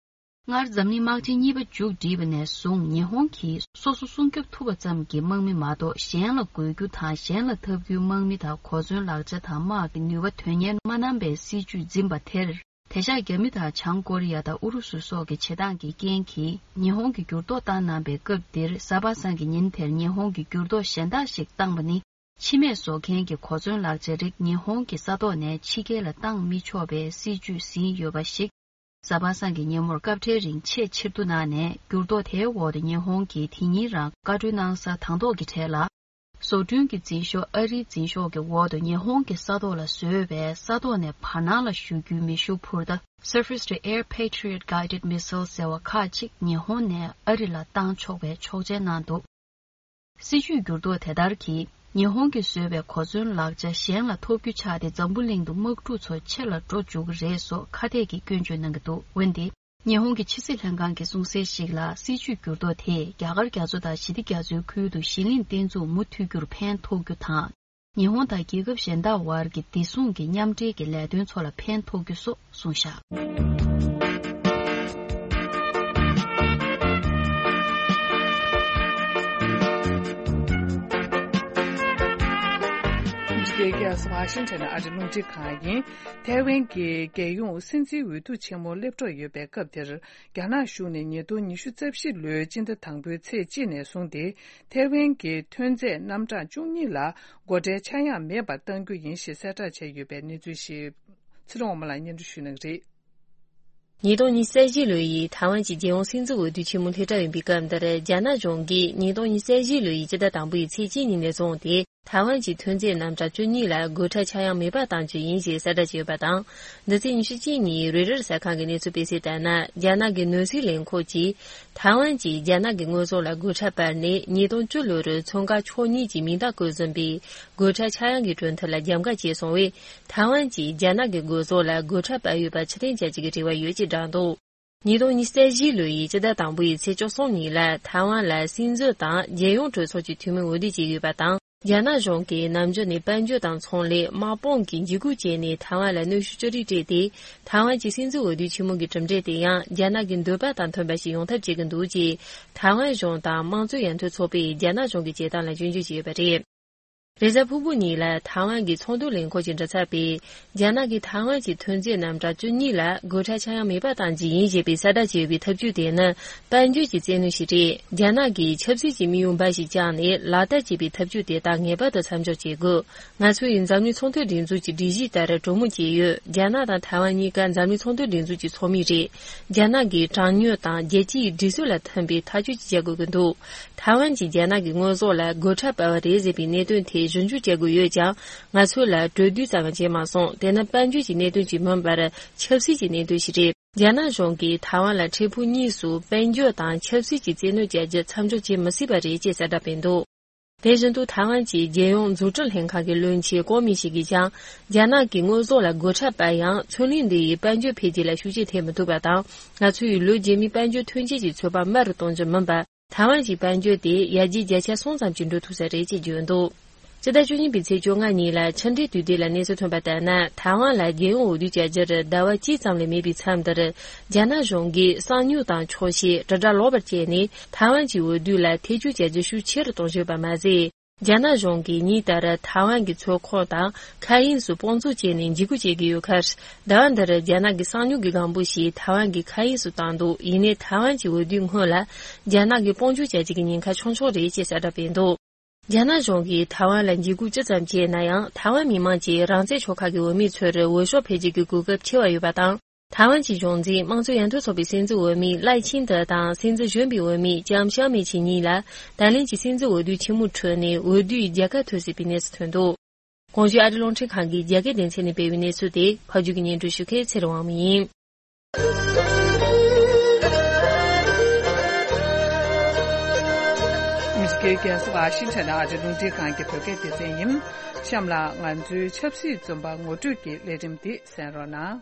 སྔར་འཛམ་གླིང་དམག་ཆེན་གཉིས་པ་མཇུག་བསྒྲིལ་བ་ནས་བཟུང་ཉི་ཧོང་གིས་སོ་སོ་སྲུང་སྐྱོབ་ཐུབ་པ་ཙམ་གྱི་དམག་མི་མ་གཏོགས་གཞན་ལ་རྒོལ་རྒྱུ་དང་གཞན་ལ་འཐབ་རྒྱུའི་དམག་མི་དང་གོ་མཚོན་ལག་ཆ་དང་དམག་གི་ནུས་པ་དོན་གཉེར་མ་གནང་པའི་སྲིད་ཇུས་འཛིན་པ་དེར། དེང་སང་རྒྱ་མི་དང་བྱང་ཀོ་རི་ཡ་དང་ཨུ་རུ་སུ་སོགས་ཀྱི་བྱེད་སྟངས་ཀྱི་རྐྱེན་གྱིས་ཉི་ཧོང་གིས་འགྱུར་ལྡོག་བཏང་གནང་པའི་སྐབས་འདིར་གཟའ་པ་སངས་ཀྱི་ཉིན་དེར་ཉི་ཧོང་གིས་འགྱུར་ལྡོག་གཞན་དག་ཞིག་བཏང་པ་ནི་ཕྱི་མས་བཟོ་མཁན་གྱི་གོ་མཚོན་ལག་ཆ་རིགས་ཉི་ཧོང་གི་ས་ཐོག་ནས་ཕྱི་རྒྱལ་ལ་བཏང་མི་ཆོག་པའི་སྲིད་ཇུས་ཟིན་ཡོད་པ་ཞིག་གཟའ་པ་སངས་ཀྱི་ཉིན་མོར་སྐབས་འཕྲལ་རིང་ཆེས་ཕྱིར་བསྡུ་གནང་ནས། འགྱུར་ལྡོག་དེའི་འོག་ཏུ་ཉི་ཧོང་གིས་དེ་ཉིན་རང་བཀའ་འཁྲོལ་གནང་ས་དང་ཐོག་གི་གྲས་ལ། བཟོ་སྐྲུན་གྱི་འཛིན་ཤོག་ཨ་རིའི་འཛིན་ཤོག་གི་འོག་ཏུ་ཉི་ཧོང་གི་ས་ཐོག་ལ་བཟོས་པའི་ས་ཐོག་ནས་བར་སྣང་ལ་གཞུ་རྒྱུའི་མེ་ཤུགས་འཕུར་མདའ་Surface to Air Patriot Guided Missile ཟེར་བ་ཁག་ཅིག་ཉི་ཧོང་ནས་ཨ་རི་ལ་བཏང་ཆོག་པའི་ཆོག་མཆན་གནང་འདུག་སྲིད་ཇུས་འགྱུར་ལྡོག་དེ་ལྟར་གྱིས་ཉི་ཧོང་གིས་བཟོས་པའི་གོ་མཚོན་ལག་ཆ་གཞན་ལ་ཐོབ་རྒྱུ་ཆགས་ཏེ། འཛམ་བུ་གླིང་དུ་དམག་འཁྲུག་ཚོ་ཆེ་ལ་འགྲོ་འཇུག་གི་རེད་སོགས་ཁ་གཏད་ཀྱི་སྐྱོན་བརྗོད་གནང་གི་འདུག་འོན་ཏེ། ཉི་ཧོང་གི་ཕྱི་སྲིད་ལྷན་ཁང་གིས་གསུངས་གསལ་ཞིག་ལ། སྲིད་བྱུས་འགྱུར་ལྡོག་དེས་རྒྱ་གར་རྒྱ་མཚོ་དང་ཞི་བདེ་རྒྱ་མཚོའི་ཁུལ་དུ་ཞི་ལྷིང་བརྟན་ཚུགས་མུ་མཐུད་རྒྱུར་ཕན་ཐོགས་རྒྱུ་དང་། ཉི་ཧོང་དང་རྒྱལ་ཁབ་གཞན་དག་དབར་གྱི་བདེ་སྲུང་གི་མཉམ་འབྲེལ་གྱི་ལས་དོན་ཚོ་ལ་ཕན་ཐོགས་རྒྱུ་སོགས་གསུངས་བཞག་ཨ་མི་རི་ཀའི་རྒྱལ་ས་ཝ་ཤིང་ཊོན་ཨ་རི་རླུང་འཕྲིན་ཁང་ཡིན། ཐའེ་ཝན་གྱི་རྒྱལ་ཡོངས་སྲིད་འཛིན་འོས་བསྡུ་ཆེན་མོ་སླེབས་འགྲོ་ཡོད་པའི་སྐབས་དེར། རྒྱ་ནག་གཞུང་ནས་ཉིས་སྟོང་ཉི་ཤུ་རྩ་བཞི་ལོའི་སྤྱི་ཟླ་དང་པོའི་ཚེས་གཅིག་ནས་བཟུང་སྟེ། ཐའེ་ཝན་གྱི་ཐོན་རྫས་རྣམ་གྲངས་བཅུ་གཉིས་ལ་སྒོ་ཁྲལ་ཆག་ཡང་མེད་པར་གཏང་རྒྱུ་ཡིན་ཞེས་གསལ་བསྒྲགས་བྱས་ཡོད་པའི་གནས་ཚུལ་ཞིག་ཚེ་རིང་དབང་མོ་ལགས་སྙན་སྒྲོན་ཞུ་གནང་གི་རེད། ཉིས་སྟོང་ཉི་ཤུ་རྩ་བཞི་ལོ་ཡི་ཐའེ་ཝན་གྱི་རྒྱལ་ཡོངས་སྲིད་འཛིན་འོས་བསྡུ་ཆེན་མོ་སླེབས་གྲབས་ཡིན་པའི་སྐབས་འདིར། རྒྱ་ནག་གཞུང་གིས་ཉིས་སྟོང་ཉི་ཤུ་རྩ་བཞི་ལོ་ཡི་སྤྱི་ཟླ་དང་པོ་ཡི་ཚེས་གཅིག་ཉིན་ནས་བཟུང་སྟེ། ཐའེ་ཝན་གྱི་ཐོན་རྫས་རྣམ་གྲངས་བཅུ་གཉིས་ལ་སྒོ་ཁྲལ་ཆག་ཡང་མེད་པར་གཏང་རྒྱུ་ཡིན་ཞེས་གསལ་བསྒྲགས་བྱས་ཡོད་པ་དང་། འདི་ཚེས་ཉི་ཤུ་གཅིག་ཉིན་རོའི་ཊར་གསར་ཁང་གི་གནས་ཚུལ་སྤེལ་གསལ་ལྟར་ན། རྒྱ་ནག་གི་ནོར་སྲིད་ལས་ཁུངས་ཀྱིས་ཐའེ་ཝན་གྱིས་རྒྱ་ནག་གི་དངོས་ཟོག་ལ་སྒོ་ཁྲལ་སྤར་ནས། ཉིས་སྟོང་བཅུ་ལོར་མཚོན་ཁ་ཕྱོགས་གཉིས་ཀྱི་མིང་རྟགས་བཀོད་ཟིན་པའི་སྒོ་ཁྲལ་ཆག་ཡང་གི་གྲོས་མཐུན་ལ་རྒྱབ་འགལ་བྱས་སོང་བས། ཐའེ་ཝན་གྱིས་རྒྱ་ནག་གི་དངོས་ཟོག་ལ་སྒོ་ཁྲལ་སྤར་ཡོད་པ་ཕྱིར་འཐེན་བྱ་རྒྱུ་གི་རེ་བ་ཡོད་ཅེས་བསྒྲགས་འདུག་ཉིས་སྟོང་ཉི་ཤུ་རྩ་བཞི་ལོ་ཡི་སྤྱི་ཟླ་དང་པོ་ཡི་ཚེས་བཅུ་གསུམ་ཉིན་ལ་ཐའེ་ཝན་ལ་སྲིད་འཛིན་དང་རྒྱལ་ཡོངས་གྲོས་ཚོགས་ཀྱི་འཐུས་མི་འོས་བསྡུ་བྱས་ཡོད་པ་དང་། རྒྱ་ནག་གཞུང་གིས་ནམ་རྒྱུན་ནས་དཔལ་འབྱོར་དང་ཚོང་ལས། དམག་དཔུང་གི་འཇིགས་སྐུལ་བྱས་ནས་ཐའེ་ཝན་ལ་གནོན་ཤུགས་ཅི་རིགས་སྤྲད་དེ། ཐའེ་ཝན་གྱི་སྲིད་འཛིན་འོས་བསྡུ་ཆེན་མོ་གི་གྲུབ་འབྲས་དེ་ཡང་རྒྱ་ནག་གི་འདོད་པ་དང་མཐུན་པ་ཞིག་ཡོང་ཐབས་བྱེད་ཀྱི་འདུག་ཅེས་ཐའེ་ཝན་གཞུང་དང་དམངས་གཙོ་ཡར་ཐོན་ཚོགས་པས་རྒྱ་ནག་གཞུང་གི་བྱེད་སྟངས་ལ་སྐྱོན་བརྗོད་བྱས་ཡོད་པ་རེད། རེས་གཟའ་ཕུར་བུ་ཉིན་ལ་ཐའེ་ཝན་གྱི་ཚོགས་འདུ་ལས་ཁུངས་ཀྱིས་འབྲི་ཚར་བའི། རྒྱ་ནག་གིས་ཐའེ་ཝན་གྱི་ཐོན་རྫས་རྣམ་གྲངས་བཅུ་གཉིས་ལ་སྒོ་ཁྲལ་ཆག་ཡང་མེད་པ་གཏང་རྒྱུ་ཡིན་ཞེས་པའི་གསལ་བསྒྲགས་བྱས་ཡོད་པའི་ཐབས་ཇུས་དེ་ནི་དཔལ་འབྱོར་གྱི་བཙན་གནོན་ཞིག་རེད། རྒྱ་ནག་གིས་ཆབ་སྲིད་ཀྱི་དམིགས་ཡུལ་འབའ་ཞིག་བཅངས་ནས་ལག་བསྟར་བྱས་པའི་ཐབས་ཇུས་དེ་དག་ངེས་པར་དུ་མཚམས་འཇོག་བྱེད་དགོས། ང་ཚོ་ཡིས་འཛམ་གླིང་ཚོང་དོན་སྒྲིག་འཛུགས་ཀྱི་སྒྲིག་གཞི་ལྟར་གྲོས་མོལ་བྱས་ཡོད། རྒྱ་ནག་དང་ཐའེ་ཝན་གཉིས་ཀ་འཛམ་གླིང་ཚོང་དོན་སྒྲིག་འཛུགས་ཀྱི་ཚོགས་མི་རེད། རྒྱ་ནག་གིས་དྲང་སྙོམས་དང་རྒྱལ་སྤྱིའི་སྒྲིག་སྲོལ་ལ་མཐུན་པའི་ཐག་གཅོད་ཅིག་བྱ་དགོས་ཀྱི་འདུག་ཐའེ་ཝན་གྱིས་རྒྱ་ནག་གི་དངོས་ཟོག་ལ་སྒོ་ཁྲལ་སྤར་བ་རེད་ཟེར་བའི་གནད་དོན་དེ་ཞིབ་འཇུག་བྱ་དགོས་ཡོད་ཀྱང་། ང་ཚོ་ལ་གྲོས་བསྡུར་ཙམ་ཡང་བྱས་མ་སོང་། དེ་ནི་དཔལ་འབྱོར་གྱི་གནད་དོན་ཞིག་མིན་པར་ཆབ་སྲིད་ཀྱི་གནད་དོན་ཞིག་རེད། རྒྱ་ནག་གཞུང་གིས་ཐའེ་ཝན་ལ་འཕྲལ་ཕུགས་གཉིས་སུ་དཔལ་འབྱོར་དང་ཆབ་སྲིད་ཀྱི་བཙན་གནོན་བྱ་རྒྱུ་མཚམས་འཇོག་བྱེད་མི་སྲིད་པ་རེད་ཅེས་གསལ་བསྒྲགས་སྤེལ་འདུག་དེ་བཞིན་དུ་ཐའེ་ཝན་གྱི་རྒྱལ་ཡོངས་འཛུགས་སྐྲུན་ལྷན་ཁང་གི་བློན་ཆེན་ཀོ་མི་ཞིག་གིས་ཀྱང་། རྒྱ་ནག་གི་དངོས་ཟོག་ལ་སྒོ་ཁྲལ་སྤར་ཡང་། མཚོན་གླིང་འདི་ཡིས་དཔལ་འབྱོར་འཕེལ་རྒྱས་ལ་ཤུགས་རྐྱེན་ཐེབས་མི་ཐུབ་པ་དང་། ང་ཚོ་ཡིས་ལོ་རྗེས་མའི་དཔལ་འབྱོར་ཐོན་སྐྱེད་ཀྱི་ཚོད་དཔག་དམའ་རུ་གཏོང་རྒྱུ་མིན་པར། ཐའེ་ཝན་གྱི་དཔལ་འབྱོར་དེ་ཡར་རྒྱས་བརྒྱ་ཆ་གསུམ་ཙམ་གྱིས་འགྲོ་ཐུབ་ས་རེད་ཅེས་བརྗོད་འདུག་སྤྱི་ཟླ་བཅུ་གཉིས་པའི་ཚེས་བཅོ་ལྔ་ཉིན་ལ་ཕྱི་འབྲེལ་དུས་དེབ་ལ་གནས་ཚུལ་ཐོན་པ་ལྟར་ན། ཐའེ་ཝན་ལ་རྒྱལ་ཡོངས་འོས་བསྡུ་བྱ་རྒྱུར་ཟླ་བ་གཅིག་ཙམ་ལས་མེད་པའི་མཚམས་འདིར། རྒྱ་ནག་གཞུང་གིས་གསང་མྱུལ་དང་འཁྱོག་བཤད། དྲིལ་བསྒྲགས་ལོག་པར་བྱས་ནས། ཐའེ་ཝན་གྱི་འོས་བསྡུ་ལ་ཐེ་བྱུས་བྱ་རྒྱུ་ཤུགས་ཆེ་རུ་གཏོང་བཞིན་ཡོད་པ་མ་ཟད། རྒྱ་ནག་གཞུང་གིས་ཉིན་ལྟར་ཐའེ་ཝན་གྱི་མཚོ་ཁོངས་དང་མཁའ་དབྱིངས་སུ་དཔུང་འཛུགས་བྱས་ནས་འཇིགས་སྐུལ་བྱེད་ཀྱི་ཡོད་ཁར། ཟླ་བ་འདིར་རྒྱ་ནག་གི་གསང་མྱུལ་གྱི་སྒང་པོ་ཞིག་ཐའེ་ཝན་གྱི་མཁའ་དབྱིངས་སུ་བཏང་འདུག་ཡིན་ནའི་ཐའེ་ཝན་གྱི་འོས་བསྡུའི་སྔོན་ལ། རྒྱ་ནག་གིས་དཔུང་འཇུག་བྱ་རྒྱུ་གི་ཉེན་ཁ་ཆུང་ཆུང་རེད་ཅེས་གསལ་བསྒྲགས་སྤེལ་འདུག་རྒྱ་ནག་གཞུང་གིས་ཐའེ་ཝན་ལ་འཇིགས་སྐུལ་ཅི་ཙམ་བྱས་ན་ཡང་། ཐའེ་ཝན་མི་མང་གིས་རང་བཙན་ཆོལ་ཁ་གི་འོས་མི་ཚོར་འོས་ཤོག་འཕེན་རྒྱུ་གི་གོ་སྐབས་ཆེ་བ་ཡོད་པ་དང་། ཐའེ་ཝན་གྱི་གཞུང་འཛིན་དམངས་གཙོ་ཡར་ཐོན་ཚོགས་པའི་སྲིད་འཛིན་འོས་མི་ལའེ་ཆིང་ཏེ་དང་སྲིད་འཛིན་གཞོན་པའི་འོས་མི་ལྕམ་ཤའོ་མེ་ཆིང་གཉིས་ལ་ད་ལན་གྱི་སྲིད་འཛིན་འོས་བསྡུ་ཆེན་མོའི་ཁྲོད་ནས་འོས་བསྡུའི་རྒྱལ་ཁ་ཐོབ་སྲིད་པའི་གནས་སུ་ཐོན་འདུག་གོང་ཞུས་ཨ་རི་རླུང་འཕྲིན་ཁང་གིས་རྒྱ་སྐད་སྡེ་ཚན་ནས་སྤེལ་བའི་གནས་ཚུལ་དེ་ཕབ་སྒྱུར་གྱིས་སྙན་སྒྲོན་ཞུ་མཁན་ཚེ་རིང་དབང་མོ་ཡིན། ཨ་མི་རི་ཀའི་རྒྱལ་ས་ཝ་ཤིང་ཊོན་ཨ་རི་རླུང་འཕྲིན་ཁང་གི་བོད་སྐད་སྡེ་ཚན་ཡིན། གཤམ་ལ་ང་ཚོའི་ཆབ་སྲིད་བཙོན་པ་ངོ་སྤྲོད་ཀྱི་ལས་རིམ་འདི་གསན་རོགས་གནང་།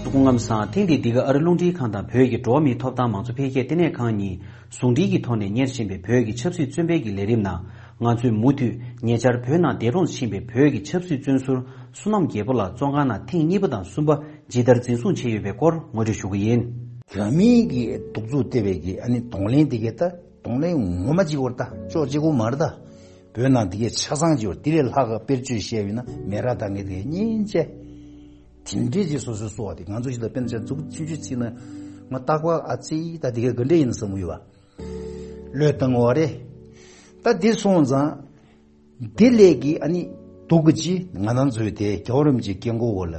སྐུ་ཁམས་བཟང་། ཐེངས་འདིའི་འདི་ག་ཨ་རི་རླུང་འཕྲིན་ཁང་དང་བོད་ཀྱི་འགྲོ་བ་མིའི་ཐོབ་ཐང་མང་གཙོ་འཕེལ་རྒྱས་ལྟེ་གནས་ཁང་གཉིས་ཟུང་འབྲེལ་གྱི་ཐོག་ནས་གཉེར་བཞིན་པའི་བོད་ཀྱི་ཆབ་སྲིད་བཙོན་པའི་གི་ལས་རིམ་ནང་། ང་ཚོས་མུ་མཐུད་ཉེ་ཆར་བོད་ནང་འདས་གྲོངས་ཕྱིན་པའི་བོད་ཀྱི་ཆབ་སྲིད་བཙོན་ཟུར་བསོད་ནམས་རྒྱལ་པོ་ལགས་བཙོན་ཁང་ནང་ཐེངས་གཉིས་པ་དང་གསུམ་པ་ཇི་ལྟར་འཛིན་བཟུང་བྱས་ཡོད་པའི་སྐོར་ངོ་སྤྲོད་ཞུ་གི་ཡིན། དེ་མིན་གྱི་གདུག་རྩུབ་སྟེར་བའི་གི་ཨ་ནི་གདོང་ལེན་དེ་གའི་ད་གདོང་ལེན་ངོ་མ་གཅིག་པོ་རེད། ད་ཅོག་གཅིག་པོ་མ་རེད། ད་བོད་ནང་དེ་གའི་ཆ་ཚང་གཅིག་པོ་དེ་ལས་ལྷག་ག་དཔེར་བརྗོད་བཤད་པ་ཡིན་ན་མེ་རག་ད་གའི་དེ་གའི་གཉན་ཆེ། དེ་འདྲས་ཀྱི་སོ་སོའི་གསོ་བ་དེ་ང་ཚོ་ཞིག་ལ་དཔེར་ན་ཆ་འཛུགས་ཆུང་ཆུང་ཚིག་ན་ང་རྟག་པར་ཨ་ཙི་ད་དེ་གའི་ག་འདྲས་ཡིན་བསམ་གི་ཡོད་པ། བློས་བཏང་བ་རེད། ད་དེ་སོང་ཙང་། དེ་ལས་ཀྱི་ཨ་ནི་སྡུག་གི་ཅི་ང་རང་ཚོའི་དེ་རྒྱལ་བ་རིན་པོ་ཆེའི་སྐྱེ་སྒོ་འོག་ལ་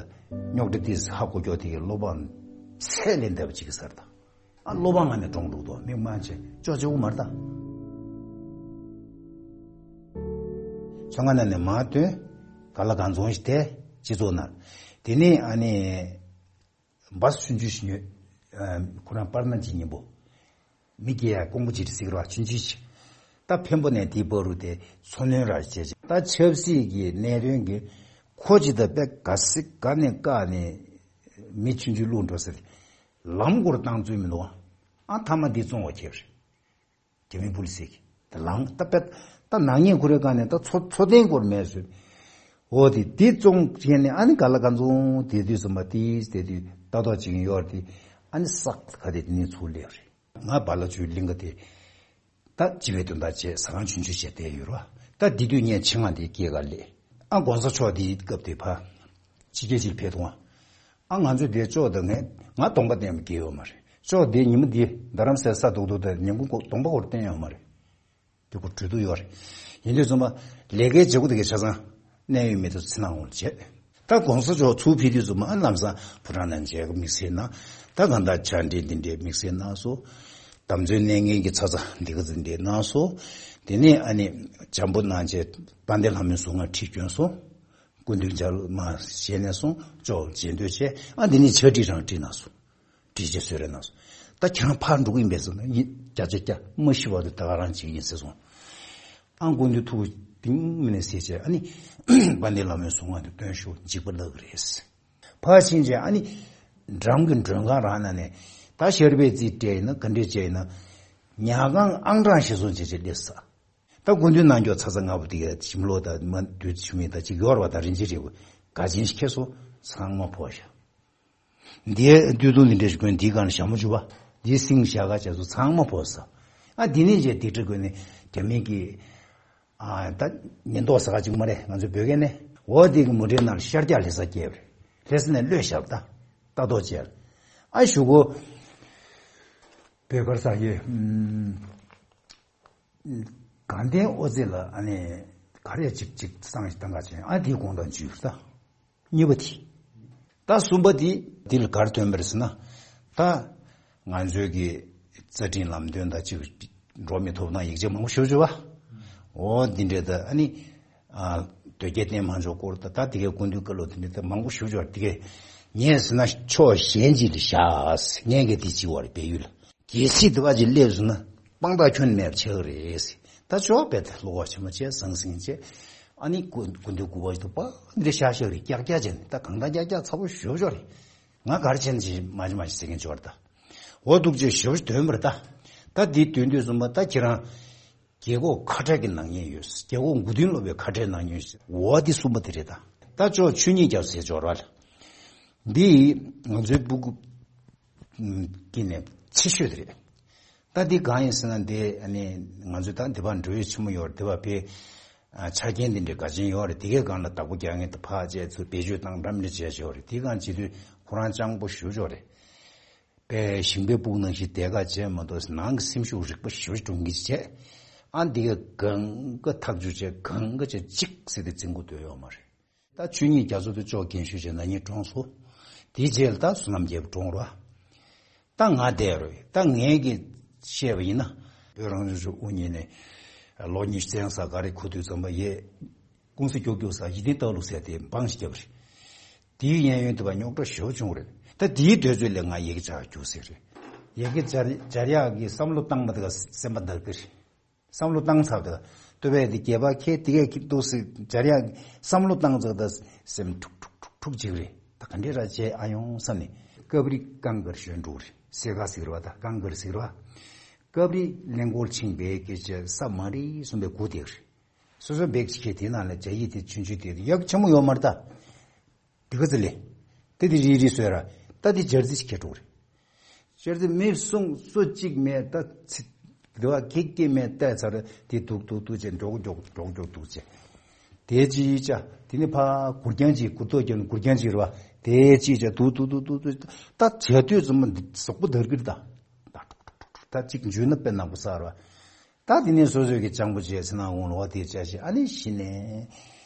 རྙོག་དྲ་དེ་ཧ་གོ་ཀྱོག་དེ་གའི་བློ་ཕམ་ཚད་ལས་འདས་པ་ཅིག་གི་སར་ད། ཨ་བློ་ཕམ་ངང་ནས་གྲོངས་འགྲོ་འདུག་མི་མང་ཆེ་ཅོག་ཅོག་མ་རེད་ད། ཚོང་ཁང་ནང་ནས་མར་ཐོན། ག་ལ་གང་འཚོང་ཞིག་དེ་སྤྱི་ཚོགས་ནང་། དེ་ནས་ཨ་ནི་བ་སུ་ཆུང་ཆུང་ཞིག་ཉོས། ཁོ་རང་པར་ན་གྱི་སྙིང་པོ། མི་སྐྱེ་ཡ་ཀོང་པོ་ཅིག་རེད་ཟེར་གི་རེད་བ། ཆུང་ཆུང་ཞིག་ད་འཕན་པོ་ནས་དེའི་བར་དུ་དེ་འཚོ་སྣོན་ར་བྱས་བྱས། ད་ཆབ་སྲིད་ཀྱི་གནད་དོན་གྱི་ཁོ་ཅི་ད་པད་ག་སི་ག་ནས་བཀག་ནས་མི་ཆུང་ཆུང་བླུག་འགྲོ་ཟེར། ལམ་སྐོར་བཏང་ཚུལ་མི་འདུག་ཨ། ཨ་མཐའ་མ་འདི་བཙོང་བ་ཁྱེར་རེད། རྒྱ་མི་པུ་ལི་སི་གི་ད་ལང་ད་པད་ད་ནག་ཉེས་ཁོ་རའི་སྒང་ནས་ད་འཚོ་འཚོ་རྟེན་སྐོར་མེད་ཟེར། འོ་དེ་དེ་བཙོང་བྱས་ནས་ཨ་ནི་ག་ལ་ག་ཚོང་དེ་དུས་ཙམ་པ་དེ་དེ་དུས་ལྟ་རྟོག་བྱེད་ཀྱི་ཡོད་རེད། དེ་ཨ་ནི་སག་ག་དེ་དེ་ནས་ཚུར་སླེབས་རེད། ང་བ་ལ་ཆུའི་གླིང་ག་དེ། ད་སྤྱི་བའི་དོན་དག་བྱས་ཟ་ཁང་ཆུང་ཆུང་བྱས་བསྡད་ཡོད་ར། ད་འདི་དུས་ངས་ཆེད་མངགས་དེ་སྐྱེས་ག་སླེབས། ཨ་གོང་ས་མཆོག་དེའི་སྐབས་དེ་ཕ། ཕྱི་རྒྱལ་ཅིག་ཕེབས་དུས་ཨ། ང་ཚོས་དེ་ལྕོག་དང་ངས་ང་གདོང་པ་བསྟན་པ་དགེ་ཡོད་མ་རེད། ལྕོག་དེ་ཉི་མ་འདི་རྡ་རམ་སའི་ས་རྡོག་རྡོག་དང་ཉིན་གུང་གདོང་པ་སྐོར་བསྟན་ཡོད་མ་རེད། དེ་ཁོ་གྲོས་བསྡུར་ཡོད་རེད། ཡིན་དུས་ཙམ་པ་ལས་ཀའི་བྱེད་སྒོ་དེ་གའི་ཆ་ཚང་གནད་ཡོད་མི་དེ་ཚོ་ཚེ་ནང་འོང་བྱས། ད་གོང་ས་མཆོག་ཚུར་ཕེབས་དུས་ཙམ་པ་ཨ་ལམ་སང་ཕོ་བྲང་ནང་མཇལ་ཁ་དམིགས་བསལ་གནང་། ད་གང་ལྟར་ཕྱག་འབྲེལ་འདི་འདྲའི་དམིགས་བསལ་གནང་སོང་། འདམ་རྫོང་གནས་ངན་གྱི་ཚ་ཚ་འདི་ག་ཚོ་འདི་གནང་སོང་། དེ་ནས་ཨ་ནི་བྱམས་པོ་གནང་བྱས་དཔལ་ལྡན་ལྷ་མོའི་གཟུངས་སྔགས་ཁྲིད་བསྐྱོན་སོང་། སྐུ་མདུན་མཇལ་མ་བྱས་ནས་སོང་ཅོག་མཇལ་འདོད་བྱས་ཨ་འདི་ནས་ཕྱག་བྲིས་རང་བྲིས་གནང་སོང་། བྲིས་རྗེས་གསོལ་རས་གནང་སོང་། ད་ཁྱེད་རང་ཕར་འགྲོ་གི་ཡིན་པས་ཟེར་ན་ཡིན་བརྒྱ་ཆ་བརྒྱ་མ་ཤི་བར་དུ་ད་ག་རང་བྱེད་ཀྱི་ཡིན་ཟེར་སོང་། ཨ་སྐུ་མདུན་ཐུགས་གཏིང་མི་ནས་གཟིགས་བྱས་ཨ་ནི་དཔལ་ལྡན་ལྷ་མོའི་གཟུངས་སྔགས་དེ་བཏོན་ཤོག་འཇིགས་པ་ལྷག་གི་རེད། ཕར་ཕྱིན་བྱས་ཨ་ནི་འགྲམ་གྱི་མགྲོན་ཁང་རང་ནང་ནས་ད་ཤར་པའི་རྩིས་སྤྲད་ཡིན་ན་ག་འདྲས་བྱས་ཡིན་ན་ཉལ་ཁང་ཨང་གྲངས་ཤིག་བཟུང་བྱས་བྱས་སླེབས་ས། ད་སྐུ་མདུན་གནང་མགྱོགས་ཚ་ཚ་ང་བུ་དེ་ག་ཞིམ་ལོ་ད་མ་དུས་ཆུ་མིག་ད་ཅིག་ཡོར་བ་ད་རིན་ཆེན་རེད་བུ་ག་ཅན་ཞིག་ཁེ་སོ་ཚང་མ་ཕོ་ཤ། འདིའི་སྟོད་ཐུང་འདི་འདྲ་ཞིག་གོན་འདིའི་སྒང་ལ་ཞྭ་མོ་བཅུ་པ་འདིའི་སིང་ཞྭ་ག་བྱས་སོ་ཚང་མ་ཕོ་ས། ཨ་འདི་ནས་བྱས་འདི་འདྲ་གོན་ནས་རྒྱ་མི་གི་ཨ་ད་ཉེན་རྟོག་ཟ་ག་ཅིག་མ་རེད་ང་ཚོའི་བོད་སྐད་ནས་འོ་འདི་གི་མུ་འབྲེལ་ནང་ལ་ཤར་རྒྱག་ལྷ་ས་སྐྱེལ་བ་རེད། ལྷ་ས་ནས་གློད་ཞབས་ད་ལྟ་རྟོག་བྱས་ཨ་ཞུ་གོ་བོད་སྒར་ས་ཡོད། དགའ་ལྡན་ཨོ་ཙེ་ལ་ཨ་ནི་ག་རེ་ཅིག་ཅིག་བསང་ཞིག་བཏང་ག་ཅན་ཨ་དེའི་དགོང་དག་འཇུས་ད། གཉིས་པ་དེ། ད་གསུམ་པ་དེ་དེ་ལ་གར་ཐོན་པར་ཟེར་ན། ད་ང་ཚོའི་གི་རྩ་ཁྲིམས་ལམ་སྟོན་ད་ཅིག་འགྲོ་མི་ཐོབ་ཐང་ཡིག་ཆ་མང་པོ་ཞུ་ཞུ་བ། འོ་འདི་འདྲའི་ད་ཨ་ནི་ཨ་དོལ་རྒྱལ་བསྟེན་མ་འཇོག་སྐོར་ད་ད་དེ་གའི་སྐུ་མདུན་བཀའ་སློབ་དེ་འདྲའི་ད་མང་པོ་ཞུ་ཞུ་བ་དེ་གའི་ངས་ཟེར་ན་ཕྱོགས་གཞན་ཅིག་ལ་བཞག་ངས་གི་དེ་ཅི་བར་བལ་ཡུལ་ལ། གལ་སྲིད་དེ་བ་ཅིག་སླེབས་སོང་ན་དཔང་རྟགས་ཁྱོན་ནས་མེད་པ་ཆགས་ཀྱི་རེད། ད་ཅོག་པད་ལོག་པ་ཆེན་མོ་བྱས་ཟང་ཟིང་བྱས་ཨ་ནི་སྐུ་སྐུ་མདུན་སྐུ་པར་ཞིག་ཏུ་པ་འདི་ཤག་ཤག་རེད་ཀྱག་ཀྱག་བྱས་ནས་ད་གང་ལྟར་ཀྱག་ཀྱག་ཚ་པོ་ཞོ་ཞོ་རེད། ང་གར་ཆེན་ཅིག་མ་ཅི་མ་ཅི་ཟེར་མཁན་ཅོག་རེད་ད། འོ་འདུག་ཅེས་ཞོ་ཞོ་དོན་པར་ད། ད་འདི་དོན་དུས་གསུམ་པ་ད་ཁྱེད་རང་རྒྱལ་ཁོག་ཁ་བྲལ་གྱི་ནག་ཉེས་ཡོད། རྒྱལ་ཁོག་མགོ་རྟིང་སློག་པའི་ཁ་བྲལ་ནག་ཉེས་ཡོད། འོ་འདི་གསུམ་པ་དེ་རེད་ད། ད་ཅོག་ཆོས་ཉིད་རྒྱབ་ཟེར་ཅོག་ར་ལ། འདི་ང་ཚོའི་སྤུ་གུ་ཀྱི་ནས་ཆེ་ཤོས་དེ་རེད། ད་འདི་གང་ཡིན་ཟེར་ན་འདི་ཨ་ནི་ང་ཚོའི་ད་འདི་པར་འགྲོ་ཡུལ་ཆེན་མོ་ཡོད་རེད། འདི་པར་བས་ཆ་རྐྱེན་འདི་འདྲའི་ག་ཅན་ཡོད་རེད། འདི་གའི་སྒང་ལ་བདག་པོ་རྒྱག་མཁན་དུ་ཕག་བཅས་ཚུར་བེད་སྤྱོད་བཏང་འགྲམ་འདྲ་བྱས་བྱས་ཡོད་རེད། འདི་གང་བྱེད་དུས་ཁོ་རང་སྤྱང་པོ་ཞུ་ཆོག་རེད། པས་ཞིང་པའི་སྤུག་ནང་བཞིན་དེ་ག་བྱས་མ་གཏོགས་ནང་གི་སེམས་ཤུགས་རིག་པ་ཞུ་གྲོང་གི་བྱས་ཨ་འདི་གའི་གང་ག་ཐག་གཅོད་བྱས་གང་ག་བྱས་གཅིག་ཟེར་ཏེ་འཛིན་དགོས་འདོད་ཡོད་མ་རེད། ད་ཆོས་ཉིད་རྒྱ་མཚོ་དེ་ཅོག་རྒན་ཤོས་བྱས་ན་ཉིད་གྲོངས་སོ། དེའི་རྗེས་ལ་ད་བསོད་ནམས་རྒྱལ་པོ་གྲོངས་རོ། ད་ང་བསྡད་རོ། ད་ངས་ཀྱི་བཤད་པ་ཡིན་ན། བོད་རང་སྐྱོང་ལྗོངས་དབུ་བརྙེས་ནས་ལོ་ཉི་ཤུ་ཙམ་ས་ག་རེ་འཁོར་དུས་ཙམ་པ་ཡས། ཀུང་སི་རྒྱུག་རྒྱུག་ས་ཡིད་བརྟན་ལྟ་ལུགས་ཟེར་དེ་འབངས་ཤིག་བརྒྱབ་རེད། དེའི་གཡས་གཡོན་དུ་བ་རྙོག་དྲ་ཞེ་པོ་བྱུང་རེད། ད་དེའི་དུས་ཚོད་ལས་ང་ཡི་གེ་སྦྱར་རྒྱུགས་ཟེར་རེད། ཡི་གེ་སྦྱར་སྦྱར་ཡག་གི་བསམ་བློ་བཏང་མ་ཐག་སེམས་པ་འདར་གི་རེད། བསམ་བློ་བཏང་ཚར་ད། ལྟོས་པས་དེ་རྒྱལ་བ་ཁྱེད་དེ་གས་ཀྱི་འདུག་སེ་སྦྱར་ཡག་བསམ་བློ་བཏང་ཚར་ད་སེམས་འཁྲུག་འཁྲུག་འཁྲུག་འཁྲུག་ཅིག་རེད། ད་ག་འདྲས་ར་བྱས་ཨ་ཡོང་བསམ་ནས་སྐབས་རིག་ཀང་གར་ཞོན་འགྲོ་རེད། སེ་ག་ཟིག་ར་བ་ད་ཀང་གར་ཟིག་ར་བ། སྐབས་རིག་གླེང་སྐོར་ཆིང་བས་སྐད་ཆ་ས་མ་རི་གསུམ་པའི་གུ་དེ་རེད། སོ་སོ་བེག་ཅིག་ཁྱེར་དེ་ནང་ལ་ཇ་ཡི་དེ་ཆུང་ཆུང་དེ་ཡག་ཆེན་མོ་ཡོད་མ་རེད་ད། དེ་ག་ཚོད་ལས། དེ་དེ་རི་རི་སོས་ར། ད་དེ་ཇར་ཟི་ཁྱེར་འགྲོ་རེད། ཇར་ཟི་མི་སུང་སོ་གཅིག་མེད་ད་ཚི། དེ་བ་ཁེ་ཁེ་མེད་ད་ཚར་དེ་དུག་དུག་དུག་ཅེ་འགྲོག་འགྲོག་འགྲོག་འགྲོག་དུག་ཅེ། དེ་ཅི་ཡི་ཅ་དེ་ནི་ཕ་གུར་རྒྱང་ཅིག་གུར་ཏོ་རྒྱང་གུར་རྒྱང་ཅིག་ར་བ། དེ་ཅི་ཡི་ཅ་དུག་དུག་དུག་དུག་དུག་ད་ཇ་དུས་ཙམ་ཟོག་པོ་དར་གིར་ད། ད་ཏུག་ཏུག་ཏུག་ཏུག་ད་གཅིག་འཇུས་ན་དཔེ་ནག་པོ་ས་ར་བ། ད་དེ་ནས་སོ་སོའི་གི་སྤྱང་པོ་བྱས་ཚེ་ན་འོང་ལོག་དེ་བྱ་ཞིག་ཨ་ནི་གཞི་ནས་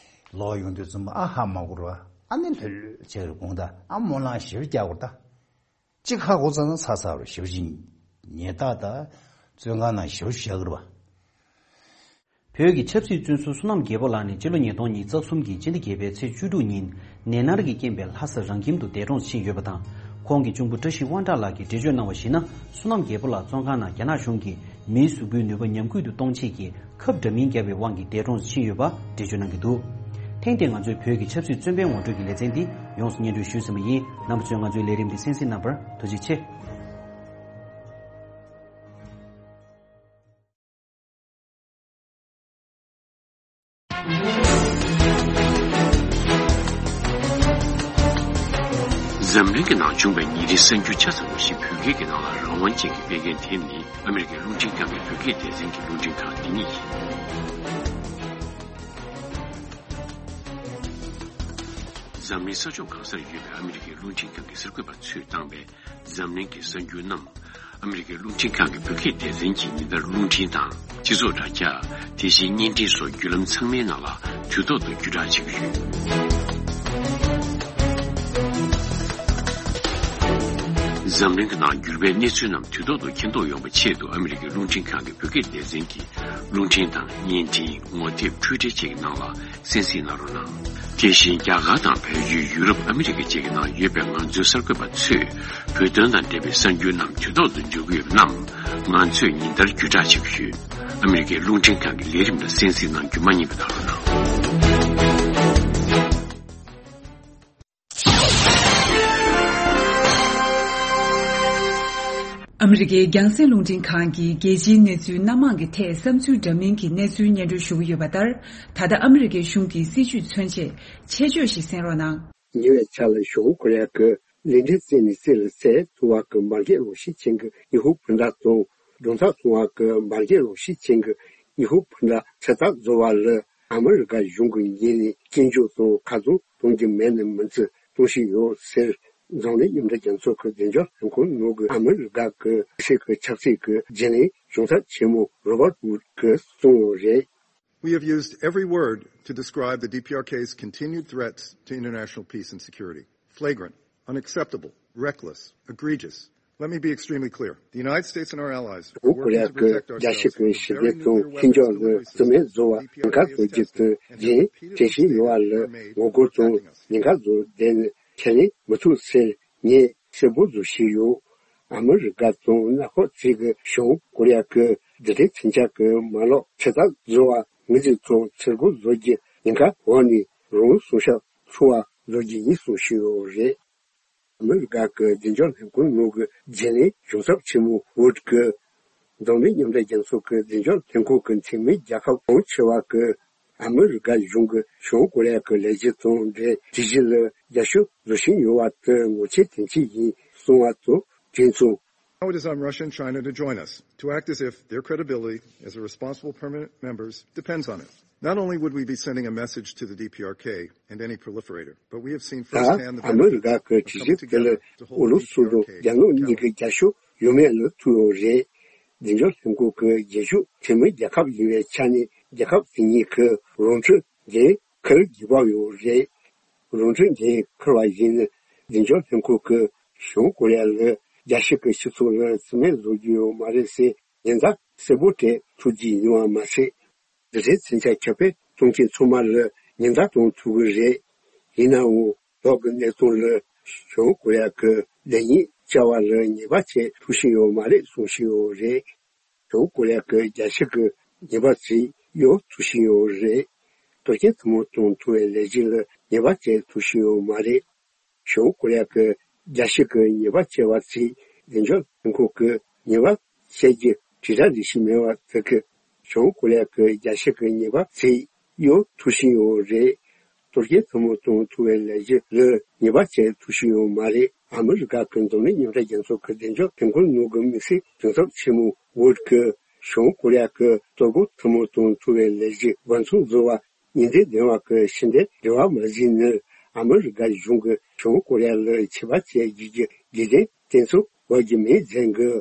ལོག་ཡོང་དུས་ཙམ་ཨ་ཧ་མ་གོ་ར་ཨ་ནི་ལྷོད་ལྷོད་བྱས་རུ་དགོངས་ད་ཨ་སྨོན་ལམ་ཞེ་པོ་རྒྱག་དགོས་ད། གཅིག་ཧ་གོ་ཚར་ན་ཚ་ཚ་རུ་ཞེ་པོ་ཞིག་ཉེས་རྟགས་ད་བཙོན་ཁང་ནང་ཞེ་པོ་ཞིག་བཞག་གི་ར་བ། བོད་ཀྱི་ཆབ་སྲིད་བཙོན་ཟུར་བསོད་ནམས་རྒྱལ་པོ་ལགས་ནི་སྤྱི་ལོ་ཉིས་སྟོང་ཉི་ཤུ་རྩ་གསུམ་གྱི་སྤྱི་ཟླ་བརྒྱད་པའི་ཚེས་བཅུ་དྲུག་ཉིན་ནད་མནར་གྱི་རྐྱེན་པས་ལྷ་ས་རང་ཁྱིམ་དུ་འདས་གྲོངས་ཕྱིན་ཡོད་པ་དང་། ཁོང་གི་གཅུང་པོ་བཀྲ་ཤིས་དབང་གྲགས་ལགས་ཀྱིས་འགྲེལ་བརྗོད་གནང་བར་གཞིགས་ན། བསོད་ནམས་རྒྱལ་པོ་ལགས་བཙོན་ཁང་ནང་རྒྱ་ནག་གཞུང་གིས་ མིའི་གཟུགས་པོའི་ནུས་པ་ཉམས་རྒུད་དུ་གཏོང་ཆེད་ཀྱི་ཁབ་འདྲ་མིན་བརྒྱབ་པའི་དབང་གིས་འདས་གྲོངས་སུ་ཕྱིན་ཡོད་པ་འགྲེལ་བརྗོད་གནང་གི་འདུག་ཐེངས་འདིར་ང་ཚོའི་བོད་ཀྱི་ཆབ་སྲིད་བཙོན་པའི་ངོ་སྤྲོད་ཀྱི་ལེ་ཚན་འདི་ཡོངས་སུ་སྙན་སྒྲོན་ཞུས་ཟིན་པ་ཡིན། རྣམ་པ་ཚོས་ང་ཚོའི་ལས་རིམ་འདི་གསན་གཟིགས་གནང་བར་ཐུགས་རྗེ་ཆེ། འཛམ་གླིང་གི་ནང་བྱུང་བའི་ཉིན་རེའི་གསར་འགྱུར་ཆ་ཚང་བ་ཞིག་བོད་སྐད་ཀྱི་ནང་ལ་རང་དབང་ཅན་གྱིས་སྤེལ་མཁན་དེ་ནི་ཨ་མི་རི་ཀའི་རླུང་འཕྲིན་ཁང་གི་བོད་སྐད་སྡེ་ཚན་གྱི་རླུང་འཕྲིན་ཁང་འདི་ཉིད་ཡིན། འཛམ་གླིང་ས་ཕྱོགས་གང་སར་ཡོད་པའི་ཨ་མི་རི་ཀའི་རླུང་འཕྲིན་ཁང་གི་གསར་འགོད་པ་ཚོས་བཏང་བའི་འཛམ་གླིང་གི་གསར་འགྱུར་རྣམས། ཨ་མི་རི་ཀའི་རླུང་འཕྲིན་ཁང་གི་བོད་སྐད་སྡེ་ཚན་གྱིས་ཉིན་ལྟར་རླུང་འཕྲིན་དང་། སྤྱི་ཚོགས་དྲ་རྒྱ། དེ་བཞིན་བརྙན་འཕྲིན་སོགས་བརྒྱུད་ལམ་ཚང་མའི་ནང་ལ་དུས་ཐོག་ཏུ་བརྒྱུད་བསྒྲགས་བྱེད་ཀྱི་ཡོད། འཛམ་གླིང་གི་ནང་འགྱུར་བའི་གནས་ཚུལ་རྣམས་དུས་ཐོག་ཏུ་མཁྱེན་རྟོགས་ཡོང་བའི་ཆེད་དུ་ཨ་མི་རི་ཀའི་རླུང་འཕྲིན་ཁང་གི་བོད་སྐད་སྡེ་ཚན་གྱིས་རླུང་འཕྲིན་དང་བརྙན་འཕྲིན། ངོ་དེབ། འཕྲུལ་འཕྲིན་བཅས་ཀྱི་ནང་ལ། གསན་གཟིགས་གནང་རོགས་གནང་། དེ་བཞིན་རྒྱ་གར་དང་བལ་ཡུལ། ཡུ་རོབ། ཨ་མི་རི་ཀ་བཅས་ཀྱི་ནང་ཡོད་པའི་ང་ཚོའི་གསར་འགོད་པ་ཚོས་བོད་དོན་དང་འབྲེལ་བའི་གསར་འགྱུར་རྣམས་དུས་ཐོག་ཏུ་འབྱོར་གྱི་ཡོད་པ་རྣམས་ང་ཚོས་ཉིན་ལྟར་བརྒྱུད་བསྒྲགས་བྱེད་ཀྱི་ཡོད། ཨ་མི་རི་ཀའི་རླུང་འཕྲིན་ཁང་གི་ལས་རིམ་ལ་གསན་གཟིགས་གནང་རྒྱུ་མ་བསྙེལ་བ་གནང་རོགས་གནང་། ཨ་མི་རི་ཀའི་རྒྱང་སྲིང་རླུང་འཕྲིན་ཁང་གིས་རྒྱལ་སྤྱིའི་གནས་ཚུལ་སྣ་མང་གི་ཐད་བསམ་ཚུལ་འདྲ་མིན་གྱི་གནས་ཚུལ་སྙན་སྒྲོན་ཞུ་གི་ཡོད་པ་ལྟར། ད་ལྟ་ཨ་མི་རི་ཀའི་གཞུང་གི་སྲིད་བྱུས་མཚོན་ཆེད་ཆེད་བརྗོད་ཞིག་གསན་རོགས་གནང་། ཉེ་བའི་ཆར་ལ་བྱང་ཀོ་རི་ཡ་གི་གླིང་ཕྲན་རྩེ་ནས་རྩེ་ལ་སླེབས་ཐུབ་པ་གི་འབར་གས་རང་བཞིན་ཅན་གྱི་ཉི་ཧོང་འཕུར་མདའ་དང་། སྒྲུང་ཐག་ཐུང་བ་གི་འབར་གས་རང་བཞིན་ཅན་གྱི་ཉི་ཧོང་འཕུར་མདའ་ཚོད་ལྟ་བཟོ་བ་ལ་ཨ་མི་རི་ཀ་གཞུང་གི་ངོས་ནས་སྐྱོན་བརྗོད་དང་ཁ་རྡུང་གཏོང་རྒྱུ་མེད་ན་མིན་ཚུལ་གཏོང་བཞིན་ཡོད་ཟེར། འཛམ་གླིང་མཉམ་འབྲེལ་རྒྱལ་ཚོགས་ཀྱི་བདེ་འཇགས་ལྷན་ཁང་ནང་གི་ཨ་མི་རི་ཀ་གི་ཆབ་སྲིད་ཀྱི་ཆབ་སྲིད་ཀྱི་བརྗེ་ལེན་གཞུང་ཚབ་ཆེན་མོ་རོ་བར་ཝུད་ཀྱིས་གསུངས་ཡོད་རེད། We have used every word to describe the D P R K's continued threats to international peace and security. Flagrant, unacceptable, reckless, egregious. Let me be extremely clear. The United States and our allies are བྱང་ཀོ་རི་ཡ་གི་རྒྱལ་སྤྱི་གི་ཞི་བདེ་དང་མཐུན་སྦྱོར་ལ་རྩིས་མེད་བཟོ་བ་ཉེན་ཁ་བཟོ་རྒྱུ་དེ་རྒྱུན་དྲན་བཞིན་ཡོད་པ་ལ་ངོ་རྒོལ་དང་ཉེན་ཁ་བཟོ་བསྡད་ནས་ཁས་ལེན་མི་ཐུབ་ཟེར། ངས་གསལ་པོ་བཟོ་བཞིན་ཡོད། ཨ་མི་རི་ཀ་དང་མངའ་ཁོངས་བརྩིས་ཀྱི་བྱང་ཀོ་རི་ཡ་གི་རྡུལ་ཕྲན་མཚོན་ཆ་གི་མ་ལག་ཚོད་ལྟ་བཟོ་བ་ངོས་འཛིན་དང་ཚུར་རྒོལ་བཟོ་རྒྱུ་ཉེན་ཁ་འོག་ནས་རང་སྲུང་བྱ་ཐུབ་པ་བཟོ་རྒྱུ་ཡིན་གསུངས་བཞིན་ཡོད་རེད། ཨ་མི་རི་ཀ་གི་བདེ་འཇགས་ལྷན་ཁང་ནང་གི་བརྗེ་ལེན་གཞུང་ཚབ་ཆེན་མོ་ཝུད་ཀྱིས་འཛམ་གླིང་མཉམ་འབྲེལ་རྒྱལ་ཚོགས་ཀྱི་བདེ་འཇགས་ལྷན་ཁང་གི་འཐུས་མི་རྒྱལ་ཁབ་གྲངས་ཆེ་བ་གིས་ཨ་མི་རི་ཀ་གཞུང་གིས་བྱང་ཀོ་རི་ཡ་གི་ལས་གཞི་དང་འབྲེལ་གྲོས་གཞི་ལ་རྒྱབ་སྐྱོར་བཟོ་བཞིན་ཡོད་པ་དེ་ངོ་ཆེ་དོན་ཆེ་ཡིན་གསུངས་པ་དང་བསྟུན་སོང་། Now it is on Russia and China to join us, to act as if their credibility as a responsible permanent members depends on it. Not only would we be sending a message to the D P R K and any proliferator, but we have seen ད་firsthand the ཨ་མི་རི་ཀ་གི་གྲོས་གཞི་དེ་ལ་ཨུ་རུ་སུ་དང་རྒྱ་ནག་གཉིས་ཀྱི་རྒྱབ་སྐྱོར་ཡོད་མེད་ལ་ཐུག་ཡོད་རེད། བདེ་འཇགས་ལྷན་ཁང་གི་རྒྱབ་སྐྱོར་འཐུས་མི་རྒྱལ་ཁབ་ཡིན་པའི་ཆ་ནས་རྒྱལ་ཁབ་དེ་གཉིས་ཀྱི་རང་འཁྲུག་འགན་འཁུར་དགོས་པ་ཡོད་རེད། རང་འཁྲུག་འགན་འཁུར་བ་ཡིན་ན་བདེ་འཇགས་ལྷན་ཁང་གིས་བྱང་ཀོ་རི་ཡ་ལ་རྒྱལ་སྤྱི་གི་སྤྱི་ཚོགས་ལ་རྩིས་མེད་བཟོ་རྒྱུ་ཡོད་མ་རེད་ཟེར་ཉེན་བརྡ་གསལ་པོ་སྤྲད་ཐུབ་ཀྱི་ཡིན་པ་མ་ཟད། རྡུལ་ཕྲན་མཚོན་ཆ་ཁྱབ་སྤེལ་གཏོང་མཁན་ཚང་མ་ལ་ཉེན་བརྡ་གཏོང་ཐུབ་ཀྱི་རེད། ཡིན་ནའང་། བདག་གི་གནས་སྟངས་ལ་བྱང་ཀོ་རི་ཡ་གི་ལེགས་ཉེས་བཅར་བ་ལ་ཉེས་པ་བྱེད་ཐུབ་བཞིན་ཡོད་མ་རེད་གསུང་བཞིན་ཡོད་རེད། བྱང་ཀོ་རི་ཡ་གི་རྒྱལ་སྤྱི་གི་ཉེས་པ་ཚིག་གཡོལ་ཐུབ་བཞིན་ཡོད་རེད། དོན་རྐྱེན་ཐུན་མོང་དང་ཐུབ་པའི་ལས་གཞི་ལ་ཉེས་པ་བྱེད་ཐུབ་བཞིན་ཡོད་མ་རེད། བྱང་ཀོ་རི་ཡ་གི་རྒྱལ་སྤྱི་གི་ཉེས་པ་བྱས་པ་ཚིག་བདེ་འཇགས་ལྷན་ཁང་གི་ཉེས་པ་བྱེད་རྒྱུ་དྲིལ་བསྒྲགས་ལས་གཞི་མེད་པ་དེ་གིས་བྱང་ཀོ་རི་ཡ་གི་རྒྱལ་སྤྱི་གི་ཉེས་པ་ཚིག་གཡོལ་ཐུབ་བཞིན་ཡོད་རེད། དོན་རྐྱེན་ཐུན་མོང་དང་ཐུབ་པའི་ལས་གཞི་ལ་ཉེས་པ་བྱེད་ཐུབ་བཞིན་ཡོད་མ་རེད། ཨ་མི་རི་ཀ་གི་འཛམ་གླིང་མཉམ་འབྲེལ་རྒྱལ་ཚོགས་ཀྱི་བདེ་འཇགས་ལྷན་ཁང་ནང་གི་དམིགས་བསལ་གཞུང་ཚབ་ཆེན་མོ་ཝུད་ཀྱིས་བྱང་ཀོ་རི་ཡ་གི་གཏོར་རྒོལ་ཐུན་མོང་དང་ཐུབ་པའི་ལས་གཞི་འབད་བརྩོན་བཟོ་བ་ཉེན་བརྡ་ལྡན་པ་གི་ཕྱི་འབྲེལ་འབྲེལ་བ་མ་ཟིན་ནས་ཨ་མི་རི་ཀ་གཞུང་གིས་བྱང་ཀོ་རི་ཡ་ལ་ཆད་པ་བཅད་རྒྱུ་གི་དགོས་འདུན་བསྟན་ཚུལ་འགོད་ཀྱི་མེད་ཟེར་གི།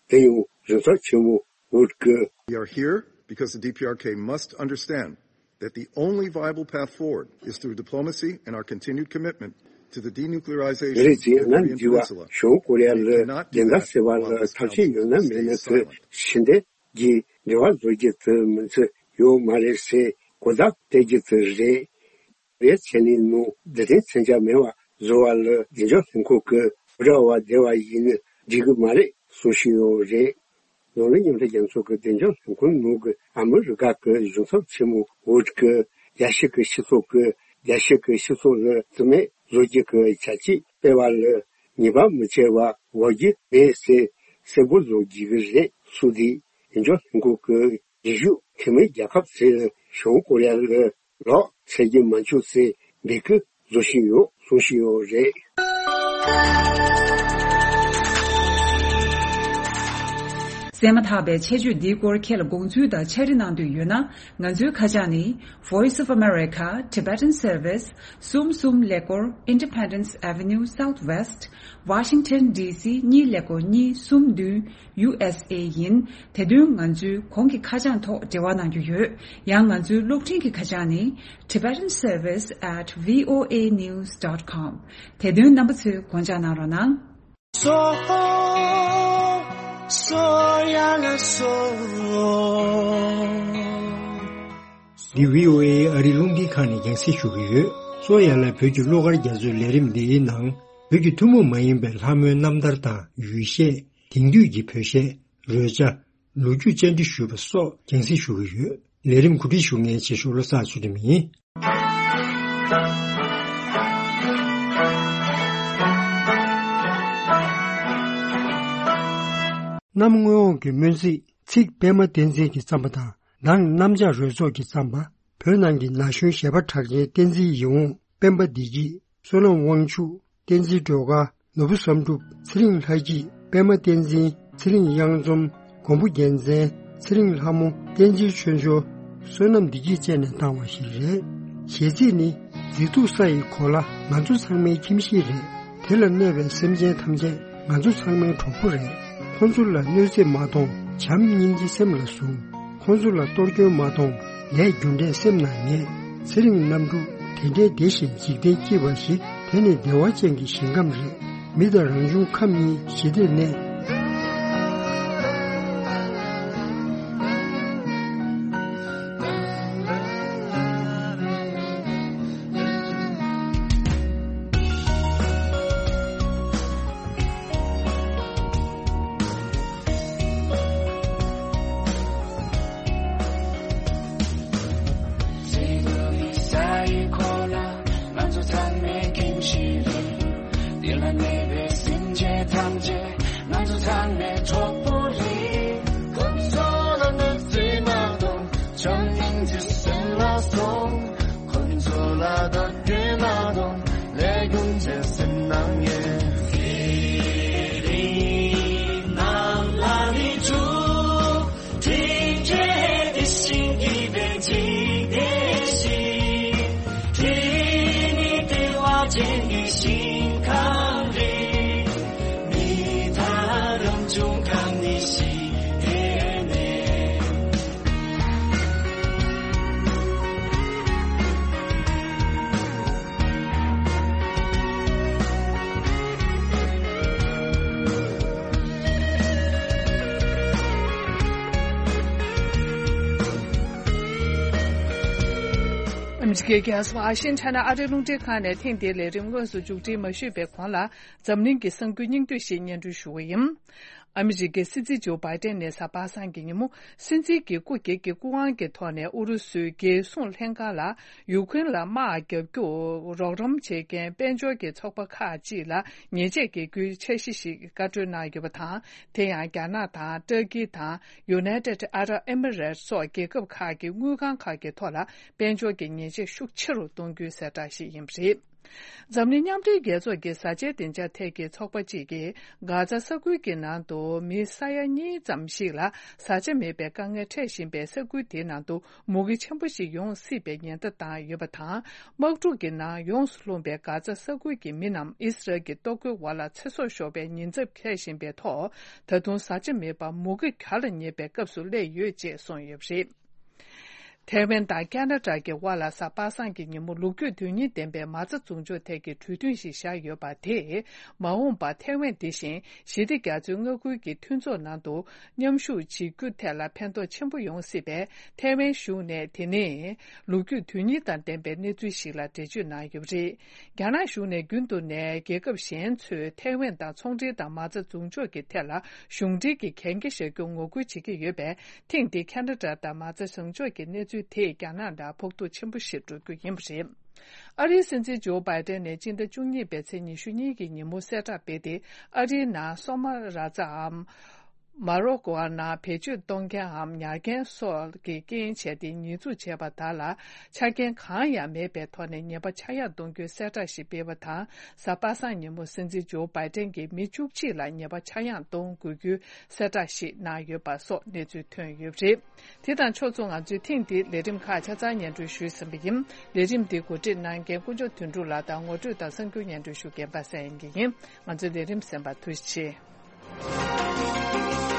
དེ་ཡང་གཞུང་ཚབ་ཆེན་མོ་ཝུད་ཀྱིས། We are here because the D P R K must understand that the only viable path forward is through diplomacy and our continued commitment to the denuclearization of the Korean Peninsula. ང་འདི་བ་བྱང་ཀོ་རི་ཡ་ལ་བདེན་མཐའ་གསལ་བ་ལ་ཐབས་ཤེས་ཡོད་ན་མེད་ན་དེ་ཕྱི་འབྲེལ་གྱི་འབྲེལ་བ་བཟོ་རྒྱུ་དེ་མིན་ཚུལ་ཡོད་མ་རེད་ཟེར་གོ་བརྡ་སྤྲད་རྒྱུ་དེ་རེད། བའི་ཚེ་ནི་ནུ་འདི་དེ་མཚོན་ཆ་མེད་པ་བཟོ་བ་ལ་བདེ་འཇགས་ལྷན་ཁང་གི་འབྲེལ་བ་བདེ་བ་ཡིན་ན་འགྲིག་གི་མ་རེད་གསུང་བཞིན་ཡོད་རེད། ནོར་གླིང་མཉམ་འབྲེལ་རྒྱལ་ཚོགས་ཀྱི་བདེ་འཇགས་ལས་ཁུངས་ནང་གི་ཨ་མི་རི་ཀ་གི་གཞུང་ཚབ་ཆེན་མོ་ཝུཌ་ཀྱིས་རྒྱལ་སྤྱི་གི་སྤྱི་ཚོགས་ཀྱི་རྒྱལ་སྤྱི་གི་སྤྱི་ཚོགས་ལ་བརྩི་མེད་བཟོ་རྒྱུ་གི་བྱ་སྤྱོད་སྤེལ་བ་ལ་ཉེས་པ་མི་བྱེད་པ་འོག་རྒྱུ་མེད་ཟེར་གསལ་པོ་བཟོ་རྒྱུ་གི་རེད་གསུངས་ཏེ། བདེ་འཇགས་ལས་ཁུངས་ཀྱི་རྒྱུན་ཞུགས་འཐུས་མི་རྒྱལ་ཁབ་ཚོས་བྱང་ཀོ་རི་ཡ་ལ་ལོག་འཚོལ་རྒྱུ་མ་བྱུང་ཟེར་འབོད་སྐུལ་བཟོ་བཞིན་ཡོད་གསུང་བཞིན་ཡོད་རེད། གསན་མ་ཐག་པའི་ཆེད་བརྗོད་འདིའི་སྐོར་ཁྱེད་ལ་དགོངས་ཚུལ་དང་ཕྱག་བྲིས་གནང་འདོད་ཡོད་ན། ང་ཚོའི་ཁ་བྱང་ནི། Voice of America, Tibetan Service, གསུམ་གསུམ་ཀླད་ཀོར། Independence Avenue Southwest, Washington D C གཉིས་ཀླད་ཀོར་གཉིས་གསུམ་བདུན། ཡུ་ཨེས་ཨེ་ཡིན། དེ་དོན་ང་ཚོའི་གོང་གི་ཁ་བྱང་ཐོག་འབྲེལ་བ་གནང་རྒྱུ་ཡོད། ཡང་ང་ཚོའི་གློག་འཕྲིན་གྱི་ཁ་བྱང་ནི། Tibetan Service at V O A news dot com། དེ་དོན་རྣམ་པ་ཚོས་དགོངས་འཇགས་གནང་རོགས་གནང་། སོ། སོ་ཡ་ལ་སོ། འདི་བྷི་ཨོ་ཨེ་ཨ་རིའི་རླུང་འཕྲིན་ཁང་ནས་རྒྱང་སྲིང་ཞུ་གི་ཡོད། སོ་ཡ་ལ་བོད་ཀྱི་བློ་དཀར་རྒྱ་མཚོའི་ལས་རིམ་འདིའི་ནང་། བོད་ཀྱི་ཐུན་མོང་མ་ཡིན་པའི་ལྷ་མོའི་རྣམ་ཐར་དང་ཡུལ་གཞས། དེང་དུས་ཀྱི་བོད་གཞས། རོལ་ཆ། ལོ་རྒྱུས་བཅར་འདྲི་ཞུས་པ་སོགས་རྒྱང་སྲིང་ཞུ་གི་ཡོད། ལས་རིམ་གོ་སྒྲིག་ཞུ་མཁན་ཆེ་ཤོས་བློ་བཟང་ཚུལ་ཁྲིམས་ཡིན། གནམ་སྔོན་འོག་གི་སྨོན་ཚིག་ཚིག་པད་མ་བསྟན་འཛིན་གྱིས་བརྩམས་པ་དང་། མདང་གནམ་ལྕགས་རོལ་ཚོགས་ཀྱིས་བརྩམས་པ། བོད་ནང་གི་ན་གཞོན་གཞས་པ་གྲགས་ཅན་བསྟན་འཛིན་ཡིད་འོང་། སྤེན་པ་བདེ་སྐྱིད། བསོད་ནམས་དབང་ཕྱུག། བསྟན་འཛིན་སྒྲོལ་དཀར། ནོར་བུ་བསམ་གྲུབ། ཚེ་རིང་ལྷ་སྐྱིད། པད་མ་བསྟན་འཛིན། ཚེ་རིང་གཡང་འཛོམས། མགོན་པོ་རྒྱལ་མཚན། ཚེ་རིང་ལྷ་མོ། བསྟན་འཛིན་ཆོས་འབྱོར། བསོད་ནམས་བདེ་སྐྱིད་བཅས་ནས་བཏང་བ་ཞིག་རེད། གཞས་ཚིག་ནི། མཛེས་སྡུག་ས་ཡི་གོ་ལ་ང་ཚོ་ཚང་མའི་ཁྱིམ་གཞིས་རེད། དེ་ལ་གནས་པའི་སེམས་ཅན་ཐམས་ཅད་ང་ཚོ་ཚང་མའི་གྲོགས་པོ་རེད། ཁོང་ཚོ་ལ་གནོད་འཚེ་མ་གཏོང་། བྱམས་སྙིང་རྗེ་སེམས་ལ་ཟུངས། ཁོང་ཚོ་ལ་གཏོར་སྐྱོན་མ་གཏོང་། ལས་རྒྱུ་འབྲས་སེམས་ནང་ངེས། ཚེ་རིང་རྣམ་དྲུག་དེ་འདྲའི་བདེ་ཞིང་འཇིག་རྟེན་སྐྱིད་པ་ཞིག་དེ་ནི་བདེ་བ་ཅན་གྱི་ཞིང་ཁམས་རེད། མི་དང་རང་བྱུང་ཁམས་གཉིས་ཞི་བདེར་གནས། ཨ་མི་རི་ཀའི་རྒྱལ་ས་ཝ་ཤིང་ཊོན་ཨ་རིའི་རླུང་འཕྲིན་ཁང་ནས་ཐེངས་འདིའི་ལས་རིམ་དངོས་སུ་མཇུག་སྒྲིལ་མ་ཞུས་པའི་གོང་ལ། འཛམ་གླིང་གི་གསར་འགྱུར་སྙིང་བསྡུས་ཤིག་སྙན་སྒྲོན་ཞུ་གི་ཡིན། ཨ་མི་རི་ཀའི་སྲིད་འཛིན་ཇོ་བྷའི་ཏན་ནས་གཟའ་པ་སངས་ཀྱི་ཉིན་མོ། སྲིད་འཛིན་གྱི་སྐུ་སྒེར་གྱི་སྐུ་དབང་གི་ཐོག་ནས་ཨུ་རུ་སུའི་རྒྱལ་སྲུང་ལྷན་ཁང་ལ། ཡུ་ཀེ་རེན་ལ་དམག་རྒྱག་རྒྱུར་རོགས་རམ་བྱེད་མཁན་དཔལ་འབྱོར་གྱི་ཚོགས་པ་ཁག་ཅིག་ལ་ཉེས་ཆད་འགེལ་རྒྱུའི་འཆར་གཞི་ཞིག་བཀའ་འཁྲོལ་གནང་ཡོད་པ་དང་། དེ་ཡང་རྒྱ་ནག་དང་། ཏུར་ཀི་དང་། United Arab Emirates སོགས་རྒྱལ་ཁབ་ཁག་གི་དངུལ་ཁང་ཁག་གི་ཐོག་ལ་དཔལ་འབྱོར་གྱི་ཉེས་ཆད་ཤུགས་ཆེ་རུ་གཏོང་རྒྱུའི་གསལ་བསྒྲགས་ཤིག་ཡིན་པ་རེད། འཛམ་གླིང་མཉམ་འབྲེལ་རྒྱལ་ཚོགས་ཀྱི་བཟའ་བཅའི་སྡིངས་ཆ་ཐད་ཀྱི་ཚོགས་པ་གཅིག་གིས། གྷ་ཛ་ས་ཁུལ་གྱི་ནང་དུ་མི་ས་ཡ་གཉིས་ཙམ་ཞིག་ལ་བཟའ་བཅའ་མེད་པའི་དཀའ་ངལ་འཕྲད་བཞིན་པའི་ས་ཁུལ་དེའི་ནང་དུ། མུ་གེ་ཆེན་པོ་ཞིག་ཡོང་སྲིད་པའི་ཉེན་བརྡ་བཏང་ཡོད་པ་དང་། དམག་འཁྲུག་གི་ནང་ཡོངས་སུ་ལྷུང་པའི་གྷ་ཛ་ས་ཁུལ་གྱི་མི་རྣམས་ཨི་སི་རལ་གྱི་ལྟོ་གོས་འོག་ལ་ཚེ་སྲོག་ཤོར་བའི་ཉེན་ཚབས་འཁེལ་བཞིན་པའི་ཐོག་ད་དུང་བཟའ་བཅའ་མེད་པར་མུ་གེ་གྱལ་ལ་ཉེ་བའི་སྐབས་སུ་སླེབས་ཡོད་ཅེས་གསུངས་ཡོད་པ་རེད། ཐའེ་ཝན་དང་ཁ་ན་ཌ་གི་དབར་ལ་གཟའ་པ་སངས་ཀྱི་ཉིན་མོ་ལོ་རྒྱུས་དོན་སྙིང་ལྡན་པའི་མ་རྩ་འཛུགས་འཇོག་ཐད་ཀྱི་གྲོས་མཐུན་ཞིག་བཞག་ཡོད་པ་དེས། མ་འོངས་པར་ཐའེ་ཝན་འདི་བཞིན་ཞི་བདེ་རྒྱ་མཚོའི་མངའ་ཁུལ་གྱི་མཐུན་ཚོགས་ནང་དུ་མཉམ་ཞུགས་བྱེད་རྒྱུ་ཐད་ལ་ཕན་ཐོགས་ཆེན་པོ་ཡོང་སྲིད་པས། ཐའེ་ཝན་གཞུང་ནས་དེ་ནི་ལོ་རྒྱུས་དོན་སྙིང་དང་ལྡན་པའི་གནས་ཚུལ་ཞིག་ལ་འགྲེལ་བརྗོད་གནང་ཡོད་པ་རེད། རྒྱ་ནག་གཞུང་ནས་རྒྱུན་དུ་ནས་རྒྱལ་ཁབ་གཞན་ཚོས་ཐའེ་ཝན་དང་ཚོང་འབྲེལ་དང་མ་རྩ་འཛུགས་འཇོག་གི་ཐད་ལ་གཞུང་འབྲེལ་གྱི་གན་རྒྱ་བཞག་རྒྱུར་ངོ་རྒོལ་བྱེད་ཀྱི་ཡོད་པས། ཐེངས་འདིའི་ཁ་ན་ཌ་དང་མ་རྩ་བཟང་ཕྱོགས་ཀྱི་གནས་ཚུལ་དེས་རྒྱ་ནག་ལ་ཕོག་ཐུག་ཆེན་པོ་ཞིག་འགྲོ་རྒྱུ་ཡིན་པ་རེད། ཨ་རིའི་སྲིད་འཛིན་ཇོ་བྷའི་ཏན་ནས་སྤྱི་ཟླ་བཅུ་གཉིས་པའི་ཚེས་ཉི་ཤུ་གཉིས་ཀྱི་ཉིན་མོ་གསལ་བསྒྲགས་སྤེལ་ཏེ། ཨ་རིའི་ནང་སོ་མ་ར་ཛའམ། མ་རོ་ཀོ་ནང་བེད་སྤྱོད་གཏོང་མཁན་འམ་ཉར་མཁན་སོགས་ཀྱི་རྐྱེན་བྱས་ཏེ། ཉེས་འཛུགས་བྱས་པ་དག་ལ་ཆ་རྐྱེན་གང་ཡང་མེད་པའི་ཐོག་ནས་ཉེས་པ་ཆག་ཡང་གཏོང་རྒྱུའི་གསལ་བསྒྲགས་ཤིག་སྤེལ་བ་དང་། གཟའ་པ་སངས་ཉིན་མོ་སྲིད་འཛིན་ཇོ་བྷའི་ཏན་གྱིས་མི་བཅུ་གཅིག་ལ་ཉེས་པ་ཆག་ཡང་གཏོང་དགོས་རྒྱུའི་གསལ་བསྒྲགས་ཤིག་གནང་ཡོད་པ་སོགས་གནས་ཚུལ་ཐོན་ཡོད་པ་རེད། དེ་དང་ཕྱོགས་མཚུངས། ང་ཚོའི་ཐེངས་འདིའི་ལས་རིམ་ཁག་ཆ་ཚང་སྙན་སྒྲོན་ཞུས་ཟིན་པ་ཡིན། ལས་རིམ་འདི་གོ་སྒྲིག་གནང་མཁན་དཀོན་མཆོག་དོན་གྲུབ་ལགས་དང་། ངོ་སྤྲོད་དང་གསར་འགྱུར་སྙན་སྒྲོན་ཞུ་མཁན་པ་སངས་དབྱངས་སྐྱིད་ཡིན། ང་ཚོའི་ལས་རིམ་གསན་པར་ཐུགས་རྗེ་ཆེ།